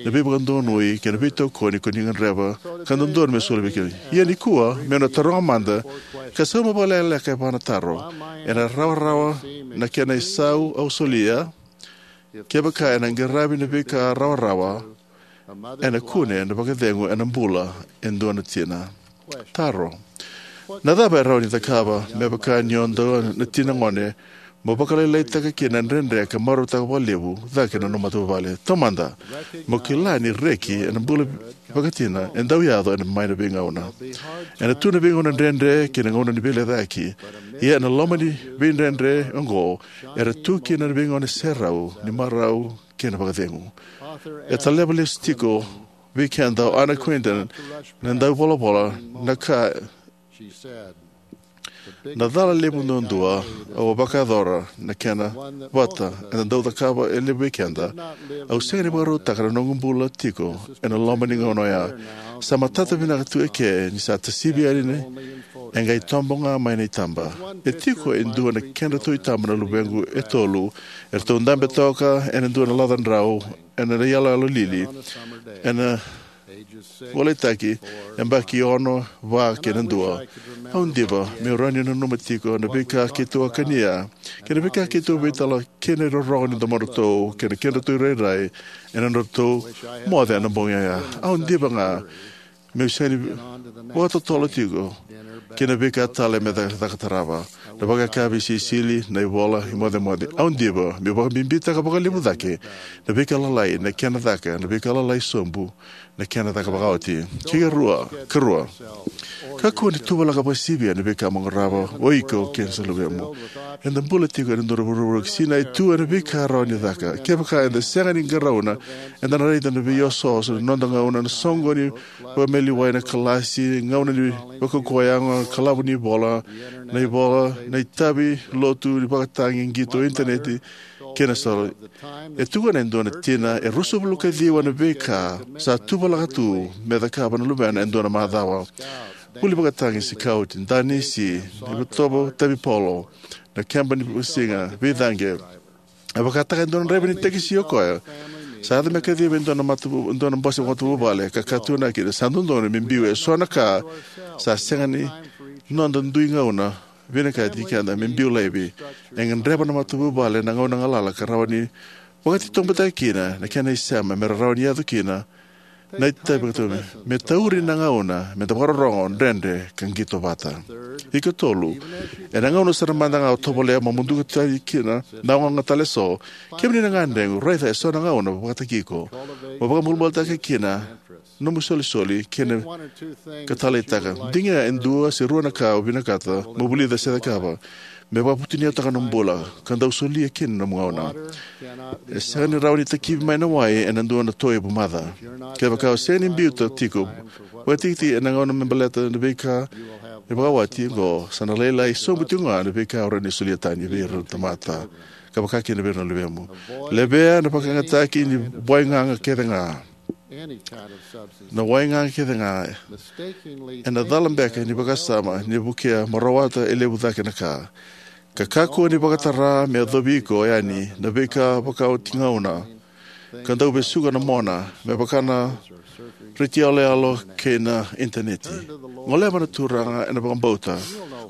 na veivakadonui kei na veitokoni ko ni gadreva ka dodonu me soli vei kemuni. Ia nikua, meu na taroga mada ka sauma vakalekaleka e va na taro: ena rawarawa na kena isau au solia? Kevaka ena qaravi na veika rawarawa, ena kune na vakacegu ena bula e dua na tina. Taro: na cava e rawa ni cakava me vaka ni o dua na tina gone mo vakalailaitaka kina na dredre ka marautaka vakalevu cake na nomu matavuvale? Taumada, mo kila ni reki ena bula vakatina e dau yaco ena mai na veigauna. Ena tu na veigauna dredre kei na gauna ni veilecayaki. Ia ena loma ni veidredre oqo era tu kina na veigauna serau ni marau kei na vakacegu. E taleva lesu tiko vei keda o Anna Quindlen na dau volavola na ka: na cala levu duadua au a vakayacora na kena vata eda dau cakava e levu vei keda, au sega ni vakarautaka na noqu bula tiko ena loma ni gauna oya. Sa matata vinaka tu eke ni sa tasivi yani, e qai tobo ga mai na itaba. E tiko e dua na kedratou itaba na luvequ e tolu, eratou dabe toka ena dua na laca drau ena iyaloyalo lili ena volaitaki, yabaki ono, va kei na dua. Au diva meu rawa ni nanuma tiko na veika keitou a kania kei na veika keitou veitalanoa kina, irorogo ni domodratou kei na kedratou irairai ena nodratou moce ena bogi oya. Au diva ga Meu sega ni vakatotolo tiko ki na veika tale me caka, caka tarava. Na vakayakavi, iseiseli, na ivola, imocemoce. Au diva meu vakabibitaka vakalevu cake na veika lalai na kena caka, na veika lalai sobu na kena caka vakaoti. Ki karua, karua. Kakua ni tuvalaka vakasivia na veika mo qarava o iko kei na luvemu. Eda bula tiko ena dua na vuravura sinai tu ena veika rawa ni caka. Kevaka eda sega ni qarauna, eda na raica na veiososo ni noda gauna, na soqoni vakamaliwai, na kalasi, gauna ni vakaukauwa yago, kalavu ni ivola, na ivola, na itavi lotu ni vakatagi, qito, initaneti, kei na sala. E tukuna e dua na tina e ruasagavulu ka ciwa na veika sa tuvalaka tu me cakava na luvena e dua na macawa. Vuli vakatagi, sikauti, danisi, itovo, tavi polo, na keba ni siga, veicaqe. E vakataka e dua na draiva ni tekisi o koya. Sa yaco me kaciva e dua na matavu-, dua na bose matavuvale, ka katunaki, sa dodonu me biu e so na ka sa sega ni noda dui gauna vinakati keda me biu laivi. E gadreva na matavuvale na gauna galala ka rawa ni vakatitobutaka kina na kena isema me rawa ni yaco kina na itavi vakatau, me tauri na gauna me da vakarorogo, dredre, ka qito vata. Ikatolu, ena gauna sara mada ga o tovolea mo muduka tani kina na ogaoga tale eso, kemuni na gadreva, raica e so na gauna vakataki iko mo vakabulabulataka kina nomu isolisoli kei na ka taleitaka. Digia e dua se rua na ka o vinakata mo vulica se cakava me vakavutuniyautaka nomu bula ka dau solia kina nomu gauna. E sega ni rawa ni takivi mai na wai ena dua na toevu maca. Kevaka o sega ni biuta tiko vakatikitiki ena gauna me baleta na veika e vakawati oqo, sa na lailai sobu tiko ga na veika o rawa ni solia tani vei ira na tamata, ka vaka kina vei ira na luvemu. Levea na vakayagataki ni wai gaga kece ga. Na wai gaga kece ga ena cala beka ni vakasama ni vukea mo rawata e levu cake na ka. Ka kakua ni vakatara me yacovi iko yani na veika vakaoti gauna ka dau vesuka na mona me vaka na reti yaloyalo kei na initaneti. Goleva na Turaga ena vakabauta,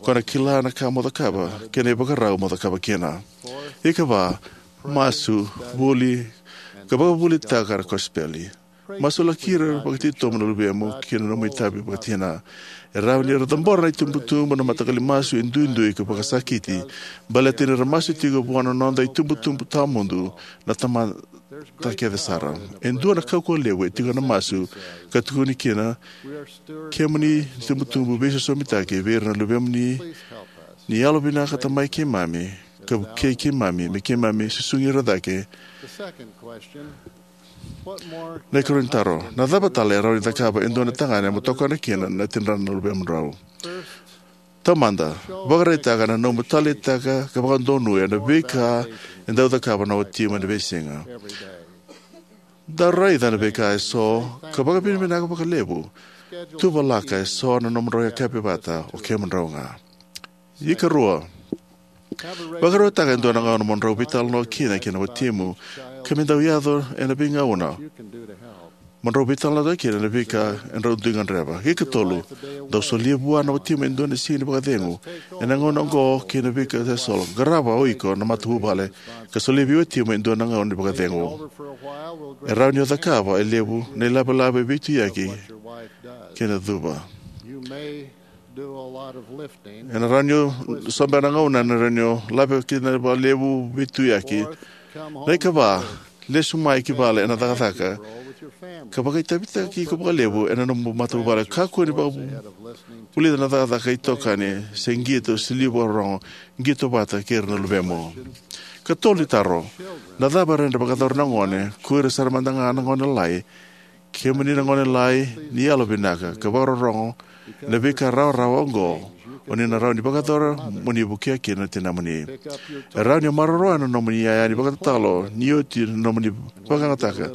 ko na kila na ka mo cakava kei na ivakarau mo cakava kina. Ikava, masu, vuli, ka vakavulitaka na kosipeli. Masulaki ira vakatitobu na luvemu kei na nomu itavi vakatina. E rawa ni ra cabora na itubutubu na mataqali masu e duidui ka vakasakiti, baleta ni ra masu tiko vua na noda itubutubu tawamudu na tamata kece sara. E dua na kaukauwa levu e tiko na masu ka tukuni kina, kemuni itubutubu veisosomitaki vei ira na luvemuni, ni yalovinakata mai keimami ka vukei keimami me keimami susugi ira cake. Na ikarua ni taro: na cava tale e rawa ni cakava e dua na tagane mo tokona kina na tidrana na luvemudrau? Taumada, vakaraitaka na nomu taleitaka ka vakadonuya na veika e dau cakava na watimu ena veisiga. Dau raica na veika eso ka vakavinavinaka vakalevu. Tuvalaka eso na nomudrau yakavi vata o kemudrau ga. Ikarua, vakarautaka e dua na gauna mo drau veitalanoa kina kei na watimu, ka me dau yaco ena veigauna mo drau veitalanoataka kina na veika e drau dui gadreva. Ikatolu, dau solia vua na watimu e dua na siga ni vakacegu ena gauna oqo kei na veika e solo. Qarava o iko na matavuvale ka solia vei watimu e dua na gauna ni vakacegu. E rawa ni o cakava e levu na ilavelave veituyaki kei na cuva. Ena rawa ni o sobe na gauna ena rawa ni o lave kina vakalevu veituyaki. Na ikava, lesu mai ki vale ena cakacaka ka vakaitavitaki iko vakalevu ena nomu matavuvale. Kakua ni vakavulica na cakacaka, itokani se qito se liu vakarorogo. Qito vata kei ira na luvemu. Katolu ni taro: na cava e rawa ni vakayacora na gone, ko ira sara mada ga na gone lalai? Kemuni na gone lalai, ni yalovinaka ka vakarorogo ena veika rawarawa oqo, o ni na rawa ni vakayacora mo ni vukea kina na tinamuni. E rawa ni o maroroya na nomuni iyaya ni vakatatalo ni oti na nomuni vakayagataka.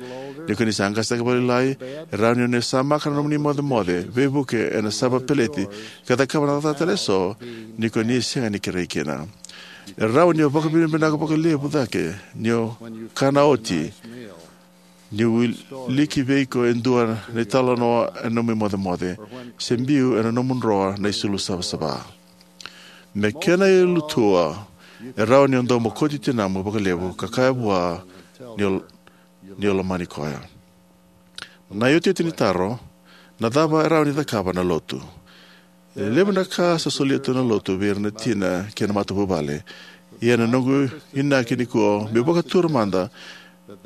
Ni ko ni sa qasenivuli vakalailai, e rawa ni o ni samaka na nomuni imocemoce, veivuke ena sava peleti, ka cakava na cakacaka tale eso ni ko ni sega ni kerei kina. E rawa ni o vakavinavinaka vakalevu cake ni o kana oti, ni wiliki vei iko e dua na italanoa ena nomu imocemoce, se biu ena nomu droa na isulu savasava. Me kena ilutua, e rawa ni o dau mokoti tinamu vakalevu ka kaya vua ni o, ni o lomani koya. Na iotioti ni taro: Na cava e rawa ni cakava na lotu? E levu na ka sa solia tu na lotu vei ira na tina kei na matavuvale. Ia na noqu inaki nikua meu vakatura mada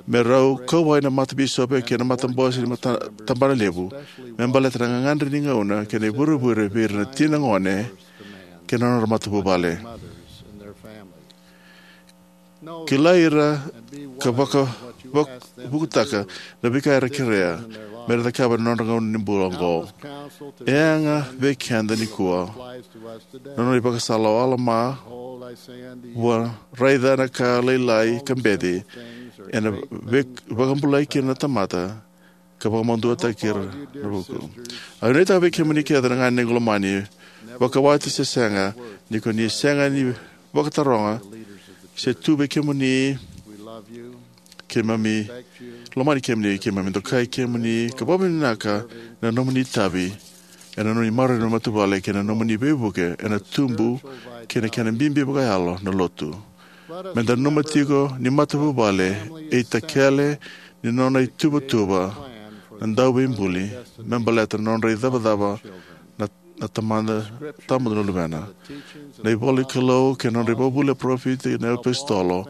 me rau kauwai na matabisopi kei na matabose ni mata, tabana levu me baleta na gagadre ni gauna kei na ivurevure vei ira na tina gone kei na nodra matavuvale. Kilai ira ka vaka, vak, vukutaka na veika era kerea me ra cakava ena nodra gauna ni bula oqo. E yaga vei keda nikua na nona ivakasala o Alama: Vua raica na ka lailai ka beci ena vei, vakabulai kina na tamata, ka vakamaduataki ira na vuku. Au nuitaka vei kemuni kece na ganegu lomani, vakawati se sega, ni ko ni sega ni vakataroga se tu vei kemuni, keimami lomani kemuni, keimami dokai kemuni ka vakavinavinaka na nomuni itavi ena nomuni maroroi na matavuvale kei na nomuni veivuke ena tubu kei na kena bibi vakayalo na lotu. Meda nanuma tiko ni matavuvale e itakele ni nona ituvatuva na Dauveibuli me baleta na nodra icavacava na, na Tamada, Tamada na Luvena. Na ivola ni Kalou kei na nodra ivakavuvuli na parofita kei na iapositolo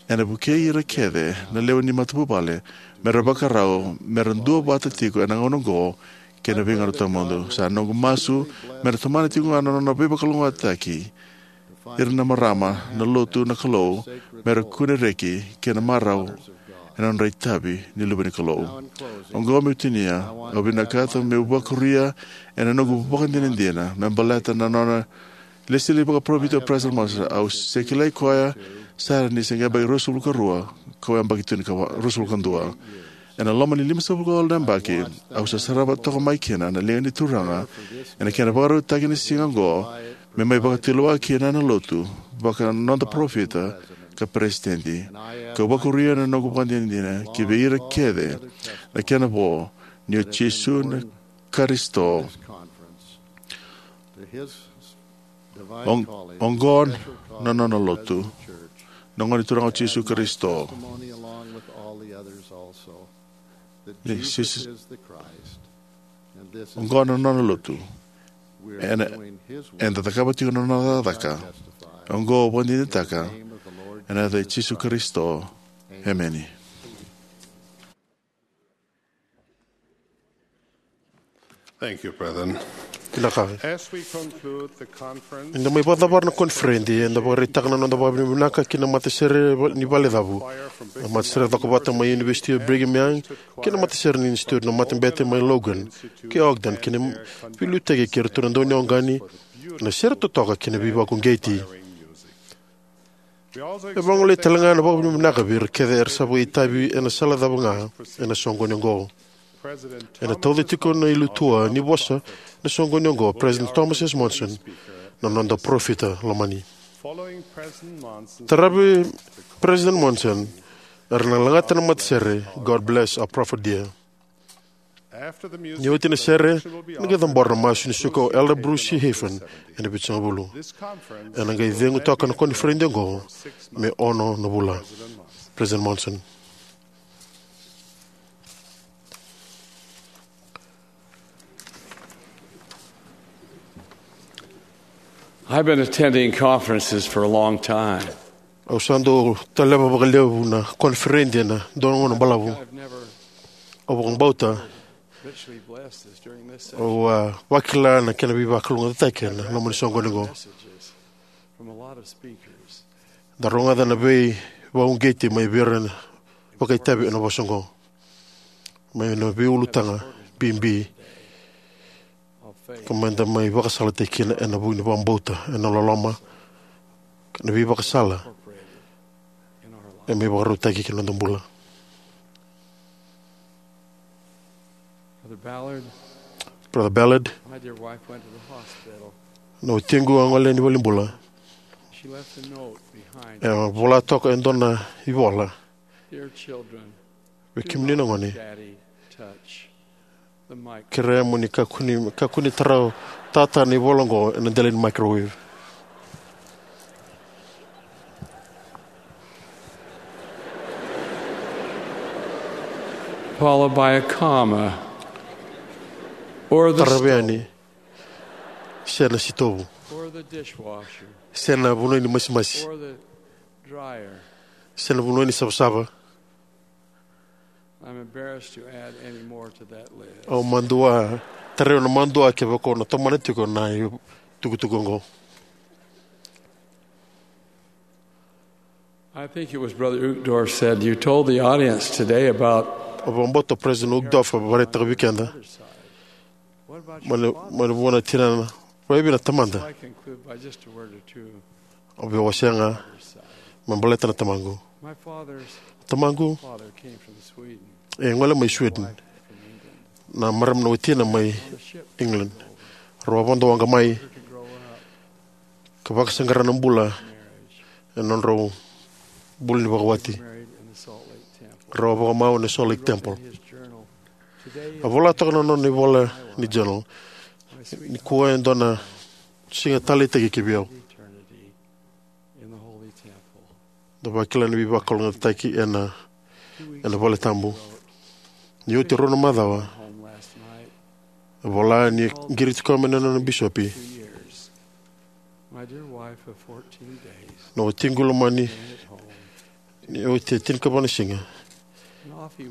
ena vukei ira kece na lewe ni matavuvale me ra vakarau me ra duavata tiko ena gauna oqo kei na veigauna tawamudu. Sa noqu masu me ra tomana tiko ga na nona veivakalougatataki ira na marama na lotu na Kalou me ra kune reki kei na marau ena nodra itavi ni luve ni Kalou. Oqo meu tinia, au vinakata meu vakuria ena noqu vakadinadina me baleta na nona lesili vakaparofita o President Monson. Au se kilai koya sara ni se yabaki ruasagavulu ka rua, kau yabaki tu ni ka ruasagavulu ka dua. Ena loma ni limasagavulu ka walu na yabaki, au sa sarava toka mai kina na liga ni Turaga ena kena vakarautaki na siga oqo me mai vakatulewa kina na lotu vaka noda parofita ka peresitedi. Kau vakuria na noqu vakadinadina ki vei ira kece na kena vo ni o Jisu na Karisito. Oqo na nona lotu, na Gone Turaga o Jisu Karisito. Ni Jisu, oqo na nona lotu. Ena, eda cakava tiko na nona cakacaka. Oqo au vakadinadinataka ena yaca i Jisu Karisito. Emeni. Thank you, brethren. Vinaka. As we conclude the conference, eda mai vakacavara na koniferedi, eda vakaraitaka na noda vakavinavinaka ki na matasere ni Valecavu, na matasere cokovata mai University of Brigham Young, kei na matasere ni Institute, na matabete mai Logan kei Ogden, kei na veiliutaki kei iratou na dauniwaqani, na sere totoka kei na veivakauqeti. E vagolei tale ga na vakavinavinaka vei ira kece era sa vakaitavi ena sala cava ga ena soqoni oqo. Ena tauca tiko na ilutua ni vosa ena soqoni oqo, President Thomas S. Monson, na noda parofita lomani. Taravi President Monson, era na lagata na matasere God Bless Our Prophet Dear. Ni oti na sere, ena qai cabora na masu ni suka o Elder Bruce C. Hafen ena vitusagavulu. Ena qai cegu toka na koniferedi oqo me ono na vula. President Monson. I've been attending conferences for a long time. Au sa dau taleva vakalevu na koniferedi ena dua na gauna balavu. Au vakabauta au a vakila na kena veivakalougatataki ena loma ni soqoni oqo. Da rogoca na veivakauqeti mai vei ira na vakaitavi ena vosa oqo, mai na veiulutaga bibi ka meda mai vakasalataki kina ena vuku ni vakabauta, ena loloma, kei na veivakasala e mai vakarautaki ki na noda bula. Brother Ballard, na watiqu a gole yani valenibula. E vola toka e dua na ivola. Vei kemuni na gone, kerea mo ni kakua ni, kakua ni tara tata na ivola oqo ena dela ni microwave. Followed by a comma. or the taravi yani, se na sitovu, or the dishwasher, se na vanua ni masimasi, or the dryer. Se na vanua ni savasava. I'm embarrassed to add any more to that list. Au madua, tarai au na madua kevaka au na tomana tiko na itukutuku oqo. I think it was Brother Uchtdorf said, "You told the audience today about," Au vakabauta o President Uchtdorf a vakaraitaka vei keda mai na, mai na vua na tinana. Vakaevei na tamada? So I conclude by just a word or two. Au via wasea ga me baleta na tamaqu. My father's Tamaqu father came from Sweden. E gole mai Sweden. Na marama na watina mai England. Rau a vodo waqa mai ka vakasaqara na bula ena nodrau bula ni vakawati. Rau a vakamau ena Salt Lake Temple. A vola toka na nona ivola ni journal: "Nikua e dua na siga taleitaki ki vei au." Da vakila na veivakalougatataki ena, ena vale tabu. Ni oti e rua na macawa, e vola ni qiriti koya mai na nona bisopi. Na watiqu lomani, ni oti e tinikava na siga,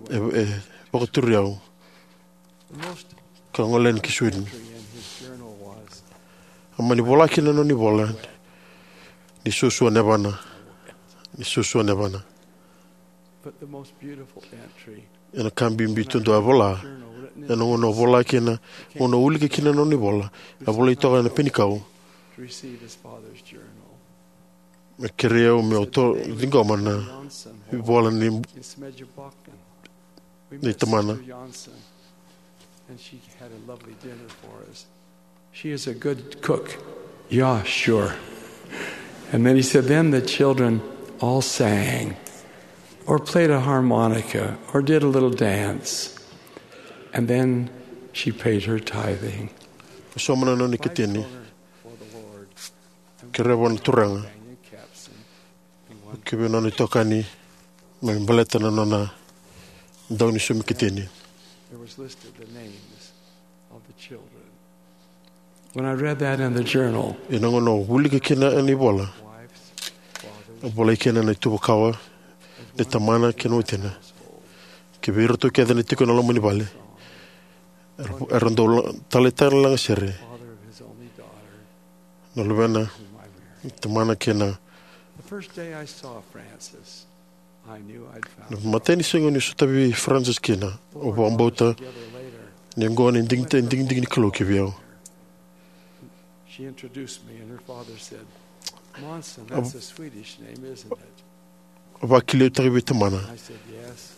e, e vakaturi au ka gole yani ki Sweden. A mani vola kina na nona ivola ni suasua na yavana, ni suasua na yavana. Ena ka bibi tu dua a vola, ena gauna a vola kina, gauna a wilika kina na nona ivola, a volai toka ena penikau. Me kerei au meu ciqoma na ivola ni, ni tamana. And she had a lovely dinner for us. She is a good cook. Yeah, sure. And then he said, then the children all sang or played a harmonica or did a little dance. And then she paid her tithing. Soma na nona ikatini. Kereva na Turaga. Kivei nona itokani me baleta na nona dau ni sumi ikatini. When I read that in the journal, ena gauna au wilika kina ena ivola, a volai kina na ituvakawa ni tamana kei na watina. Kivei iratou kece na tiko ena loma ni vale, era, era dau la-, taleitaka na lagasere. Na luvena, tamana kei na. The first day I saw Frances, I knew I'd found. Na matai ni siga niu sotavi Frances kina, au vakabauta ni oqo na digita-, digidigi ni Kalou ki vei au. She introduced me and her father said, Monson, that's a Swedish name, isn't it? A vakiliutaki vei tamana. I said, yes.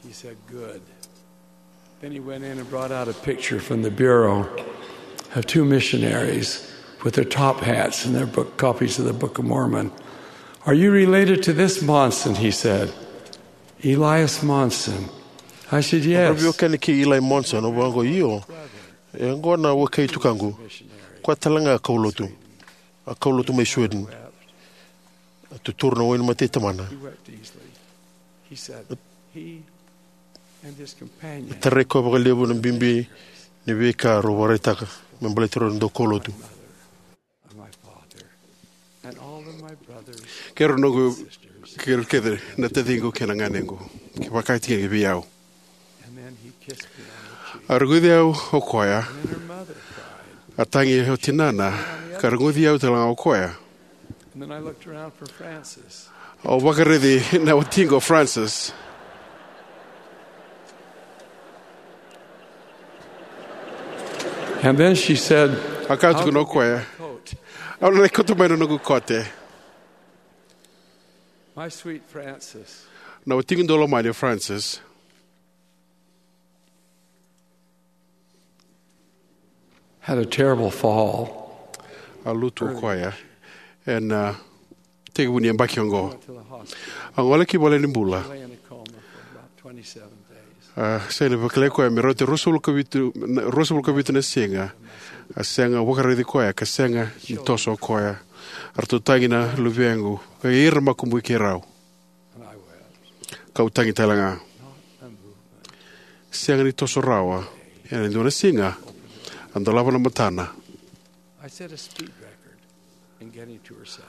He said, good. Then he went in and brought out a picture from the bureau of two missionaries with their top hats and their book, copies of the Book of Mormon. Are you related to this Monson? He said. Elias Monson. I said, yes. Au veiwekani kei Eli Monson, au vaqo, io. E oqo na wekai tukaqu. Koya tale ga a kaulotu. A kaulotu mai Sweden. A tuturu na wainimate i tamana. E tarai koya vakalevu na bibi ni veika rau vakaraitaka me baleti rau na daukaulotu. Kei rau noqu, kei rau kece na taciqu kei na ganequ, kei vakataki vei au. A rogoci au o koya. A tagi o tinana, ka rogoci au tale ga o koya. Au vakaraici na watiqu o Frances. And then she said, a kaya tiko o koya, au na lai kauta mai na noqu kote. My sweet Frances. Na watiqu daulomani o Frances. Had a terrible fall. A lutu o koya ena, uh, tekivu ni yabaki oqo. A gole ki vale ni bula. A sega ni vakilai koya me rauta ruasagavulu ka vitu, ruasagavulu ka vitu na siga. A sega vakaraici koya ka sega ni toso o koya. A ratou tagi na luvequ ka ira makubui keirau. Kau tagi tale ga. Sega ni toso rawa ena dua na siga. A dolava na matana. I set a speed record in getting to her side.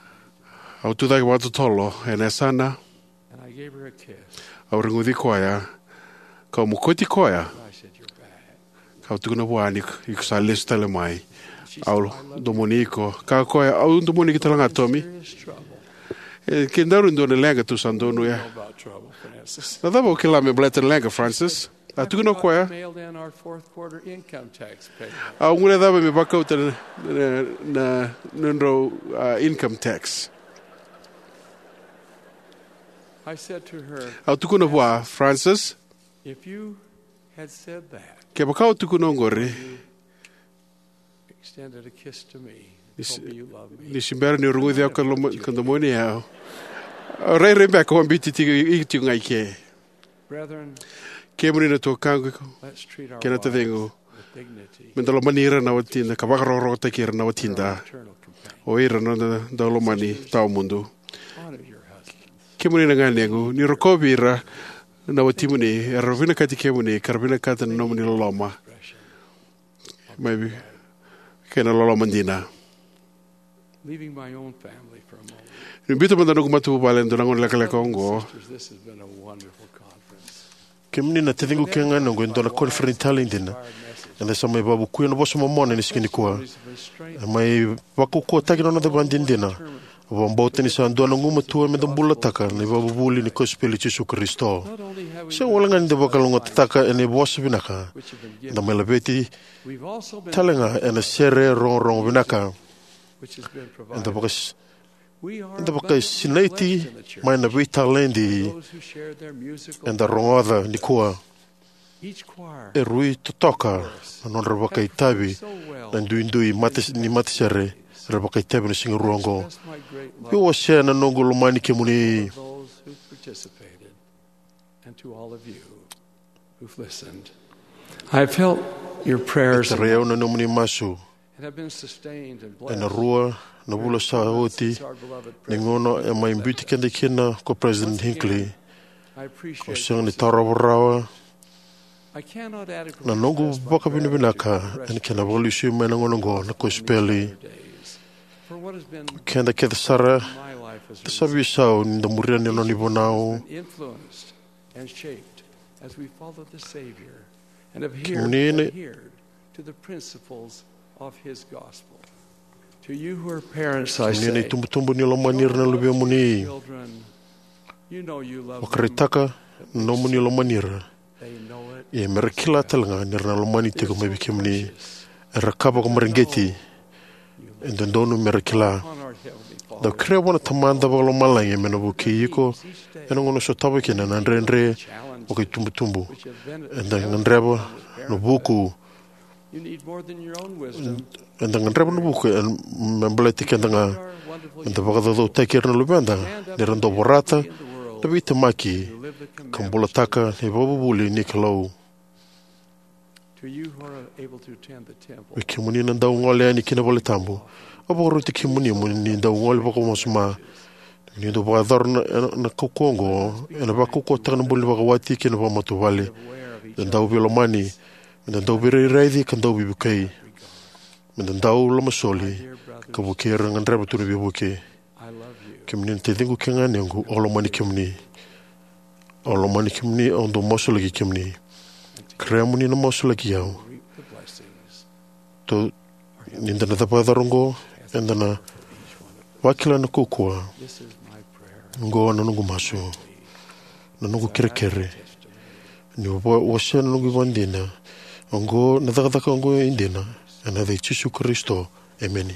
Au tucake vakatotolo ena yasana. And I gave her a kiss. Au reguci koya. Kau mokoti koya. I said, "You're back." Kau tukuna vua ni iko sa lesu tale mai. Au domoni iko. Kaya o koya, "Au domoni iko tale ga, Tommy." Serious trouble. E, ke daru dua na leqa tou sa donuya. Know about trouble, Francis. Na cava o kila me baleta na leqa, Francis? A tukuna o koya. Mailed in our fourth quarter income tax payment. Au guilecava me vakauta na, na, na, na nodrau, a, income tax. I said to her, au tukuna vua, "Francis, if you had said that, kevaka o tukuna oqori, extended a kiss to me, ni se, told me you love me, ni se bera ni o reguci au ka loma-, ka domoni au, au rairai beka o a biuti tiko, i tiko ga i ke." Brethren, kemuni na tuakaqu, let's treat our kei na wives tacegu, with dignity, me da lomani ira na watida, ka vakarokorokotaki ira na watida, our eternal companion. O ira na noda dau lomani tawamudu. Honor your husbands. Kemuni na ganequ, ni rokovi ira na watimuni, era vinakati kemuni, ka ra vinakata na nomuni loloma. Mai vi-, kei na loloma dina. Leaving my own family for a moment. Ni biuta mada noqu matavuvale e dua na gauna lekaleka oqo. Sisters, this has been a wonderful conference. Kemuni na taciqu kei na ganequ, e dua na koniferedi talei dina. Eda sa mai vakavukuya na vosa momona ena siga nikua. E mai vakaukauwataki na noda ivakadinadina. Au vakabauta ni sa dua na gumatua me da bulataka na ivakavuvuli ni kosipeli i Jisu Karisito. Sega walega ni da vakalougatataka ena vosa vinaka eda mai laveti tale ga ena sere rogorogo vinaka. Eda vaka-, eda vakasinaiti mai na veitaledi eda rogoca nikua. E rui totoka na nodra vakaitavi na duidui mata-, ni matasere era vakaitavi na siga rua oqo. Via wasea na noqu lomani kemuni. And to all of you who've listened. I've felt your prayers. E tarai au na nomuni masu. And have been sustained and blessed. Ena rua na vula sa oti, ni gauna e mai biuti keda kina ko President Hinckley. I appreciate this. Au sega ni tarova rawa na noqu vakavinavinaka ena kena vakalesui mai na gauna oqo na kosipeli. Keda kece sara da sa veisau ni da muria na nona ivunau. Kemuni na itubutubu, ni lomani ira na luvemuni. Vakaraitaka na nomuni lomani ira. Ia me ra kila tale ga ni ra na lomani tiko mai vei kemuni. Era ka vakamareqeti. E dodonu me ra kila. Dau kerea vua na Tamada Vakalomalagi me na vukei iko ena gauna o sotava kina na dredre vakaitubutubu. Eda gadreva na vuku. Eda gadreva na vuku e, me baleti keda ga. Eda vakacaucautaki ira na luveda ni ra dau vorata na veitemaki ka bulataka na ivakavuvuli ni Kalou. Vei kemuni na dau gole yani ki na valetabu, au vakaroti kemuni mo ni dau gole vakawasoma. Ni dau vakayacora na, na, na kaukauwa oqo, ena vakaukauwataka na bula ni vakawati kei na vakamatavuvale. Me da dau veilomani, me da dau veirairaici ka dau veivukei. Me da dau lomasoli ka vukei ira gadreva tu na veivuke. Kemuni na taciqu kei na ganequ, au lomani kemuni. Au lomani kemuni, au dau masulaki kemuni. Kerea mo ni na masulaki au. Tou, ni da na cava vakayacora oqo, eda na vakila na kaukauwa. Oqo na noqu masu, na noqu kerekere. Ni va-, wasea na noqu ivakadina. Oqo na cakacaka oqo e dina. Ena yaca i Jisu Karisito. Emeni.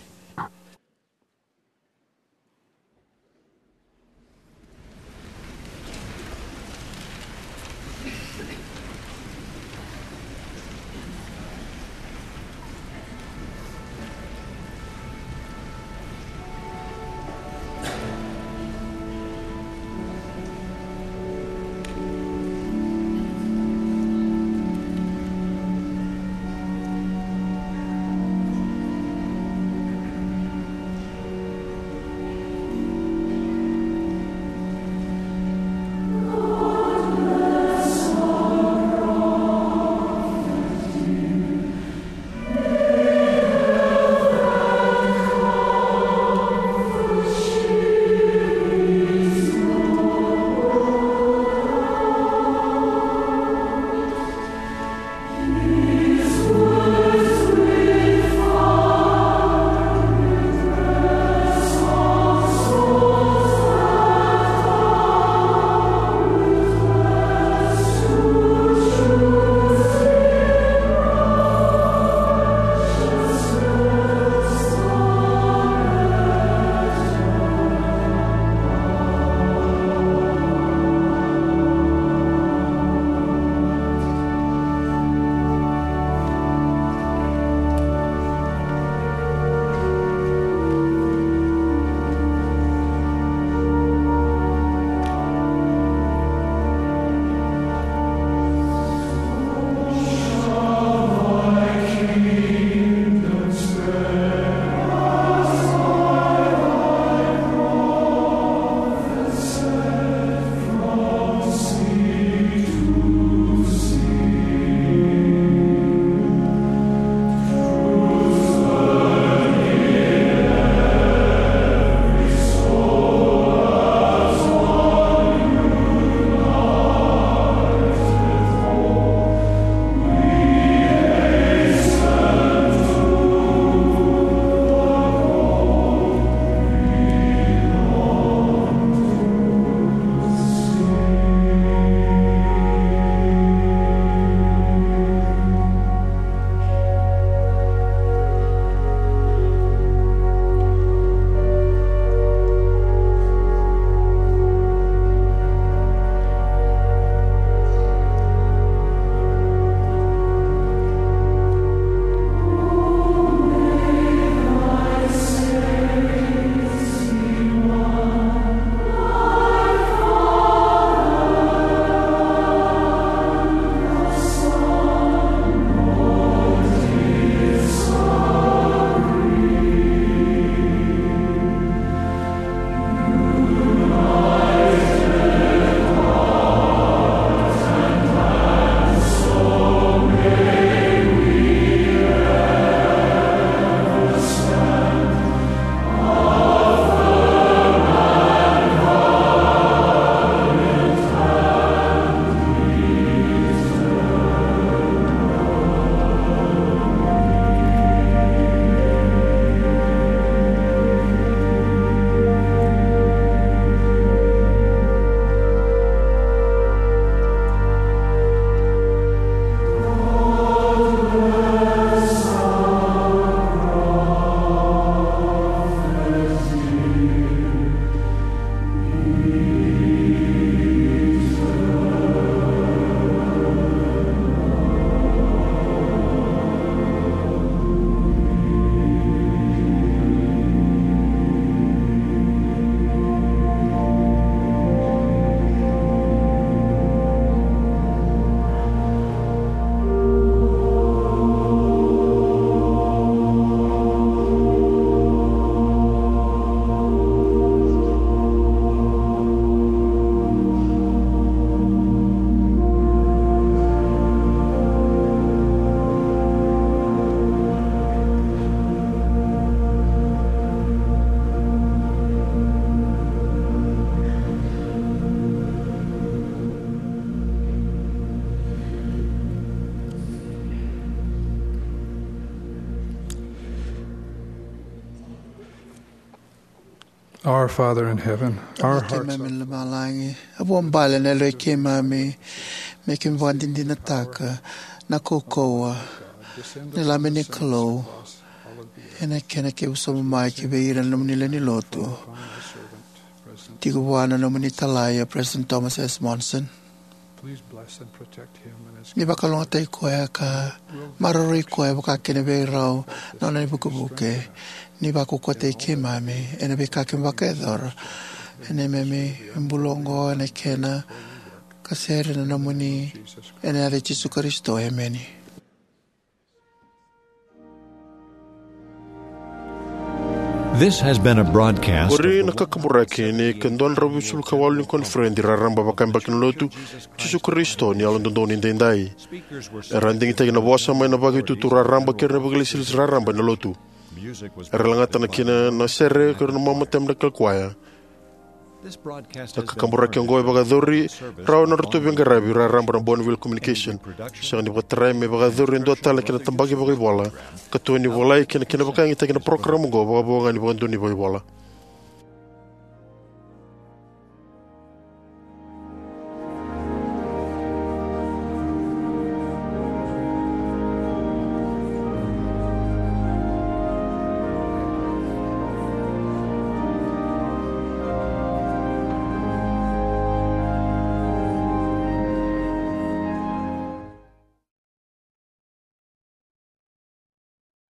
Our Father in heaven, our hearts keimami na lomalagi, a vuabale na yaloi keimami me keimami vakadinadinataka na kaukauwa ni Lami ni Kalou ena kena kena vakasaumaki vei ira na nomuni lewe ni lotu. Tiko vua na nomuni talai o President Thomas S. Monson. Ni vakalougatataki koya ka maroroi koya vaka kina vei rau na nona ivukevuke. Ni vakaukauwataki keimami ena veika keimami vakayacora ena neimami bula oqo ena kena ka sere na nomuni, ena yaca i Jisu Karisito, emeni. This has been a broadcast. Qori na kakaburaki ni ka dua na drau vitusagavulu ka walu ni koniferedi raraba vakayabaki na lotu Jisu Karisito ni Yalododonu Edaidai. Era a digitaki na vosa mai na vakaitutu raraba kei ira na vakailesilesi raraba ena lotu. Era lagata na kina na sere kei ira na mamatamata na kalakwaya. Na kakaburaki oqo e vakayacori rawa na nodratou veiqaravi raraba na Bonneville Communication. Sega ni vakatarai me vakayacori e dua tale na kena tabaki vakaivola ka tu ni volai kei na kena vakayagataki na parokaramu oqo vakavo ga ni vakadonui vakaivola.